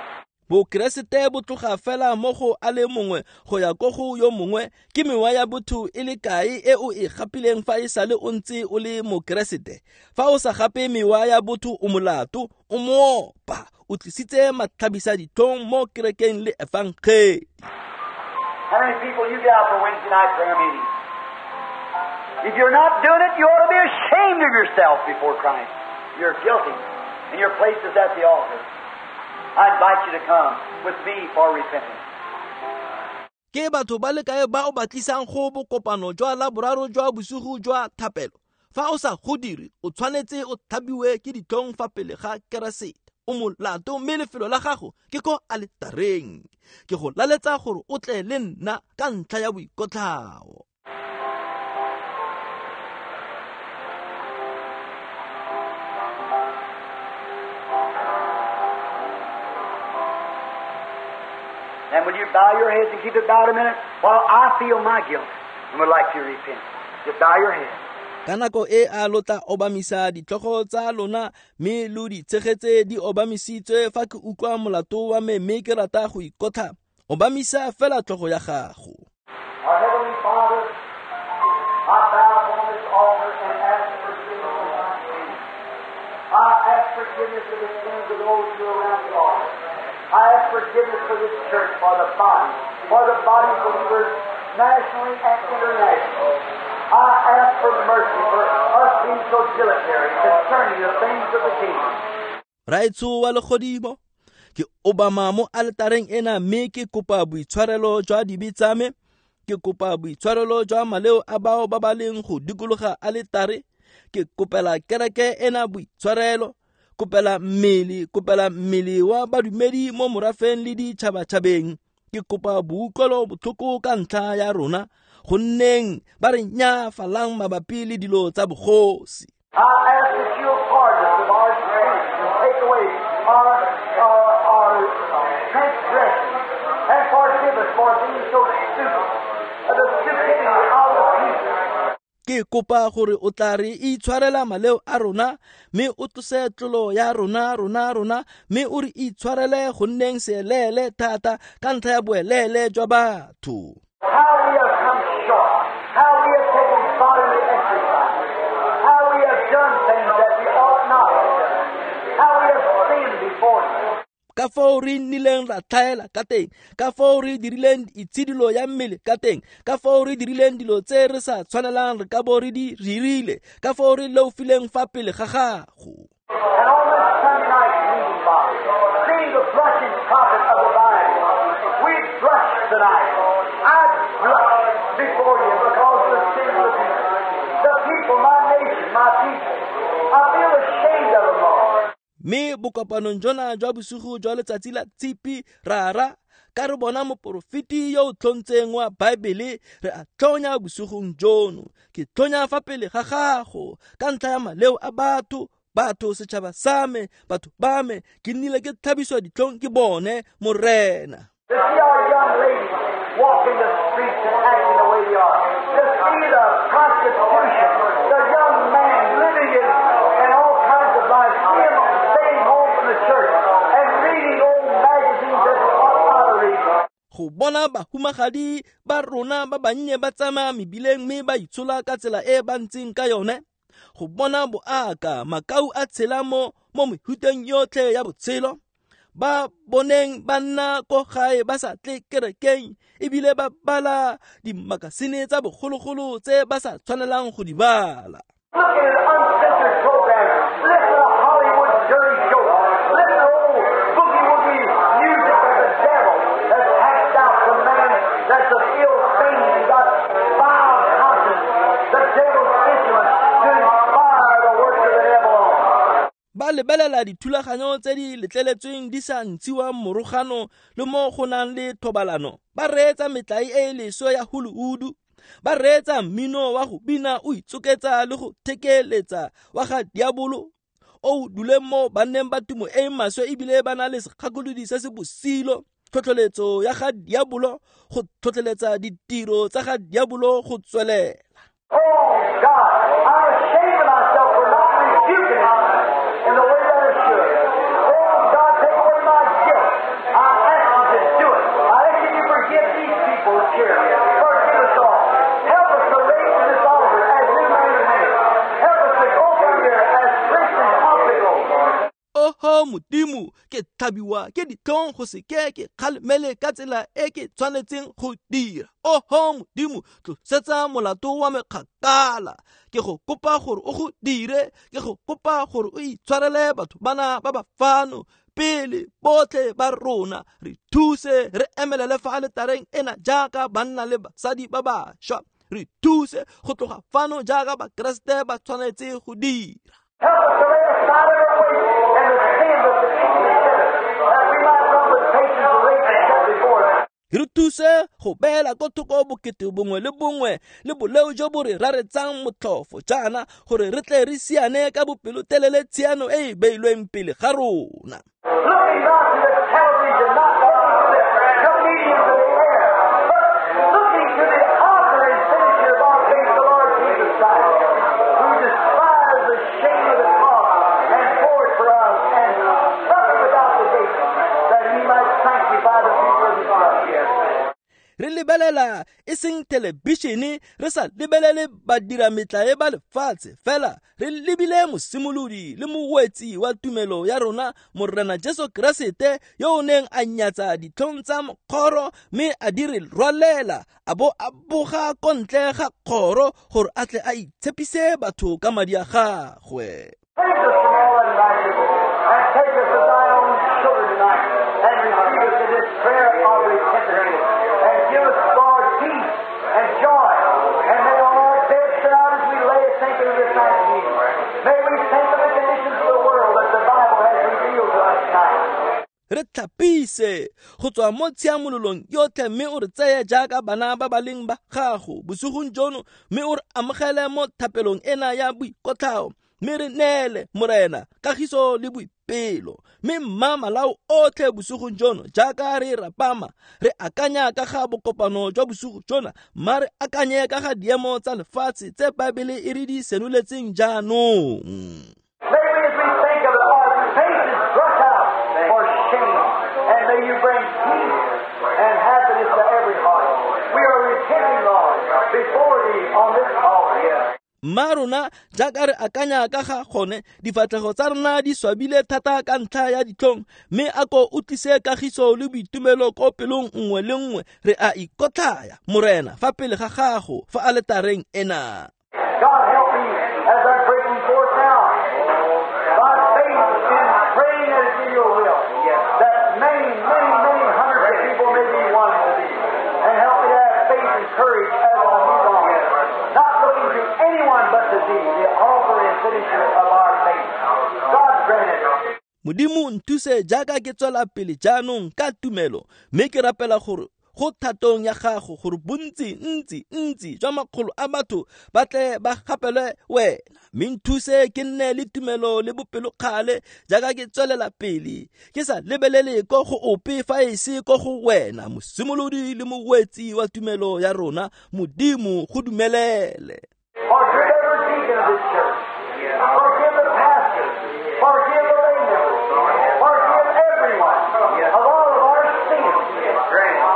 Bokeresete bo tloga fela mo go a le mongwe go ya ko go yo mongwe. Ke mewa ya botho e le kae e o e gapileng fa e sale o ntse o le mokeresete? Fa o sa gape mewa ya botho, o molato, o moopa, o tlisitse matlhabisa ditlhong mo kerekeng le efangedi. How many people you got for Wednesday night prayer meeting? If you're not doing it, you ought to be ashamed of yourself before Christ. You're guilty, and your place is at the altar. I invite you to come with me for repentance. Ke batho ba le kae ba o batlisang go bokopano jwa laboraro jwa bosigo jwa thapelo? Fa o sa go dire, o tshwanetse o thabiwe ke ditlhong fa pele ga Keresete. O molato, mme lefelo la gago ke ko aletareng. Ke go laletsa gore o tle le nna ka ntlha ya boikotlhao. And will you bow your heads and keep it bowed a minute while I feel my guilt and would like to repent? Just bow your head. Ka nako e a lotla obamisa ditlhogo tsa lona mme lo di tshegetse di obamisitswe fa ke utlwa molato wa me mme ke rata go ikotlha. Obamisa fela tlhogo ya gago. Our Heavenly Father, I bow upon this altar and ask forgiveness of my sins. I ask forgiveness of the sins of those who are around the altar. I ask forgiveness for this church, for the body, for the body of believers nationally and internationally. I ask for mercy for us being so dilatory concerning the things of the kingdom. Raetsho wa legodimo, ke obama mo altareng ena mme ke kopa boitshwarelo jwa dibe tsa me. Ke kopa boitshwarelo jwa maleo a bao ba ba leng go dikologa aletare. Ke kopela kereke ena boitshwarelo. Kopela mmele, kopela mmele wa badumedi mo morafeng le ditšhabatšhabeng. Ke kopa boutlwelo botlhoko ka ntlha ya rona, gonneng ba re nyafalang mabapi le dilo tsa bogosi. I ask that you'll pardon us of our sins and take away our, our, our transgressions and forgive us for being so stupid, the stupidity of the people. Ke kopa gore o tla re itshwarela maleo a rona mme o tlose tlolo ya rona rona rona mme o re itshwarele go nneng seelele thata ka ntlha ya boelele jwa batho. How we have come short, how we have taken bodily exercise, how we have done things that we ought not have done, how we have sinned before you. Ka fao re nnileng ra tlhaela ka teng, ka fao re dirileng itshidilo ya mmele ka teng, ka fao re dirileng dilo tse re sa tshwanelang re ka bo re di dirile, ka fao re leofileng fa pele ga gago. And on this Sunday night meeting, Father, seeing the blushing prophet of the Bible, we blush tonight. I blush before you because of the sin of the people. The people, my nation, my people. I feel ashamed of them all. Mme bokopanong jona jwa bosigo jwa letsatsi la Tshipi, rara, ka re bona moporofeti yo o tlhontseng wa Baebele, re a tlhonya bosigong jono. Ke tlhonya fa pele ga gago ka ntlha ya maleo a batho, batho setšhaba sa me, batho ba me, ke nnile ke tlhabiswa ditlhong ke bone, Morena. To see our young ladies walking the streets and acting the way they are, to see the prostitution, the young man living in, in all kinds of life, see him staying home from the church and reading old magazines that they ought not to read. Go bona bahumagadi ba rona ba bannye ba tsamaya mebileng mme ba itshola ka tsela e ba ntseng ka yone, go bona boaka makau a tshela mo mo mehuteng yotlhe ya botshelo, ba boneng ba nna ko gae ba sa tle kerekeng ebile ba bala dimakasine tsa bogologolo tse ba sa tshwanelang go di bala. Look at an uncensored program. Listen to Hollywood dirty jokes. Listen to old boogie-woogie music of the devil that's hacked out the man that's of ill fame and got vile conscience, the devil's instrument to inspire the works of the devil on. Ba lebelela dithulaganyo tse di letleletsweng di sa ntshiwang morogano le mo go nang le thobalano, ba reetsa metlae e e leswe ya Hollywood, ba reetsa mmino wa go bina o itsoketsa le go thekeletsa wa ga diabolo o duleng mo banneng ba tumo e e maswe ebile ba na le segakolodi se se bosilo, tlhotlheletso ya ga diabolo go tlhotlheletsa ditiro tsa ga diabolo go tswelela. Oh God, I'm ashamed of myself for not rebuking it in the way that I should. Oh God, take away my guilt. I ask you to do it. I ask you to forgive these people here. Forgive us all. Help us to raise this altar as new men and women. Help us to go from here as Christians ought to go. Oho Modimo, ke tlhabiwa ke ditlhong go se ke ke kgalemele ka tsela e ke tshwanetseng go dira. Oho Modimo, tlosetsa molato wa me kgakala. Ke go kopa gore o go dire, ke go kopa gore o itshwarele batho bana ba ba fano pele botlhe ba rona, re thuse re emelele fa aletareng ena jaaka banna le basadi ba bašwa. Re thuse go tloga fano jaaka Bakeresete ba tshwanetse go dira. Help us to lay aside every weight and the sin that beset us, that we might run with patience the race that's set before us. Re thuse go beela ko thoko bokete bongwe le bongwe le boleo jo bo re raretsang motlhofo jaana gore re tle re siane ka bopelotelele tshiano e e beilweng pele ga rona. Looking not to the television, not looking to the comedians of the air, but looking to the author and finisher of our faith, the Lord Jesus Christ, who despised the shame of the cross and bore it for us and suffered without the gate, that he might sanctify the people of his blood. Re lebelela e seng thelebišene, re sa lebelele badirametlae ba lefatshe fela, re lebile mosimolodi le mowetsi wa tumelo ya rona Morena Jesu Keresete, yo o neng a nyatsa ditlhong tsa mokgoro mme a di re rwalela, a bo a boga ko ntle ga kgoro gore a tle a itshepise batho ka madi a gagwe. Take us from all unrighteousness and take us as thy own children tonight and receive us in this prayer of repentance and give us, Lord, peace and joy. And may on our beds tonight as we lay thinking of this night's meeting, may we think of the conditions of the world that the Bible has revealed to us tonight. Re tlhapise go tswa mo tshiamololong yotlhe mme o re tseye jaaka bana ba ba leng ba gago bosigong jono, mme o re amogele mo thapelong ena ya boikotlhao, mme re neele Morena kagiso le boipelo. Mme mma malao otlhe bosigong jono jaaka re rapama re akanya ka ga bokopano jwa bosigo jona, mma re akanye ka ga diemo tsa lefatshe tse Baebele e re di senoletseng jaanong. May we, as we think of it, our faces brush out for shame, and may you bring peace and happiness to every heart. We are repenting, Lord, before thee on this altar. Mma rona jaaka re akanya ka ga gone, difatlhego tsa rona di swabile thata ka ntlha ya ditlhong, mme a ko o tlise kagiso le boitumelo ko pelong nngwe le nngwe. Re a ikotlhaya Morena fa pele ga gago fa aletareng ena. God help me as I'm breaking forth now by faith in praying as in your will, that many, many, many hundreds of people may be won to thee. And help me to have faith and courage as I move on, not looking to anyone but to thee, the author and finisher of our faith. God grant it. Modimo nthuse jaaka ke tswela pele jaanong ka tumelo, mme ke rapela gore go thatong ya gago gore bontsi ntsi ntsi jwa makgolo a batho ba tle ba gapelwe wena. Mme nthuse ke nne le tumelo le bopelokgale jaaka ke tswelela pele, ke sa lebelele ko go ope fa e se ko go wena, mosimolodi le mowetsi wa tumelo ya rona. Modimo go dumelele. Forgive every deacon of this church. Forgive the pastor. Forgive the lay members. Forgive everyone of all of our sins.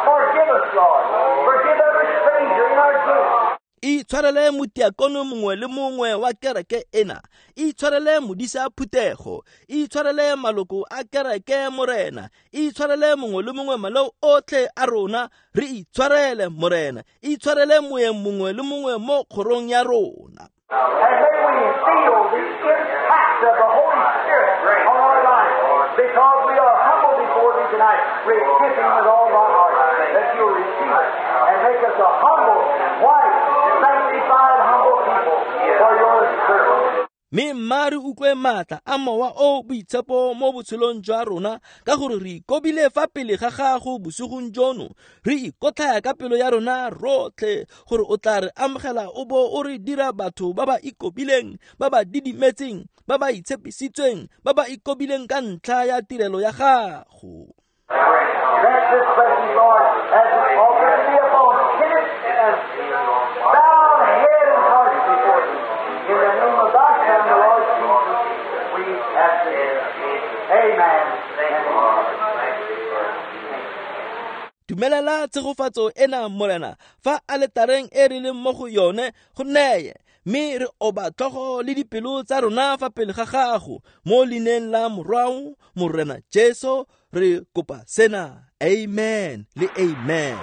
Forgive us, Lord. Forgive every stranger in our gate. Itshwarele motiakono mongwe le mongwe wa kereke ena, itshwarele modisa phuthego, itshwarele maloko a kereke Morena, itshwarele mongwe le mongwe maleo otlhe a rona, re itshwarele Morena, itshwarele moeng mongwe le mongwe mo kgorong ya rona. And may we feel the impact of the Holy Spirit on our lives, because we are humble before thee tonight, repenting with all our heart, that you'll receive it and make us a humble, white, sanctified, humble people for your service. Mme mma re utlwe maatla a Mowa o Boitshepo mo botshelong jwa rona, ka gore re ikobile fa pele ga gago bosigong jono, re ikotlhaya ka pelo ya rona rotlhe gore o tla re amogela o bo o re dira batho ba ba ikobileng, ba ba didimetseng, ba ba itshepisitsweng, ba ba ikobileng ka ntlha ya tirelo ya gago. Grant this blessing, Lord, as the altar be upon timid and bowed head and heart before you. In the name of thy Son, the Lord Jesus, we ask it. Amen. Dumelela tshegofatso ena Morena fa aletareng e re leng mo go yone go neye, mme re oba tlhogo le dipelo tsa rona fa pele ga gago mo leineng la Morwao Morena Jesu re kopa sena. Amen le amen.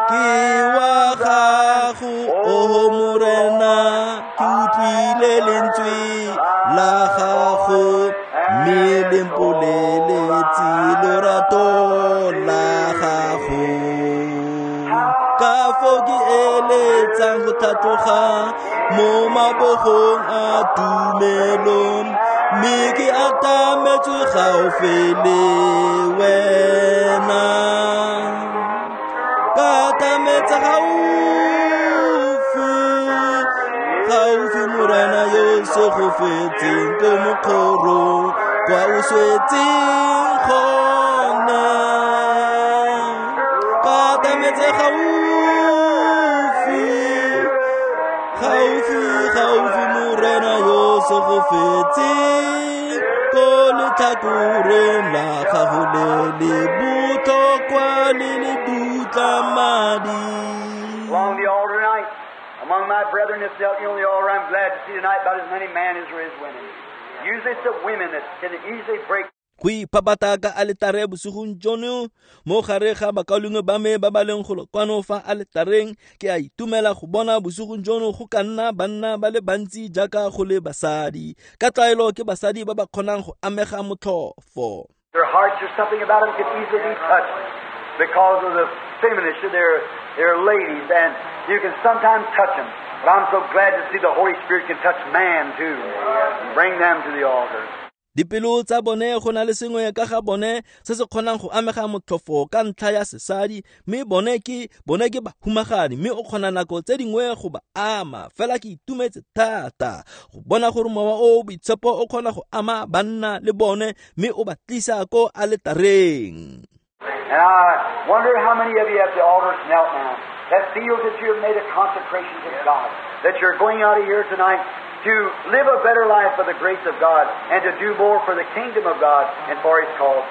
Ke wa gago o Morena, ke utlwile lentswe la gago, mme le mpoleletse lorato la gago. Ka foo ke eletsang go tlhatloga mo mabogong a tumelo, mme ke atametswe gaufi le wena. Ka atametsa gaufi, gaufi Morena yo segofetseng ko mokgorong kwa o swetseng gona. Ka atametse gaufi, gaufi, gaufi Morena yo segofetseng ko letlhakoreng la gago le le botlhokwa le le dutla madi. Along the altar tonight, among my brethren that's out here on the altar, I'm glad to see tonight about as many men as there is women. Usually it's the women that can easily break. Go ipapata ka aletare bosigong jono mo gare ga bakaulengwe ba me ba ba leng golo kwano fa aletareng, ke a itumela go bona bosigong jono go ka nna banna ba le bantsi jaaka go le basadi. Ka tlwaelo ke basadi ba ba kgonang go amega motlhofo. Their hearts or something about them can easily be touched because of the feminists, they're, they're ladies, and you can sometimes touch them. But I'm so glad to see the Holy Spirit can touch man too and bring them to the altar. Dipelo tsa bone go na le sengwe ka ga bone se se kgonang go amega motlhofo ka ntlha ya sesadi, mme bone ke bone ke bahumagadi, mme o kgona nako tse dingwe go ba ama. Fela ke itumetse thata go bona gore Mowa o Boitshepo o kgona go ama banna le bone, mme o ba tlisa ko aletareng. And I wonder how many of you at the altar knelt now that feels that you have made a consecration to God, that you're going out of here tonight to live a better life for the grace of God and to do more for the kingdom of God and for His cause.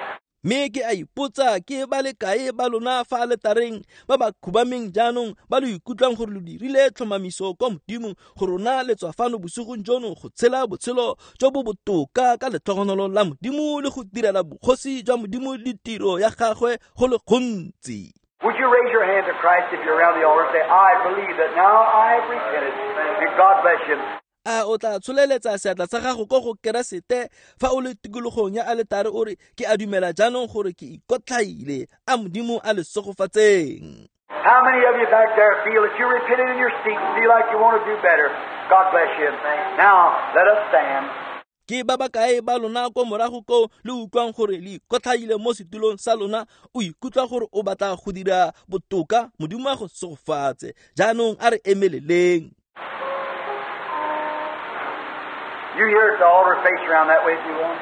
Mme ke a ipotsa ke ba le kae ba lona fa aletareng ba ba khubameng jaanong ba lo ikutlwang gore lo dirile tlhomamiso kwa Modimong go rona le tswa fano bosigong jono go tshela botshelo jo bo botoka ka letlhogonolo la Modimo le go direla bogosi jwa Modimo le tiro ya gagwe go le gontsi. Would you raise your hand to Christ if you're around the altar and say, I believe that now I have repented, and God bless you. A o tla tsholeletsa seatla sa gago ko go Keresete fa o le tikologong ya aletare o re, ke a dumela jaanong gore ke ikotlhaile, a Modimo a le segofatseng. How many of you back there feel that you repented in your seat and feel like you want to do better? God bless you. Now, let us stand. Ke ba ba kae ba lona ko morago ko le utlwang gore le ikotlhaile mo setulong sa lona, o ikutlwa gore o batla go dira botoka? Modimo a go segofatse. Jaanong a re emeleleng. You here at the altar, face around that way if you want.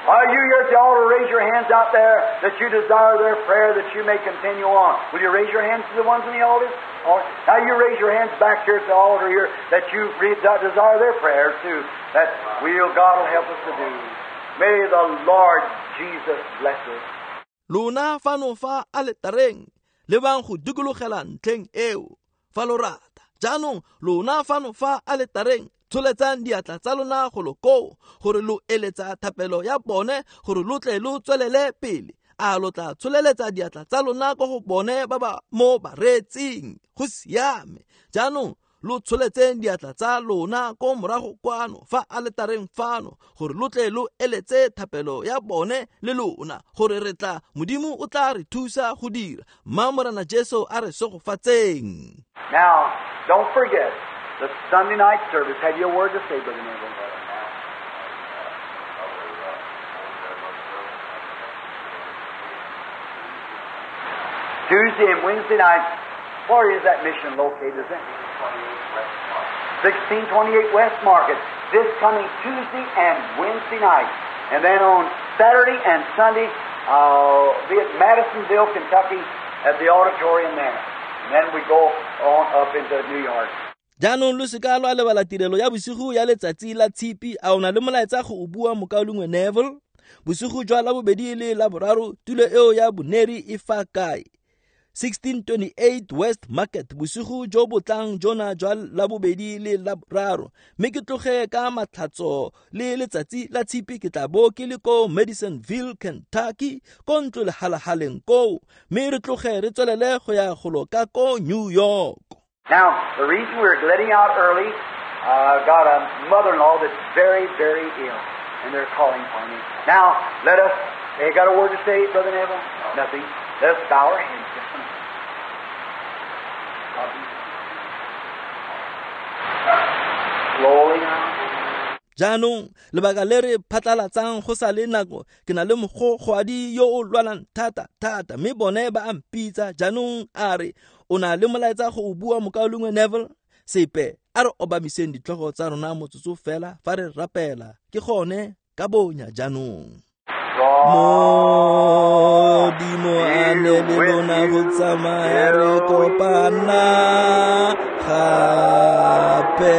Are you here at the altar, raise your hands out there that you desire their prayer that you may continue on. Will you raise your hands to the ones in the altar? Or, now you raise your hands back here at the altar here that you desire their prayers too. That will God will help us to do. May the Lord Jesus bless us. Lona fano fa aletareng lebang go dikologela ntlheng eo fa lo rata. Jaanong lona fano fa aletareng tsholetsang diatla tsa lona go lo koo gore lo eletsa thapelo ya bone gore lo tle lo tswelele pele. A lo tla tsholeletsa diatla tsa lona ko go bone ba ba mo bareetsing? Go siame. Jaanong lo tsholetseng diatla tsa lona ko morago kwano fa aletareng fano gore lo tle lo eletse thapelo ya bone le lona gore re tla Modimo o tla re thusa go dira. Mma Morena Jesu a re segofatseng. Now, don't forget the Sunday night service. Have you a word to say, Brother Neville? Tuesday and Wednesday night. Where is that mission located? Is it? sixteen twenty-eight West Market. This coming Tuesday and Wednesday night. And then on Saturday and Sunday, I'll be at Madisonville, Kentucky, at the auditorium there. And then we go on up into New York. Jaanong lo seka lwa lebala tirelo ya bosigo ya letsatsi la tshipi. A o na le molaetsa go o bua, mokaulengwe Neville? Bosigo jwa labobedi le laboraro, tulo eo ya boneri e fa kae? sixteen twenty-eight West Market, bosigo jo bo tlang jona jwa labobedi le laboraro. Mme ke tloge ka matlhatso le letsatsi la tshipi ke tla bo ke le ko Madisonville, Kentucky, ko ntlo lehalahaleng koo. Mme re tloge re tswelele go ya golo ka ko New York. Now, the reason we're letting out early, I've uh, got a mother-in-law that's very, very ill, and they're calling for me. Now, let us, you got a word to say, Brother Neville? Nothing. Let us bow our heads just a minute. Slowly now. Jaanong lebaka le re phatlalatsang go sa le nako, ke na le mogogwadi yo o lwalang thata thata, mme bone ba a mpitsa. Jaanong a re o na le molaetsa go o bua, mokaulengwe Neville? Sepe. A re obamiseng ditlhogo tsa rona motsotso fela fa re rapela. Ke gone ka bonya jaanong. Modimo a ne le lona go tsamaya re kopana gape.